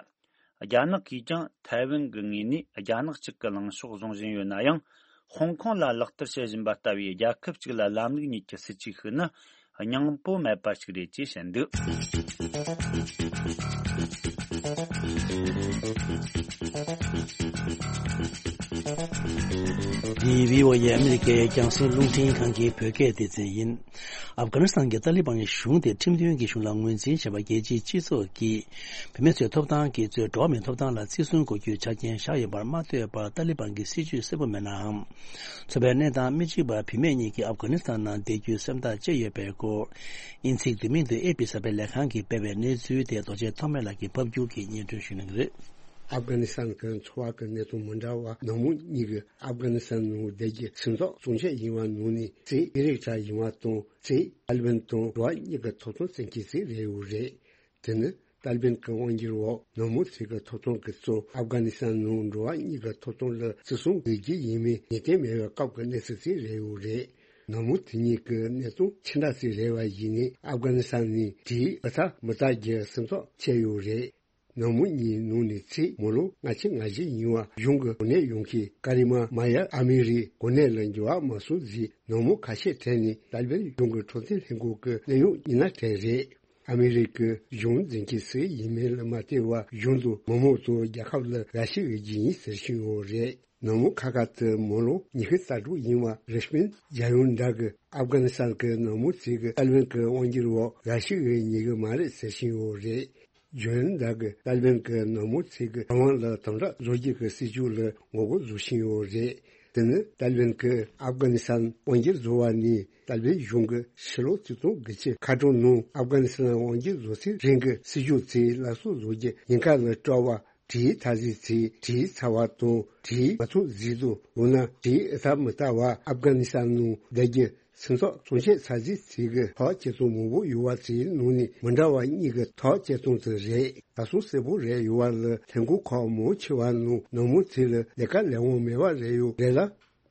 རྒྱ་ནག་གིས་ཀྱང་ཐའེ་ཝན་གྱི་ངོས་ནས་རྒྱ་ནག་གཅིག་གི་ལངས་ཕྱོགས་བཟུང་བཞིན་ཡོད་ན་ཡང་། ཧོང་ཀོང་ལ་ལག་བསྟར་བྱེད་བཞིན་པ་ལྟ་བུའི་རྒྱལ་ཁབ་གཅིག་ལ་ལམ་ལུགས་གཉིས་ཀྱི་སྲིད་ཇུས་ཤིག་ནི་སྙིང་པོ་མེད་པ་ཞིག་རེད་ཅེས་བཤད་འདུག་འདི་བྷི་ཨོ་ཨེ་ཨ་མི་རི་ཀའི་རྒྱང་སྲིང་རླུང་འཕྲིན་ཁང་གི་བོད་སྐད་སྡེ་ཚན་ཡིན། ཨབ་གྷ་ནི་སི་ཐན་གྱི་ཏཱ་ལི་བན་གྱི་གཞུང་དེ་ཁྲིམས་མཐུན་གྱི་གཞུང་ལ་ངོས་འཛིན་བྱས་པ་རྒྱལ་སྤྱིའི་སྤྱི་ཚོགས་ཀྱིས་བུད་མེད་ཚོའི་ཐོབ་ཐང་གི་གཙོས་འགྲོ་བ་མིའི་ཐོབ་ཐང་ལ་བརྩི་སྲུང་དགོས་རྒྱུའི་ཆ་རྐྱེན་བཞག་ཡོད་པར་མ་ལྟོས་པར་ཏཱ་ལི་བན་གྱི་སྲིད་བྱུས་གསལ་པོ་མེད་ནའང་། ཚོར་བའི་གནས་སྟངས་མི་གཅིག་པ་བུད་མེད་གཉིས་ཀྱིས་ཨབ་གྷ་ནི་སི་ཐན་ནང་བསྡད་རྒྱུའི་སེམས་ཐག་བཅད་ཡོད་པའི་སྐོར། དབྱིན་ཚིག་བསྡུས་མིང་དུ་ཨེ་པི་གསར་སྤེལ་ལས་ཁང་གིས་སྤེལ་བའི་གནས་ཚུལ་དེ་རྡོ་རྗེ་ཐོགས་མེད་ལགས་ཀྱིས་ཕབ་སྒྱུར་གྱིས་སྙན་སྒྲོན་ཞུ་གནང་གི་རེད། ཨབ་གྷ་ནི་སི་ཐན་གྱི་འཚོ་བ་གི་གནས་སྟངས་མི་འདྲ་བ་ནང་མི་གཉིས་ཀྱིས་ཨབ་གྷ་ནི་སི་ཐན་ནང་བསྡད་རྒྱུ་སེམས་ཐག་གཙང་བཅད་ཡིན་པ་ནང་ནས་གཅིག་ཨི་རིག་གྲས་ཡིན་པ་དང་གཅིག་ཏཱ་ལི་བན་དང་འགྲོ་བ་གཉིས་ཀྱི་ཐོབ་ཐང་བཙན་སྐྱོང་ཅིག་རེད་ཡོད་རེད། དེ་ནི་ཏཱ་ལི་བན་གྱི་དབང་སྒྱུར་འོག་ནང་མི་ཚོའི་གི་ཐོབ་ཐང་གི་གཙོ་ཨབ་གྷ་ནི་སི་ཐན་ནང་འགྲོ་བ་གཉིས་ཀྱི་ཐོབ་ཐང་ལ་བརྩི་སྲུང་དགོས་རྒྱུ་ཡིན་མིན་ངེས་གཏན་མེད་པའི་སྐབས་ཀྱི་གནས་ཚུལ་ཅིག་རེད་ཡོད་རེད། ནང་མི་དེ་གཉིས་ཀྱི་གནས་སྟངས་ཅི་འདྲ་ཅིག་རེད་པ་ཡིན་ནའི་ཨབ་གྷ་ནི་སི་ཐན་ནས་དེའི་གི་ཚ་མི་ལྟ་རྒྱུ་སེམས་ཐག་བཅད་ཡོད་རེད། ནང་མི་གཉིས་ནང་ནས་གཅིག་མི་ལོ་ལྔ་བཅུ་ང་བཞི་ཡིན་པ་གཞུང་གི་གོ་གནས་ཡོད་མཁན་ཀ་རི་མ་མ་ཡ་ཨ་མི་རིའི་གོ་གནས་ལ་འགྱུར་བ་མ་སོང་རྗེས་ནང་མི་ཁ་ཤས་གྲས་ནས་ཏཱ་ལི་བན་གཞུང་གི་འཕྲོད་བསྟེན་ལྷན་ཁང་གི་གནད་ཡོད་མི་སྣ་གྲས་རེད། ཨ་མི་རི་ཀའི་གཞུང་འཛིན་མཁན་སུ་ཡིན་མིན་ལ་མ་ལྟོས་པར་གཞུང་དང་མི་མང་ཚོ་རྒྱལ་ཁབ་ལ་ར་ཤི་འོས་རྒྱུ་ཡིན་ཟེར་བཞིན་ཡོད་རེད། ནག་མོ་ཁ་ཁ་དེ་མོ་ལོ་ཉི་ཤུ་རྩ་དྲུག་ཡིན་པ་རེ་ཤ་མིན་རྒྱལ་ཡོངས་འདྲ་གི་ཨབ་གྷ་ནི་སི་ཐན་གི་ནག་མོ་ཚོས་གི་ཏཱ་ལི་བན་གི་དབང་སྒྱུར་འོག་འགའ་ཞིག་གི་ཉེ་གི་མ་རེད་ཟེར་བཞིན་ཡོད་རེད། ལྗོན་ཟླ་གི་ཏཱ་ལི་བན་གི་ནག་མོ་ཚོས་གི་རང་དབང་ལ་དམ་དྲག་བཟོ་རྒྱུ་གི་སྲིད་ཇུས་ལ་ངོ་རྒོལ་བཟོ་བཞིན་ཡོད་རེད། དེ་ནི་ཏཱ་ལི་བན་གི་ཨབ་གྷ་ནི་སི་ཐན་དབང་སྒྱུར་བཟོ་བ་ནི་ཏཱ་ལི་བན་གཞུང་གི་ཕྱི་ལོ་ཆིག་སྟོང་དགུ་བརྒྱ་ཁ་གྲངས་ནང་ཨབ་གྷ་ནི་སི་ཐན་དབང་སྒྱུར་བཟོ་ཚུལ་རིང་གི་སྲིད་ཇུས་ཚོའི་སླར་གསོ་བཟོ་རྒྱུ་ཉེན་ཁ་ལ་སྤྲོ་བ། གྲིའི་འཐབ་རྩོད་ཚོས་གྲིའི་ཚ་བ་དང་གྲིའི་མ་ཐུག་རྫས་དང་འོ་ན་གྲིའི་ཨེ་ཐབ་མི་ལྟ་བ་ཨབ་གྷ་ནི་སི་ཐན་ནང་བསྡད་རྒྱུ། སེམས་ཚོར་སྲུང་བྱེད་ཚ་རྫས་ཚིག་གི་ཐག་བཅད་སྟངས་མང་པོ་ཡོད་པ་ཚོའི་ནང་ནས་མི་འདྲ་བ་གཉིས་ཀྱི་ཐག་བཅད་སྟངས་དེ་རེད། ད་སོ་གསལ་པོ་རེད་ཡོད་པ་ལ་ལྷན་ཁང་ཁག་མང་ཆེ་བ་ནང་ནག་མོ་ཚོ་ལ་ལས་ཀ་ལས་དབང་མེད་པ་རེད་ཡོད་རེད་ལ།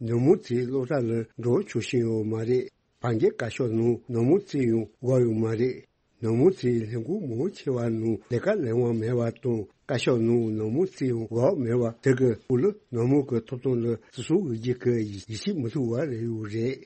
ནག་མོ་ཚོས་སློབ་གྲྭ་ལ་འགྲོ་ཆོག་བཞིན་ཡོད་མ་རེད། བར་བརྒལ་བཀའ་ཤག་ནང་ནག་མོ་ཚོ་ཡང་བསྒོག་ཡོད་མ་རེད། ནག་མོ་ཚོའི་ལས་འགུལ་མང་ཆེ་བ་ནང་ལས་ཀ་ལས་དབང་མེད་པ་དང་བཀའ་ཤག་ནང་ནག་མོ་ཚོ་ཡང་བསྒོག་མེད་པ་དེ་གི་སྐོར་ལ་ནག་མོ་གི་ཐོབ་ཐང་ལ་བརྩི་སྲུང་འོས་བསྡུ་གི་ཡིད་ཆེས་མི་ཐུབ་པ་རེད་ཡོད་རེད།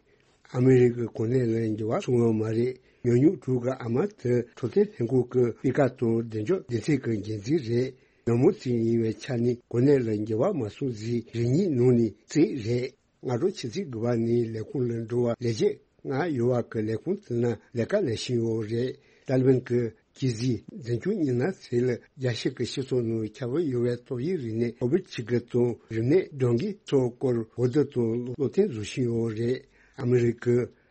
ཨ་མི་རི་ཀའི་གོ་གནས་ལ་འགྱུར་བ་སོང་ཡོད་མ་རེད། ཉུང་ཉུང་དྲུག་གི་ཨ་མ་དེ་འཕྲོད་བསྟེན་ལྷན་ཁང་གི་སྤུས་ཀ་དང་བདེ་འཇགས་སྡེ་ཚན་གྱི་འགན་འཛིན་རེད། ནག་མོ་ཚོ་ཡིན་པའི་ཆ་ནས་གོ་གནས་ལ་འགྱུར་བ་མ་སོང་ཟིན་རེ་གཉིས་ནང་ནས་གཅིག་རེད། སྔ་དྲོ་ཆུ་ཚོད་དགུ་པ་ནས་ལས་ཁུངས་ལ་འགྲོ་བ་ལས་བྱེད་ལྔ་ཡོད་པ་གི་ལས་ཁུངས་དེ་ན་ལས་ཀ་ལས་བཞིན་ཡོད་རེད། ཏཱ་ལི་བན་གྱི་གྱི་ཟིག་འཛིན་སྐྱོང་གཉིས་ན་ཚེ་ལ་རྒྱལ་སྤྱི་གི་སྤྱི་ཚོགས་ནང་ཁྱབ་པ་ཡོད་པའི་ཏོག་དབྱིབས་རིམས་ནད་ཀོ་བིད་གཅིག་གི་དང་རིམས་ནད་སྦྲང་གི་ཚོགས་སྐོར་འོས་བསྡུ་དང་བློ་མཐུན་བཟོ་བཞིན་ཡོད་རེད། ཨ་མི་རི་ཀ་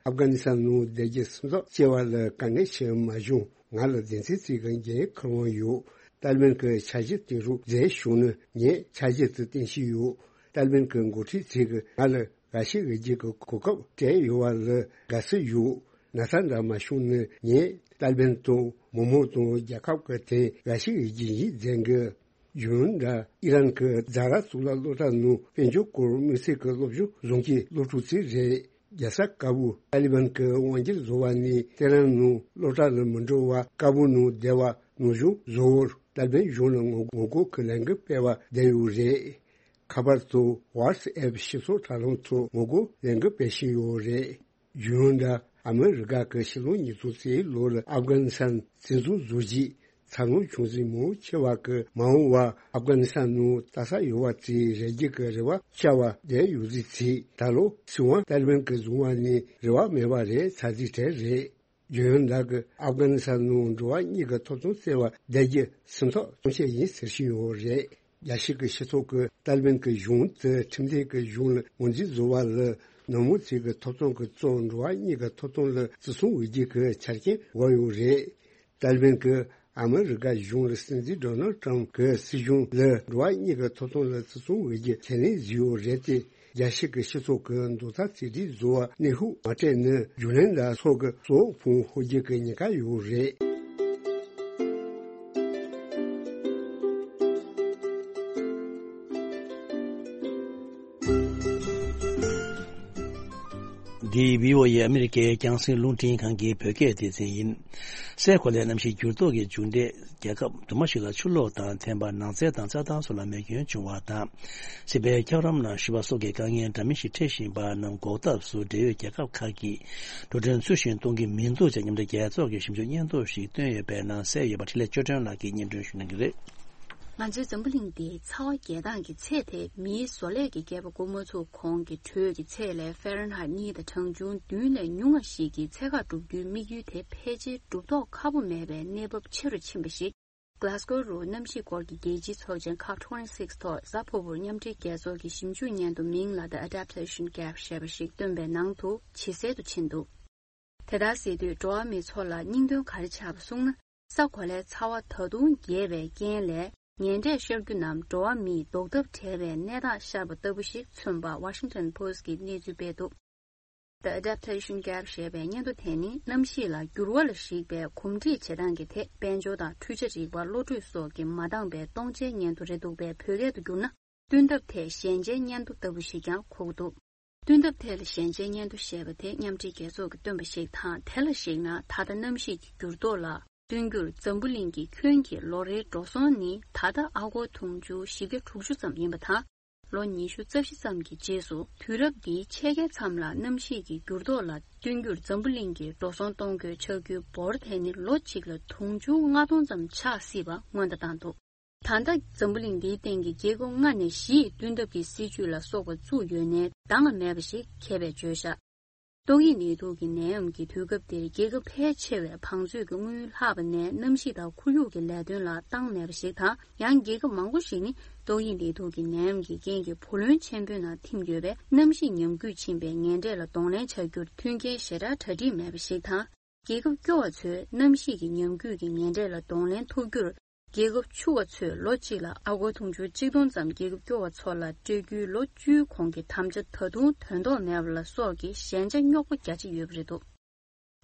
ཨབ་གྷ་ནི་སི་ཐན་ནང་བསྡད་རྒྱུ་སེམས་ཚོར་སྐྱེ་བ་ལ་དཀའ་ངལ་ཞིག་མ་བྱུང་། ང་ལ་སྡེ་ཚན་གཅིག་གི་འགན་འཁུར་དབང་ཡོད། ཏཱ་ལི་བན་གྱི་འཆར་གཞི་བཏིང་རོགས་མཛད་བྱུང་ན་ངས་འཆར་གཞི་དེ་བཏིང་བཞིན་ཡོད། ཏཱ་ལི་བན་གྱི་འགོ་ཁྲིད་ཚོས་ང་ལ་འགའ་ཤས་འོས་བསྡུ་གི་གོ་སྐབས་སྤྲད་ཡོད་པ་ལ་དགའ་བསུ་ཡོད། ན་ཚ་འདྲ་མ་བྱུང་ན་ངས་ཏཱ་ལི་བན་དང་མི་མང་དང་རྒྱལ་ཁབ་ཀྱི་དོན་འགའ་ཤས་འོས་བསྡུ་ཞིག་མཛད་གི། གཞུང་འདྲ་ཨི་རན་གྱི་ཛ་ར་གཙུག་ལག་སློབ་གྲྭ་ནང་དཔལ་འབྱོར་སྐོར་དམིགས་བསལ་གྱི་སློབ་སྦྱོང་བཟོ་མཁན་སློབ་ཕྲུག་ཚོ་རེད། རྒྱལ་ས་ཀ་བུལ། ཏཱ་ལི་བན་གྱི་དབང་སྒྱུར་བཟོ་བ་ནས་ཏེ་རན་ནང་སློབ་གྲྭ་ལ་མི་འགྲོ་བར་ཀ་བུལ་ནང་བསྡད་པ་ནང་བཞིན་བཟོ་བར་ཏཱ་ལི་བན་གཞུང་ལ་ངོ་ངོ་རྒོལ་གྱི་ལས་འགུལ་སྤེལ་བར་བསྡད་ཡོད་རེད། ཁ་པར་དང་ཝ་ཊི་སི་ཨེབ་ཞིབ་ཚགས་དྲ་ལམ་ཐོག་ངོ་རྒོལ་ལས་འགུལ་སྤེལ་བཞིན་ཡོད་རེད། གཞུང་འདྲ་ཨ་མི་རི་ཀ་གི་ཕྱི་ལོ་ཉིས་སྟོང་རྩ་གཅིག་ལོ་ལ་ཨབ་གྷ་ནི་སི་ཐན་བཙན་འཛུལ་བཟོ་རྗེས་འཚར་ལོངས་བྱུང་ཚུལ་མང་ཆེ་བ་གི་མ་འོངས་པ་ཨབ་གྷ་ནི་སི་ཐན་ནང་ལྟ་ས་ཡོད་པ་ཚོའི་རེ་སྒུག་གི་རེ་བ་བཅའ་བ་བསྡད་ཡོད་ཚུལ་ཚིག་ད་ལོ་སྲིད་དབང་ཏཱ་ལི་བན་གྱིས་བཟུང་བ་ནས་རེ་བ་མེད་པ་རེད་ཚར་རྩིས་གྲས་རེད། རྒྱལ་ཡོངས་ནང་གི་ཨབ་གྷ་ནི་སི་ཐན་ནང་འགྲོ་བ་གཉིས་ཀྱི་ཐོབ་ཐང་བཙལ་བར་བསྡད་རྒྱུ་སེམས་ཐག་གཙང་བཅད་ཡིན་ཟེར་བཞིན་ཡོད་རེད། རྒྱལ་སྤྱི་གི་སྤྱི་ཚོགས་ཀྱི་ཏཱ་ལི་བན་གྱི་གཞུང་དེ་ཁྲིམས་མཐུན་གྱི་གཞུང་ལ་ངོས་འཛིན་བཟོ་བ་ལ་ནང་མི་ཚོས་ཀྱི་ཐོབ་ཐང་གི་གཙོ་འགྲོ་བ་གཉིས་ཀྱི་ཐོབ་ཐང་ལ་བརྩི་སྲུང་འོས་བསྡུ་གི་ཆ་རྐྱེན་བཀོད་ཡོད་རེད། ཏཱ་ལི་བན་གྱིས་ཨ་མི་རི་ཀ་གཞུང་ལ་སྲིད་འཛིན་ཌོ་ནལ་ཊམ་གྱི་སྲིད་གཞུང་ལ་འགྲོ་བ་གཉིས་ཀྱི་ཐོབ་ཐང་ལ་བརྩི་སྲུང་འོས་བསྡུ་ཁས་ལེན་བཟོས་ཡོད་རེད་དེ། རྒྱལ་སྤྱི་གི་སྤྱི་ཚོགས་ཀྱི་རྡོག་རྩ་གཅིག་སྒྲིལ་བཟོ་བར་གནོན་ཤུགས་མ་སྤྲད་ན་རྒྱུན་ལས་དང་ཚོགས་ཀྱི་གཙོ་བོ་ཕུང་ཧོ་རྒྱུ་གི་ཉེན་ཁ་ཡོད་རེད། འདི་བྷི་ཨོ་ཨེ་ཨ་མི་རི་ཀའི་རྒྱང་སྲིང་རླུང་འཕྲིན་ཁང་གི་བོད་སྐད་སྡེ་ཚན་ཡིན། སའི་གོ་ལའི་གནམ་གཤིས་འགྱུར་ལྡོག་གི་མཇུག་འབྲས། རྒྱལ་ཁབ་དུ་མ་ཞིག་ལ་ཆུ་ལོག་དང་ཐན་པ་ནགས་ཚལ་དང་རྩྭ་ཐང་སོགས་ལ་མེ་སྐྱོན་བྱུང་བ་དང་། སྲིད་པའི་འཁྱགས་རོམ་ནང་ཞི་བ་སོགས་ཀྱི་དཀའ་ངལ་འདྲ་མིན་ཞིག་འཕྲད་བཞིན་པ་རྣམས་འགོག་ཐབས་སུ་འབྲེལ་ཡོད་རྒྱལ་ཁབ་ཁག་གིས་འགྲོ་གྲོན་ཚུལ་བཞིན་གཏོང་གི་མི་འདུག་ཅེས་མཉམ་འབྲེལ་རྒྱལ་ཚོགས་ཀྱི་ཞིབ་འཇུག་སྙན་ཐོ་ཞིག་བཏོན་ཡོད་པའི་ནང་གསལ་ཡོད་པ་འཕྲིན་ལས་ཆོས་སྒྲོན་ལགས་ཀྱིས་སྙན་སྒྲོན་ཞུ་གནང་གི་རེད། ང་ཚོའི་འཛམ་བུ་གླིང་འདིའི་ཚ་བ་རྒྱས་སྟངས་ཀྱི་ཚད་དེ་མིའི་བཟོ་ལས་ཀྱི་རྒྱལ་པོ་འགོ་མ་ཚུགས་གོང་གི་དྲོད་ཀྱི་ཚད་ལས་ཧྥ་རན་ཧའེ་གཉིས་དང་གྲངས་ཆུང་བདུན་ལས་ཉུང་བ་ཞིག་གི་ཚད་བཀག་སྒྲུབ་རྒྱུའི་དམིགས་ཡུལ་དེ་ཕལ་ཆེར་སྒྲུབ་ཐོག་ཁག་པོ་མེད་པའི་གནས་བབ་ཆེ་རུ་ཕྱིན་པ་ཞིག Glasgow རུ་གནམ་གཤིས་སྐོར་གྱི་རྒྱལ་སྤྱིའི་ཚོགས་ཆེན་ཁོབ་ཊུ་ཝེན་ཊི་སིག་ཐོག་གཟའ་ཕུར་བུར་མཉམ་འབྲེལ་རྒྱལ་ཚོགས་ཀྱི་ཞིབ་འཇུག་སྙན་ཐོ་མིང་ལ་The Adaptation Gap ཞེས་པ་ཞིག་བཏོན་པའི་ནང་དུ་ཇེ་གསལ་དུ་ཕྱིན་འདུག་དེ་ལྟར་ཟེར་དུས་འགྲོ་བ་མིའི་ཚོགས་ལ་སྙིང་དོན་ག་རེ་ཆགས་པ་གསུངས་ན། ས་གོ་ལའི་ཚ་བ་ད་དུང་རྒྱས་པའི་རྐྱེན་ལས། ངན་འབྲས་ཤོར་རྒྱུ་རྣམས་འགྲོ་བ་མིས་ལྡོག་ཐབས་བྲལ་བའི་གནས་སྟངས་ཤར་བ་ལྟ་བུ་ཞིག་མཚོན་པ་Washington Post གིས་གནས་ཚུལ་སྤེལ་འདུག The Adaptation Gap ཞེས་པའི་སྙན་ཐོ་དེ་ནི་གནམ་གཤིས་ལ་འགྱུར་བ་ལ་གཞིགས་པའི་གོམས་འདྲིས་བྱེད་སྟངས་ཀྱི་ཐད་དཔལ་འབྱོར་དང་འཕྲུལ་ཆ་རིག་པ་བློ་གྲོས་སོགས་ཀྱིས་མ་འདང་པའི་སྟོང་ཆའི་སྙན་ཐོ་རེད་འདུག་པས། བོད་སྐད་དུ་བསྒྱུར་ན། བསྟུན་ཐབས་ཐད་ཞན་ཆའི་སྙན་ཐོ་ལྟ་བུ་ཞིག་ཀྱང་གོ་གི་འདུག་བསྟུན་ཐབས་ཐད་ལ་ཞན་ཆའི་སྙན་ཐོ་ཞེས་པ་དེ་མཉམ་འབྲེལ་རྒྱལ་ཚོགས་ཀྱིས་བཏོན་པ་ཞིག་དང་། དེ་ལ་གཞིགས་ན་ད་ལྟ་གནམ་གཤིས་ཀྱི་འགྱུར་ལྡོག་ལ་བསྟུན་རྒྱུར་འཛམ་བུ་གླིང་གི་ཁྱོན་གྱི་ལོ་རེའི་འགྲོ་སོང་ནི་ད་ལྟ་ཨ་སྒོར་དུང་ཕྱུར་བཞི་བརྒྱ་དྲུག་ཅུ་ཙམ་ཡིན་པ་དང་། ལོ་ཉི་ཤུ་རྩ་བཞི་ཙམ་གྱི་རྗེས་སུ་དུས་རབས་འདིའི་ཕྱེད་ཀའི་མཚམས་ལ་གནམ་གཤིས་ཀྱི་འགྱུར་ལྡོག་ལ་བསྟུན་རྒྱུར་འཛམ་བུ་གླིང་གི་འགྲོ་སོང་གཏོང་དགོས་ཆགས་རྒྱུའི་འབོར་དེ་ནི་ལོ་གཅིག་ལ་དུང་ཕྱུར་ལྔ་སྟོང་ཙམ་ཆགས་སྲིད་པ་སྔོན་བརྡ་བཏང་འདུག་ད་ལྟ་འཛམ་བུ་གླིང་འདིའི་སྟེང་གི་རྒྱལ་ཁབ་ལྔ་ནས་བཞི་ཡི་བསྟུན་ཐབས་ཀྱི་སྲིད་ཇུས་ལ་སོགས་པ་བཙུགས་ཡོད་ནའི་འདང་ལ་མེད་པ་ཞིག་ཁེ་བས་བརྗོད་བཞག་ཏོག་དབྱིབས་ནད་དུག་གི་ནད་ཡམས་ཀྱི་དུས་སྐབས་འདིར་རྒྱལ་ཁབ་ཕལ་ཆེ་བས་བང་མཛོད་ཀྱི་དངུལ་ལྷག་པ་ནས་གནམ་གཤིས་དང་ཁོར་ཡུག་གི་ལས་དོན་ལ་བཏང་མེད་པ་ཞིག་དང་། ཡང་རྒྱལ་ཁབ་མང་པོ་ཞིག་ནི་ཏོག་དབྱིབས་ནད་དུག་གི་ནད་ཡམས་ཀྱི་རྐྱེན་གྱིས་བུ་ལོན་ཆེན་པོའི་ནང་ཐིམ་ཡོད་པས། གནམ་གཤིས་ཉམས་རྒུད་ཕྱིན་པའི་ངན་འབྲས་ལ་གདོང་ལེན་བྱ་རྒྱུར་མཐུན་རྐྱེན་ཞེ་དྲག་གྲ་སྒྲིག་མེད་པ་ཞིག་དང་། རྒྱལ་ཁབ་སྐྱོ་བ་ཚོས་གནམ་གཤིས་ཀྱི་ཉམས་རྒུད་ཀྱི་ངན་འབྲས་ལ་གདོང་ལེན་ཐུབ་རྒྱུར། རྒྱལ་ཁབ་ཕྱུག་པ་ཚོས་ལོ་གཅིག་ལ་ཨ་སྒོར་དུང་ཕྱུར་གཅིག་སྟོང་ཙམ་རྒྱལ་ཁབ་སྐྱོ་བ་ཚོ་ལ་སྤྲོད་རྒྱུའི་ལོ་བཅུའི་གོང་གི་དམ་བཅའ་ད་དུང་དོན་ཐོག་མེད་པ་ལ་སོགས་ཀྱི་ཞན་ཆ་རྙོག་པ་རྒྱ་ཆེ་ཡོད་པ་རེད་འདུག་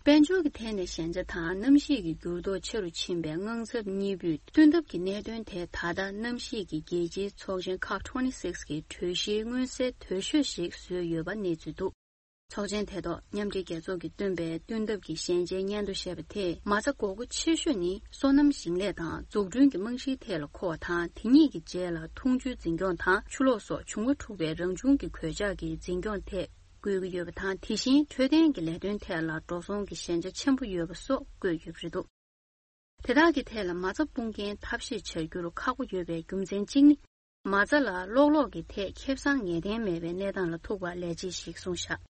དཔལ་འབྱོར་གྱི་ཐད་ནས་ཞན་ཆ་དང་གནམ་གཤིས་ཀྱི་འགྱུར་ལྡོག་ཆེ་རུ་ཕྱིན་པའི་དངངས་འཚབ་གཉིས་པོས། བསྟུན་ཐབས་ཀྱི་གནད་དོན་དེ་ད་ལྟ་གནམ་གཤིས་ཀྱི་རྒྱལ་སྤྱིའི་ཚོགས་ཆེན་ཁོབ་ཊུ་ཝེན་ཊི་སིགས་ཀྱི་གྲོས་གཞིའི་མངོན་གསལ་དོད་ཤོས་ཤིག་བཟོས་ཡོད་པ་གནས་ཚུལ་འདུག་ཚོགས་ཆེན་དེ་ཐོག་མཉམ་འབྲེལ་རྒྱལ་ཚོགས་ཀྱིས་བཏོན་པའི་བསྟུན་ཐབས་ཀྱི་ཞན་ཆའི་སྙན་ཐོ་ཞེས་པ་དེས། མ་རྩ་དགོས་མཁོ་ཆེ་ཤོས་ནི་སོ་ནམ་ཞིང་ལས་དང་འཛུགས་སྐྲུན་གྱི་རྨང་གཞིའི་ཐད་ལ་མཁོ་བ་དང་། དེ་གཉིས་ཀྱི་རྗེས་ལ་འཐུང་ཆུའི་འཛིན་སྐྱོང་དང་ཆུ་ལོག་སོགས་བྱུང་བ་འཁྲུག་པའི་རང་བྱུང་གི་གོད་ཆག་གི་འཛིན་སྐྱོང་ཐད་དགོས་ཀྱི་ཡོད་པ་དང་། དེ་བཞིན་འཕྲོད་བསྟེན་གྱི་ལས་དོན་ཐད་ལ་འགྲོ་སོང་གི་ཞན་ཆ་ཆེན་པོ་ཡོད་པ་སོགས་བཀོད་ཡོད་པ་རེད་འདུག་དེ་དག་གི་ཐད་ལ་མ་རྩ་སྤུངས་འགན་ཐབས་ཤེས་བྱ་རྒྱུར་ཁག་པོ་ཡོད་པའི་རྒྱུ་མཚན་གཅིག་ནི། མ་རྩ་ལ་གློག་ཀླད་ཀྱི་ཐད་ཁེ་བཟང་ངེས་གཏན་མེད་པའི་གནས་སྟངས་ལ་ཐུག་པ་ལས་བྱེད་ཞིག་གསུངས་བཞག་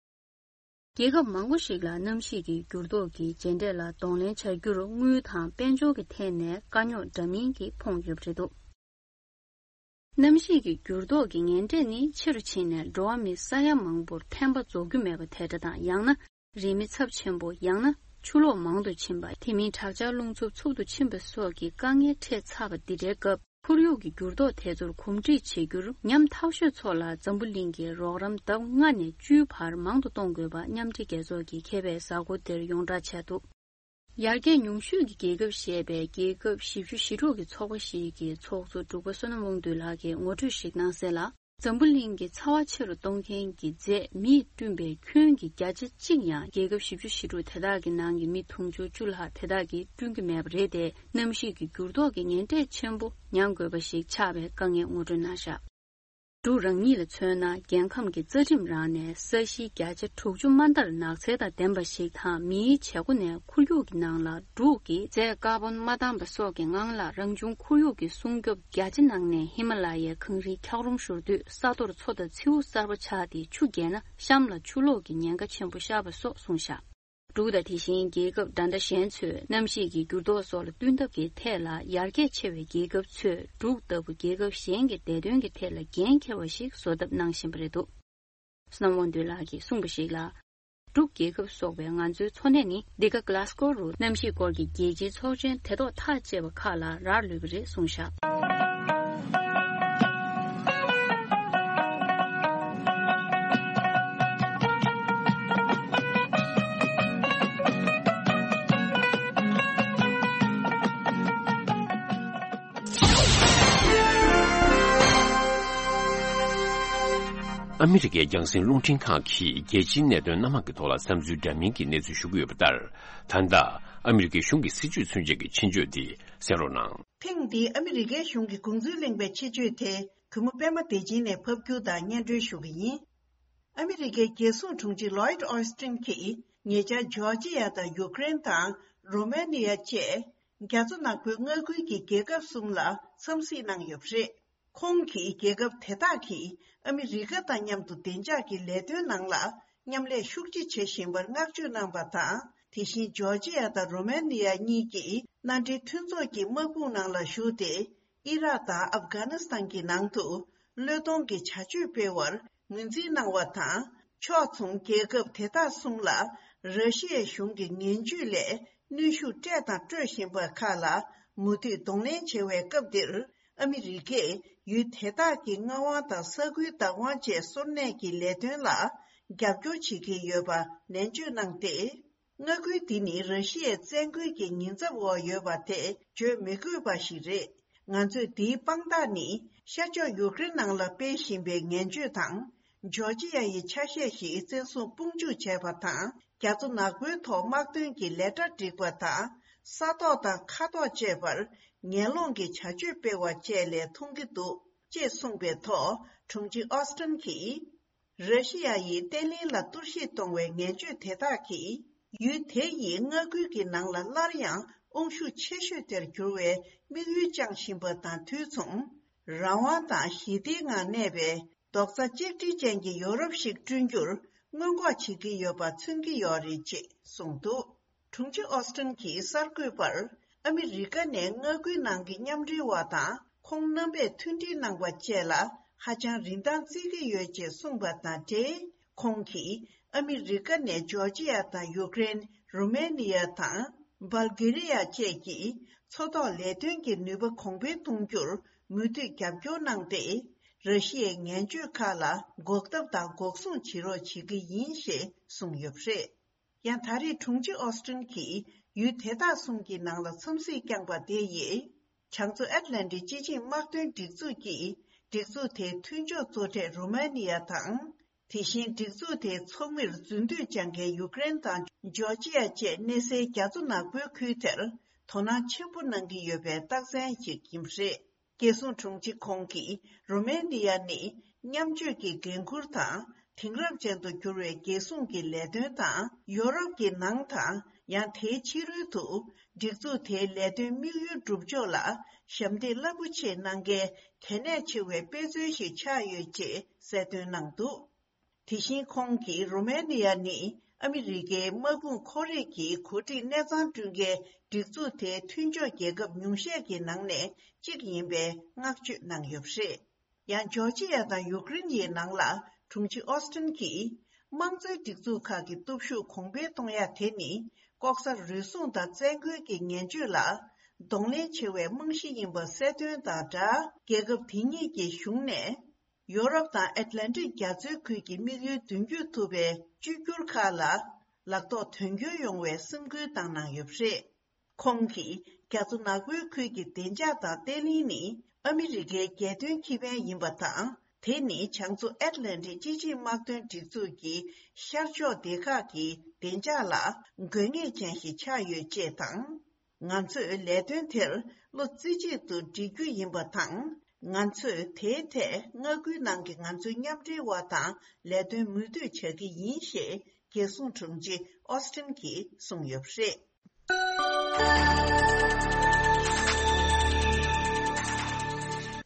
རྒྱལ་ཁབ་མང་པོ་ཞིག་ལ་གནམ་གཤིས་ཀྱི་འགྱུར་ལྡོག་གི་རྗེས་འབྲས་ལ་གདོང་ལེན་བྱ་རྒྱུར་དངུལ་དང་དཔལ་འབྱོར་གྱི་ཐད་ནས་དཀའ་རྙོག་འདྲ་མིན་གྱིས་ཕོངས་ཡོད་པ་རེད་འདུག་གནམ་གཤིས་ཀྱི་འགྱུར་ལྡོག་གི་ངན་འབྲས་ནི་ཆེ་རུ་ཕྱིན་ནས་འགྲོ་བ་མི་ས་ཡ་མང་པོར་ཕན་པ་རྫོགས་རྒྱུ་མེད་པ་དེ་འདྲ་དང་། ཡང་ན་རི་མེ་ཚབས་ཆེན་པོ། ཡང་ན་ཆུ་ལོག་མང་དུ་ཕྱིན་པ། དེ་མིན་དྲག་ཆར་རླུང་འཚུབ་འཚུབ་ཏུ་ཕྱིན་པ་སོགས་ཀྱི་དཀའ་ངལ་འཕྲད་ཚར་བ་འདི་འདྲའི་སྐབས། ཁོར་ཡུག་གི་འགྱུར་ལྡོག་དེ་ཚོར་གོམས་འདྲིས་བྱེད་རྒྱུར་ཉམ་ཐག་ཤོས་ཚོ་ལ་འཛམ་བུ་གླིང་གི་རོགས་རམ་ལྡབ་ལྔ་ནས་བཅུའི་བར་མང་དུ་གཏོང་དགོས་པ་མཉམ་འབྲེལ་རྒྱལ་ཚོགས་ཀྱིས་མཁས་པའི་གཟའ་འཁོར་འདིར་ཡོངས་བསྒྲགས་བྱས་འདུག་ཡར་རྒྱས་ཉུང་ཤོས་ཀྱི་རྒྱལ་ཁབ་ཞེས་པའི་རྒྱལ་ཁབ་བཞི་བཅུ་ཞེ་དྲུག་གི་ཚོགས་པ་ཞིག་གི་ཚོགས་གཙོ་འབྲུག་པ་བསོད་ནམས་དབང་འདུས་ལགས་ཀྱིས་ངོ་སྤྲོད་ཞིག་གནང་གསལ་ལ། འཛམ་བུ་གླིང་གི་ཚ་བ་ཆེ་རུ་གཏོང་མཁན་གྱི་རྫས་མིས་བསྐྲུན་པའི་ཁྱོན་གྱི་བརྒྱ་ཆ་གཅིག་ཡང་རྒྱལ་ཁབ་བཞི་བཅུ་ཞེ་དྲུག་དེ་དག་གི་ནང་གི་མི་དུང་ཕྱུར་བཅུ་ལྷག་དེ་དག་གིས་བསྐྲུན་གྱི་མེད་པ་རེད་དེ། གནམ་གཤིས་ཀྱི་འགྱུར་ལྡོག་གི་ངན་འབྲས་ཆེན་པོ་མྱང་དགོས་པ་ཞིག་ཆགས་པའི་དཀའ་ངལ་ངོ་སྤྲོད་གནང་བཞག་འབྲུག་རང་ཉིད་ལ་མཚོན་ན། རྒྱལ་ཁམས་ཀྱི་རྩ་ཁྲིམས་རང་ནས་ས་གཞི་བརྒྱ་ཆ་དྲུག་ཅུ་མ་ལྟར་ནགས་ཚལ་དང་ལྡན་པ་ཞིག་དང་། མིའི་བྱེད་སྒོ་ནས་ཁོར་ཡུག་གི་ནང་ལ་འབྲུག་གིས་རྫས་ཀར་བོན་མ་བཏང་པ་སོགས་ཀྱི་ངང་ལ་རང་བྱུང་ཁོར་ཡུག་གི་སྲུང་སྐྱོབ་རྒྱ་ཆེ་གནང་ནས། ཧི་མ་ལ་ཡའི་གངས་རིའི་འཁྱགས་རོམ་བཞུར་དུས་ས་རྡོར་མཚོ་དང་མཚེའུ་གསར་པ་ཆགས་ཏེ་ཆུ་རྒྱས་ན་གཤམ་ལ་ཆུ་ལོག་གི་ཉེན་ཁ་ཆེན་པོ་ཤར་བ་སོགས་གསུངས་བཞག་འབྲུག་དང་དེ་བཞིན་རྒྱལ་ཁབ་འདྲ་འདྲ་གཞན་ཚོས་གནམ་གཤིས་ཀྱི་འགྱུར་ལྡོག་སོགས་ལ་བསྟུན་ཐབས་ཀྱི་ཐད་ལ་ཡར་རྒྱས་ཆེ་བའི་རྒྱལ་ཁབ་ཚོས་འབྲུག་ལྟ་བུ་རྒྱལ་ཁབ་གཞན་གྱི་བདེ་དོན་གྱི་ཐད་ལ་འགན་འཁྱེར་བ་ཞིག་བཟོ་ཐབས་གནང་བཞིན་པ་རེད་འདུག་བསོད་ནམས་དབང་འདུས་ལགས་ཀྱིས་གསུངས་པ་ཞིག་ལ། འབྲུག་རྒྱལ་ཁབ་སོགས་པའི་ང་ཚོའི་འཚོ་གནས་ནི་འདི་ག་གྷ་ལ་སྒོ་རུ་གནམ་གཤིས་སྐོར་གྱི་རྒྱལ་སྤྱིའི་ཚོགས་ཆེན་དེ་ཐོག་ཐག་བཅད་པ་ཁག་ལ་རག་ལུས་པ་རེད་གསུངས་བཞག་ཨ་མི་རི་ཀའི་རྒྱང་སྲིང་རླུང་འཕྲིན་ཁང་གིས་རྒྱལ་སྤྱིའི་གནད་དོན་སྣ་མང་གི་ཐོག་ལ་བསམ་ཚུལ་འདྲ་མིན་གྱི་གནས་ཚུལ་ཞུ་གི་ཡོད་པ་ལྟར། ད་ལྟ་ཨ་མི་རི་ཀའི་གཞུང་གི་སྲིད་ཇུས་ཚུན་ཆད་ཀྱི་ཆེད་བརྗོད་འདི་གསན་རོགས་གནང་། ཐེངས་འདིའི་ཨ་མི་རི་ཀའི་གཞུང་གི་དགོངས་ཚུལ་གླེང་བའི་ཆེད་བརྗོད་དེ། གུས་མོ་པད་མ་བདེ་ཆེན་ནས་ཕབ་སྒྱུར་དང་སྙན་སྒྲོན་ཞུ་གི་ཡིན། ཨ་མི་རི་ཀའི་རྒྱལ་སྲུང་དྲུང་ཆེ་ལོའིད་ཨོ་སི་ཏིན་གྱིས་ཉེ་ཆར་ཇོར་ཇི་ཡ་དང་ཡུ་ཀེ་རེན་དང་རོ་མེ་ནི་ཡ་བཅས་རྒྱ་མཚོ་ནག་པོའི་མངའ་ཁུལ་གྱི་རྒྱལ་ཁབ་གསུམ་ལ་འཚམས་གཟིགས་གནང་ཡོད་པ་རེད། ཁོང་གིས་རྒྱལ་ཁབ་དེ་དག་གིས་ཨ་མི་རི་ཀ་དང་མཉམ་དུ་བདེ་འཇགས་ཀྱི་ལས་དོན་ནང་ལ་མཉམ་ལས་ཤུགས་ཆེ་བྱེད་བཞིན་པར་བསྔགས་བརྗོད་གནང་པ་དང་། དེ་བཞིན་ཇོར་ཇི་ཡ་དང་རོ་མེ་ནི་ཡ་གཉིས་ཀྱིས་མནའ་འབྲེལ་མཐུན་ཚོགས་ཀྱི་དམག་དཔུང་ནང་ལ་ཞུགས་ཏེ། ཨི་རག་དང་ཨབ་གྷ་ནི་སི་ཐན་གྱི་ནང་དུ་བློས་གཏོང་གི་བྱ་སྤྱོད་སྤེལ་བར་ངོས་འཛིན་གནང་བ་དང་། ཕྱོགས་མཚུངས་རྒྱལ་ཁབ་དེ་དག་གསུམ་ལ་ར་ཤི་ཡའི་གཞུང་གི་ངན་ཇུས་ལས་གནོན་ཤུགས་སྤྲད་དང་སྤྲོད་བཞིན་པ་ཁག་ལ་མུ་མཐུད་གདོང་ལེན་བྱེད་པའི་སྐབས་འདིར། ཨ་མི་རི་ཀས་ཡུལ་དེ་དག་གི་མངའ་དབང་དང་ས་ཁུལ་བདག་དབང་བཅས་སོར་གནས་ཀྱི་ལས་དོན་ལ་རྒྱབ་སྐྱོར་བྱེད་ཀྱི་ཡོད་པ་ནན་བརྗོད་གནང་སྟེ། མངའ་ཁུལ་འདི་ནི་ར་ཤི་ཡའི་བཙན་རྒོལ་གྱི་ཉེན་ཚབས་འོག་ཡོད་པ་དེ་བརྗོད་མི་དགོས་པ་ཞིག་རེད། ང་ཚོས་འདིའི་དཔང་རྟགས་ནི་ཤར་ཕྱོགས་ཡུ་ཀེ་རེན་ནང་ལ་སྤེལ་བཞིན་པའི་ངན་བྱུས་དང་། ཇོར་ཇི་ཡ་ཡི་ཆ་ཤས་ཤིག་བཙན་བཟུང་དཔུང་འཇུག་བྱས་པ་དང་། རྒྱ་མཚོ་ནག་པོའི་ཐོག་དམག་དོན་གྱི་ལས་གྲྭ་བསྒྲིགས་པ་དང་། ས་ཐོག་དང་མཁའ་ཐོག་བཅས་པར་ངན་སློང་གི་བྱ་སྤྱོད་སྤེལ་བ་བཅས་ལས་མཐོང་གི་འདུག་ཅེས་གསུངས་པའི་ཐོག་དྲུང་ཆེ་ཨོ་སི་ཏིན་གྱིས། ར་ཤི་ཡ་ཡིས་བརྟན་ལྷིང་ལ་གཏོར་བཤིག་གཏོང་བའི་ངན་བྱུས་དེ་དག་གིས། ཡུལ་དེ་ཡི་མངའ་ཁུལ་གྱི་ནང་ལ་སླར་ཡང་ དབང་ཤུགས་ཆེ་ཤོས་དེར་འགྱུར་བའི་དམིགས་ཡུལ་བཅངས་བཞིན་པ་དང་དུས་མཚུངས། རང་དབང་དང་ཞི་བདེའི་ངང་གནས་པའི་རྡོག་རྩ་གཅིག་སྒྲིལ་ཅན་གྱི་ཡོ་རོབ་ཞིག་བསྐྲུན་རྒྱུར་སྔོན་འགོག་བྱེད་ཀྱི་ཡོད་པ་མཚོན་གྱི་ཡོད་རེད་ཅེས་གསུངས་འདུག་དྲུང་ཆེ་ཨོ་སི་ཊིན་གྱིས་གསར་འགོད་པར། ཨ་མི་རི་ཀ་ནས་མངའ་ཁུལ་ནང་གི་མཉམ་འབྲེལ་བ་དང་ཁོང་རྣམ་པས་མཐུན་སྒྲིལ་གནང་བ་བཅས་ལ་ཧ་ཅང་རིན་ཐང་བརྩི་གི་ཡོད་ཅེས་གསུངས་པ་དང་འབྲེལ། ཁོང་གིས་ཨ་མི་རི་ཀ་ནས་ཇོར་ཇི་ཡ་དང་ཡུཀ་རེན། རུ་མེ་ནི་ཡ་དང་། སྦལ་གྷི་རི་ཡ་བཅས་ཀྱིས་མཚོ་ཐོག་ལས་དོན་གྱི་ནུས་པ་གོང་འཕེལ་གཏོང་རྒྱུར་མུ་མཐུད་རྒྱབ་སྐྱོར་གནང་སྟེ། ར་ཤི་ཡའི་ངན་སྤྱོད་ཁག་ལ་འགོག་ཐབས་དང་འགོག་སྲུང་བྱེད་རོགས་བྱེད་ཀྱི་ཡིན་ཞེས་གསུངས་ཡོད་པ་རེད། ཡང་ད་རེས་དྲུང་ཆེ་ཨོ་སི་ཊིན་གྱིས་ཡུལ་དེ་དག་གསུམ་གྱི་ནང་ལ་འཚམས་གཟིགས་བསྐྱངས་པ་དེ་ཡིས། བྱང་མཚོ་ཨེཊ་ལན་ཊིག་སྤྱི་ཆིངས་དམག་དོན་སྒྲིག་འཛུགས་ཀྱིས་སྒྲིག་འཛུགས་དེའི་མཐུན་ཕྱོགས་གཙོ་གྲས་རུ་མ་ནི་ཡ་དང་། དེ་བཞིན་སྒྲིག་འཛུགས་དེའི་ཚོགས་མིར་རྫུན་མདོས་བཅང་མཁན་ཡུཀ་རེན་དང་ཇོར་ཇི་ཡ་བཅས་གནས་སའི་རྒྱ་མཚོ་ནག་པོའི་ཁུལ་དེར་དོ་སྣང་ཆེན་པོ་གནང་གི་ཡོད་པའི་རྟགས་མཚན་ཞིག་ཡིན་པ་རེད། རྒྱལ་སྲུང་དྲུང་ཆེ་ཁོང་གིས་རུ་མེ་ནི་ཡ་ནི་མཉམ་སྤྱོད་ཀྱི་འགན་འཁུར་དང་དེང་རབས་ཅན་དུ་གྱུར་བའི་རྒྱལ་སྲུང་གི་ལས་དོན་དང་ཡོ་རོབ་ཀྱི་ནང་དང་ཡང་དེའི་ཕྱི་རོལ་དུ་སྒྲིག་འཛུགས་དེའི་ལས་དོན་དམིགས་ཡུལ་སྒྲུབ་ཕྱོགས་ལ་ཞབས་འདེགས་རླབས་པོ་ཆེ་གནང་མཁན་གལ་གནད་ཆེ་བའི་དཔེ་མཚོན་ཞིག་ཆགས་ཡོད་ཅེས་གསལ་སྟོན་གནང་འདུག་དེ་བཞིན་ཁོང་གིས་རུ་མེ་ནི་ཡ་ནི་ཨ་མི་རི་ཀའི་དམག་དཔུང་ཁོར་ཡུག་གི་འགོ་ཁྲིད་གནས་ཚང་བསྐྲུན་མཁན་སྒྲིག་འཛུགས་དེའི་མཐུན་ཕྱོགས་རྒྱལ་ཁབ་ཉུང་ཤས་ཀྱི་ནང་ནས་གཅིག་ཡིན་པའི་བསྔགས་བརྗོད་གནང་ཡོད་པ་རེད། ཡང་ཇོར་ཇི་ཡ་དང་ཡུཀ་རེན་ཡི་ནང་ལ་དྲུང་ཆེ་ཨོ་སི་ཊིན་གྱིས་དམངས་གཙོའི་སྒྲིག་འཛུགས་ཁག་གི་སྟོབས་ཤུགས་གོང་འཕེལ་གཏོང་ཡ་དེ་ནི་ལྐོག་ཟ་རུལ་སུངས་དང་བཙན་རྒོལ་གྱི་ངན་སྤྱོད་ལ་གདོང་ལེན་ཆེ་བའི་རྨང་གཞི་ཡིན་པ་གསལ་སྟོན་དང་སྦྲགས། རྒྱལ་ཁབ་དེ་གཉིས་ཀྱི་གཞུང་ནས། ཡོ་རོབ་དང་ཨེཊ་ལན་ཊིག་རྒྱ་མཚོའི་ཁུལ་གྱི་དམིགས་ཡུལ་མདུན་སྐྱོད་ཐུབ་པའི་བཅོས་བསྒྱུར་ཁག་ལ་ལག་ཐོགས་དོན་འཁྱོལ་ཡོང་བའི་སེམས་ཁུར་བཏང་གནང་ཡོད་པ་རེད། ཁོང་གིས་རྒྱ་མཚོ་ནག་པོའི་ཁུལ་གྱི་བདེ་འཇགས་དང་བརྟན་ལྷིང་ནི་ཨ་མི་རི་ཀའི་རྒྱལ་དོན་ཁེ་ཕན་ཡིན་པ་དང་། དེ་ནི་བྱང་མཚོ་ཨེཊ་ལན་ཊིག་སྤྱི་ཆིངས་དམག་དོན་སྒྲིག་འཛུགས་ཀྱི་ཤར་ཕྱོགས་སྡེ་ཁག་གི་བདེ་འཇགས་ལ་དགོས་ངེས་ཅན་ཞིག་ཆགས་ཡོད་ཅེས་དང་། ང་ཚོས་ལས་དོན་དེར་བློ་རྩེ་གཅིག་ཏུ་སྒྲིལ་རྒྱུ་ཡིན་པ་དང་། ང་ཚོས་དེའི་ཐད་མངའ་ཁུལ་ནང་གི་ང་ཚོའི་མཉམ་འབྲེལ་བ་དང་ལས་དོན་མུ་མཐུད་བྱ་གི་ཡིན་ཞེས་རྒྱལ་སྲུང་དྲུང་ཆེ་ཨོ་སི་ཊིན་གྱིས་གསུངས་ཡོད་པ་རེད།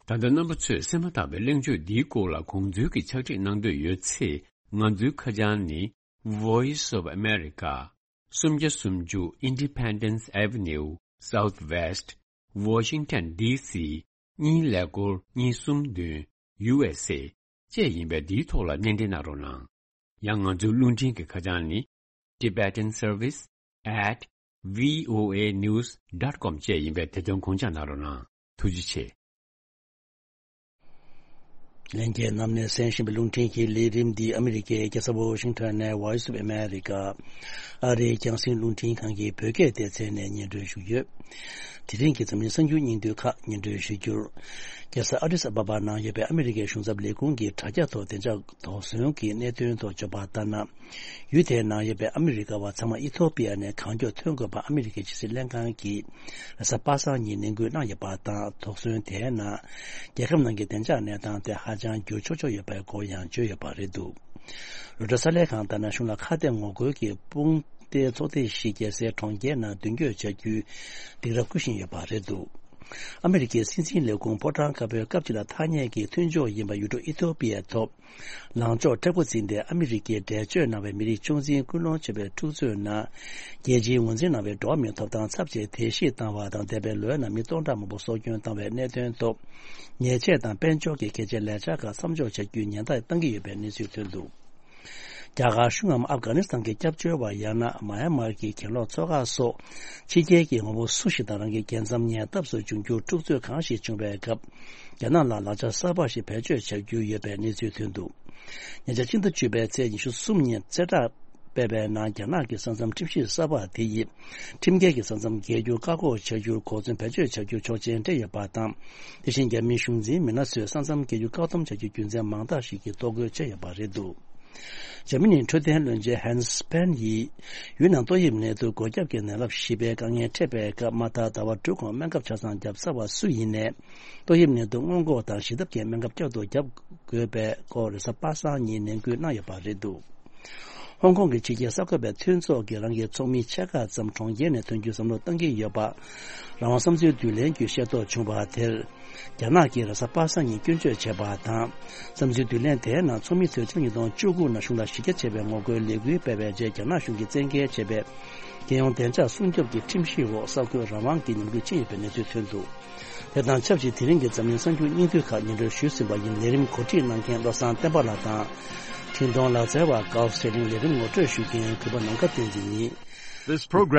ད་ལྟ་རྣམ་པ་ཚོས་གསན་མ་ཐག་པའི་གླེང་བརྗོད་འདིའི་སྐོར་ལ་དགོངས་ཚུལ་གྱི་ཕྱག་བྲིས་གནང་འདོད་ཡོད་ཚེ། ང་ཚོའི་ཁ་བྱང་ནི། Voice of America། སུམ་བརྒྱ་སུམ་ཅུ་Independence Avenue Southwest Washington D C གཉིས་ཀླད་ཀོར་གཉིས་གསུམ་བདུན། U S A བཅས་ཡིན་པས་འདིའི་ཐོག་ལ་སྣེ་འདྲེན་གནང་རོགས་གནང་། ཡང་ང་ཚོའི་རླུང་འཕྲིན་གྱི་ཁ་བྱང་ནི། Tibetan Service at V O A news dot com བཅས་ཡིན་པས་དེ་དོན་དགོངས་འཇགས་གནང་རོགས་གནང་། ཐུགས་རྗེ་ཆེ། ལྷན་རྒྱས་རྣམས་ནས་གསན་བཞིན་པའི་རླུང་འཕྲིན་གྱི་ལས་རིམ་འདི་ཨ་མི་རི་ཀའི་རྒྱལ་ས་ཝོ་ཤིང་ཊོན་ནས་Voice of America ཨ་རིའི་རྒྱང་སྲིང་རླུང་འཕྲིན་ཁང་གི་བོད་སྐད་སྡེ་ཚན་ནས་སྙན་སྒྲོན་ཞུས་ཡོད། དེ་རིང་གི་འཛམ་གླིང་གསར་འགྱུར་སྙིང་བསྡུས་ཁག་སྙན་སྒྲོན་ཞུ་རྒྱུར། རྒྱལ་ས་ཨ་ཌིས་ཨ་བ་བ་ནང་ཡོད་པའི་ཨ་མི་རི་ཀའི་གཞུང་ཚབ་ལས་ཁུངས་ཀྱི་དྲ་རྒྱ་ཐོག་བདེ་འཇགས་དོགས་ཟོན་གྱི་གནད་དོན་ཐོག་བརྗོད་པ་ལྟར་ན། ཡུལ་དེའི་ནང་ཡོད་པའི་ཨ་མི་རི་ཀ་བ་ཚང་མ་ཨི་ཐོ་པི་ཡ་ནས་གང་མགྱོགས་ཐོན་དགོས་པ་ཨ་མི་རི་ཀའི་ཕྱི་སྲིད་ལྷན་ཁང་གིས་རེས་གཟའ་པ་སངས་ཉིན་ནན་སྐུལ་གནང་ཡོད་པ་དང་། དོགས་ཟོན་དེའི་ནང་རྒྱལ་ཁབ་ནང་གི་བདེ་འཇགས་གནས་སྟངས་དེ་ཧ་ཅང་འགྱུར་ཆོག་ཆོག་ཡོད་པའི་སྐོར་ཡང་བརྗོད་ཡོད་པ་རེད་འདུག་རོའི་ཊར་གསར་ལས་ཁང་ལྟར་ན། གཞུང་ལ་ཁ་གཏད་ངོ་རྒོལ་གྱི་དཔུང་སྡེའི་ཚོགས་སྡེ་ཞིག་རྒྱལ་སའི་གྲོང་ཁྱེར་ནང་མདུན་སྐྱོད་བྱ་རྒྱུའི་སྡིགས་ར་བསྐུལ་བཞིན་ཡོད་པ་རེད་འདུག་ཨ་མི་རི་ཀའི་སྲིད་འཛིན་ལས་ཁུངས་ཕོ་བྲང་དཀར་པོའི་སྐབས་ཅིག་ལ་ཐ་སྙད་ཀྱི་མཐུན་ཕྱོགས་ཡིན་པ་ཡུལ་གྲུ་ཨི་ཐོ་པི་ཡའི་ཐོག་ལངས་ཕྱོགས་མཁྲེགས་པོ་འཛིན་ཏེ། ཨ་མི་རི་ཀའི་འགྲེལ་བརྗོད་གནང་བའི་མི་རིགས་ཆུང་འཛིན་ཀུན་སློང་ཆེ་བའི་འཁྲུག་རྩོད་ནང་རྒྱལ་སྤྱིའི་ངོས་འཛིན་གནང་བའི་འགྲོ་བ་མིའི་ཐོབ་ཐང་ཚབས་ཆེ་དེ་བཞེས་བཏང་བ་དང་། འདས་པའི་ལོའི་ནང་མི་སྟོང་ཕྲག་མང་པོ་སྲོག་སྐྱོན་བཏང་བའི་གནད་དོན་ཐོག་ཉེས་ཆད་དང་དཔལ་འབྱོར་གྱི་གལ་ཆེའི་ལས་འཆར་ཁག་མཚམས་འཇོག་བྱ་རྒྱུའི་ཉེན་བརྡ་བཏང་གི་ཡོད་པའི་གནས་ཚུལ་ཐོན་འདུག་རྒྱ་གར་གཞུང་ངམ་ཨབ་གྷ་ནི་སི་ཐན་གྱི་སྐྱབས་བཅོལ་བ། ཡང་ན་མཱ་ཡན་མར་གྱི་གྱེན་ལོག་ཚོགས་ཁག་སོགས་ཕྱི་རྒྱལ་གྱི་ངོ་བོ་སུ་ཞིག་དང་རང་གི་རྒྱལ་མཚམས་ཉེ་འདབས་སུ་འབྱུང་འགྱུར་འཁྲུག་རྩོད་གང་ཞིག་བྱུང་བའི་སྐབས། རྒྱ་ནག་ལ་ལག་ཆ་གསར་པ་ཞིག་བེད་སྤྱོད་བྱ་རྒྱུ་ཡོད་པའི་གནས་ཚུལ་ཐོན་འདུག་ཉེ་ཆར་ཕྱི་ཟླ་བཅུ་པའི་ཚེས་ཉི་ཤུ་གསུམ་ཉིན་གསལ་བསྒྲགས་སྤེལ་བའི་ནང་། རྒྱ་ནག་གི་ས་མཚམས་ཁྲིམས་གཞི་གསར་པ་དེ་ཡིས་ཁྲིམས་འགལ་གྱི་ས་མཚམས་བརྒལ་རྒྱུར་བཀག་འགོག་བྱ་རྒྱུར་གོ་མཚོན་བེད་སྤྱོད་བྱ་རྒྱུ་ཆོག་མཆན་སྤྲད་ཡོད་པ་དང་། དེ་བཞིན་རྒྱ་མིའི་གཞུང་འཛིན་མི་སྣ་ཚོས་ས་མཚམས་བརྒལ་རྒྱུ་བཀག་སྡོམ་བྱ་རྒྱུའི་རྒྱུ་མཚན་མང་དག་ཞིག་གིས་གཏོར་རྒོལ་བྱས་ཡོད་པ་རེད་འདུག་འཇར་མ་ནིའི་འཕྲོད་བསྟེན་བློན་ཆེན་ཧན་སི་པན་ཡིས་ཡུལ་ནང་ཏོག་དབྱིབས་ནད་དུག་འགོས་ཁྱབ་ཀྱི་ནད་རླབས་བཞི་པའི་དཀའ་ངལ་འཕྲད་པའི་སྐབས། མ་མཐའ་ཟླ་བ་དྲུག་གོང་སྨན་ཁབ་ཆ་ཚང་བརྒྱབ་ཚར་བ་སུ་ཡིན་ནའི། ཏོག་དབྱིབས་ནད་དུག་སྔོན་འགོག་དང་ཞི་ཐབས་ཀྱི་སྨན་ཁབ་བསྐྱར་དུ་བརྒྱབ་དགོས་པའི་སྐོར་རེས་གཟའ་པ་སངས་ཉིན་ནན་སྐུལ་གནང་ཡོད་པ་རེད་འདུག་ཧོང་ཀོང་གི་ཕྱི་རྒྱལ་གསར་འགོད་པའི་མཐུན་ཚོགས་ཀྱིས་རང་གི་ཚོགས་མི་ཕྱེད་ཀ་ཙམ་གྲོང་ཁྱེར་ནས་ཐོན་རྒྱུའི་བསམ་བློ་བཏང་གི་ཡོད་པ། རང་དབང་བསམ་ཚུལ་བསྡུ་ལེན་བརྒྱུད་ཤེས་རྟོགས་བྱུང་བ་དེར། རྒྱ་ནག་གིས་རེས་གཟའ་པ་སངས་ཉིན་སྐྱོན་བརྗོད་བྱས་པ་དང་། བསམ་ཚུལ་བསྡུ་ལེན་དེའི་ནང་ཚོགས་མི་ཚོས་ཕྱི་ལོ་ཉིས་སྟོང་བཅུ་དགུ་ནང་གཞུང་ལ་གཞི་རྒྱ་ཆེ་བའི་ངོ་རྒོལ་ལས་འགུལ་སྤེལ་བའི་རྗེས། རྒྱ་ནག་གཞུང་གིས་བཙན་འགེལ་བྱས་པའི་རྒྱལ་ཡོངས་བདེ་འཇགས་སྲུང་སྐྱོབ་ཀྱི་ཁྲིམས་གཞིའི་འོག་གསར་འགོད་རང་དབང་གི་ཉམས་རྒུད་ཕྱིན་ཡོད་པའི་གནས་ཚུལ་ཐོན་འདུག་དེ་དང་ཆབས་ཅིག་དེ་རིང་གི་འཛམ་གླིང་གསར་འགྱུར་སྙིང་བསྡུས་ཁག་སྙན་སྒྲོན་ཞུས་ཟིན་པ་ཡིན། ལས་རིམ་གོ་སྒྲིག་གནང་མཁན་བློ་བཟང་བསྟན་པ་ལགས་དང་། འཕྲིན་གཏོང་ལག་རྩལ་བ་ཀའོ་སྲེ་ལིང་། ལས་རིམ་ངོ་སྤྲོད་ཞུ་མཁན་གུས་པ་ནམ་མཁའ་བསྟན་འཛིན་ཡིན། This program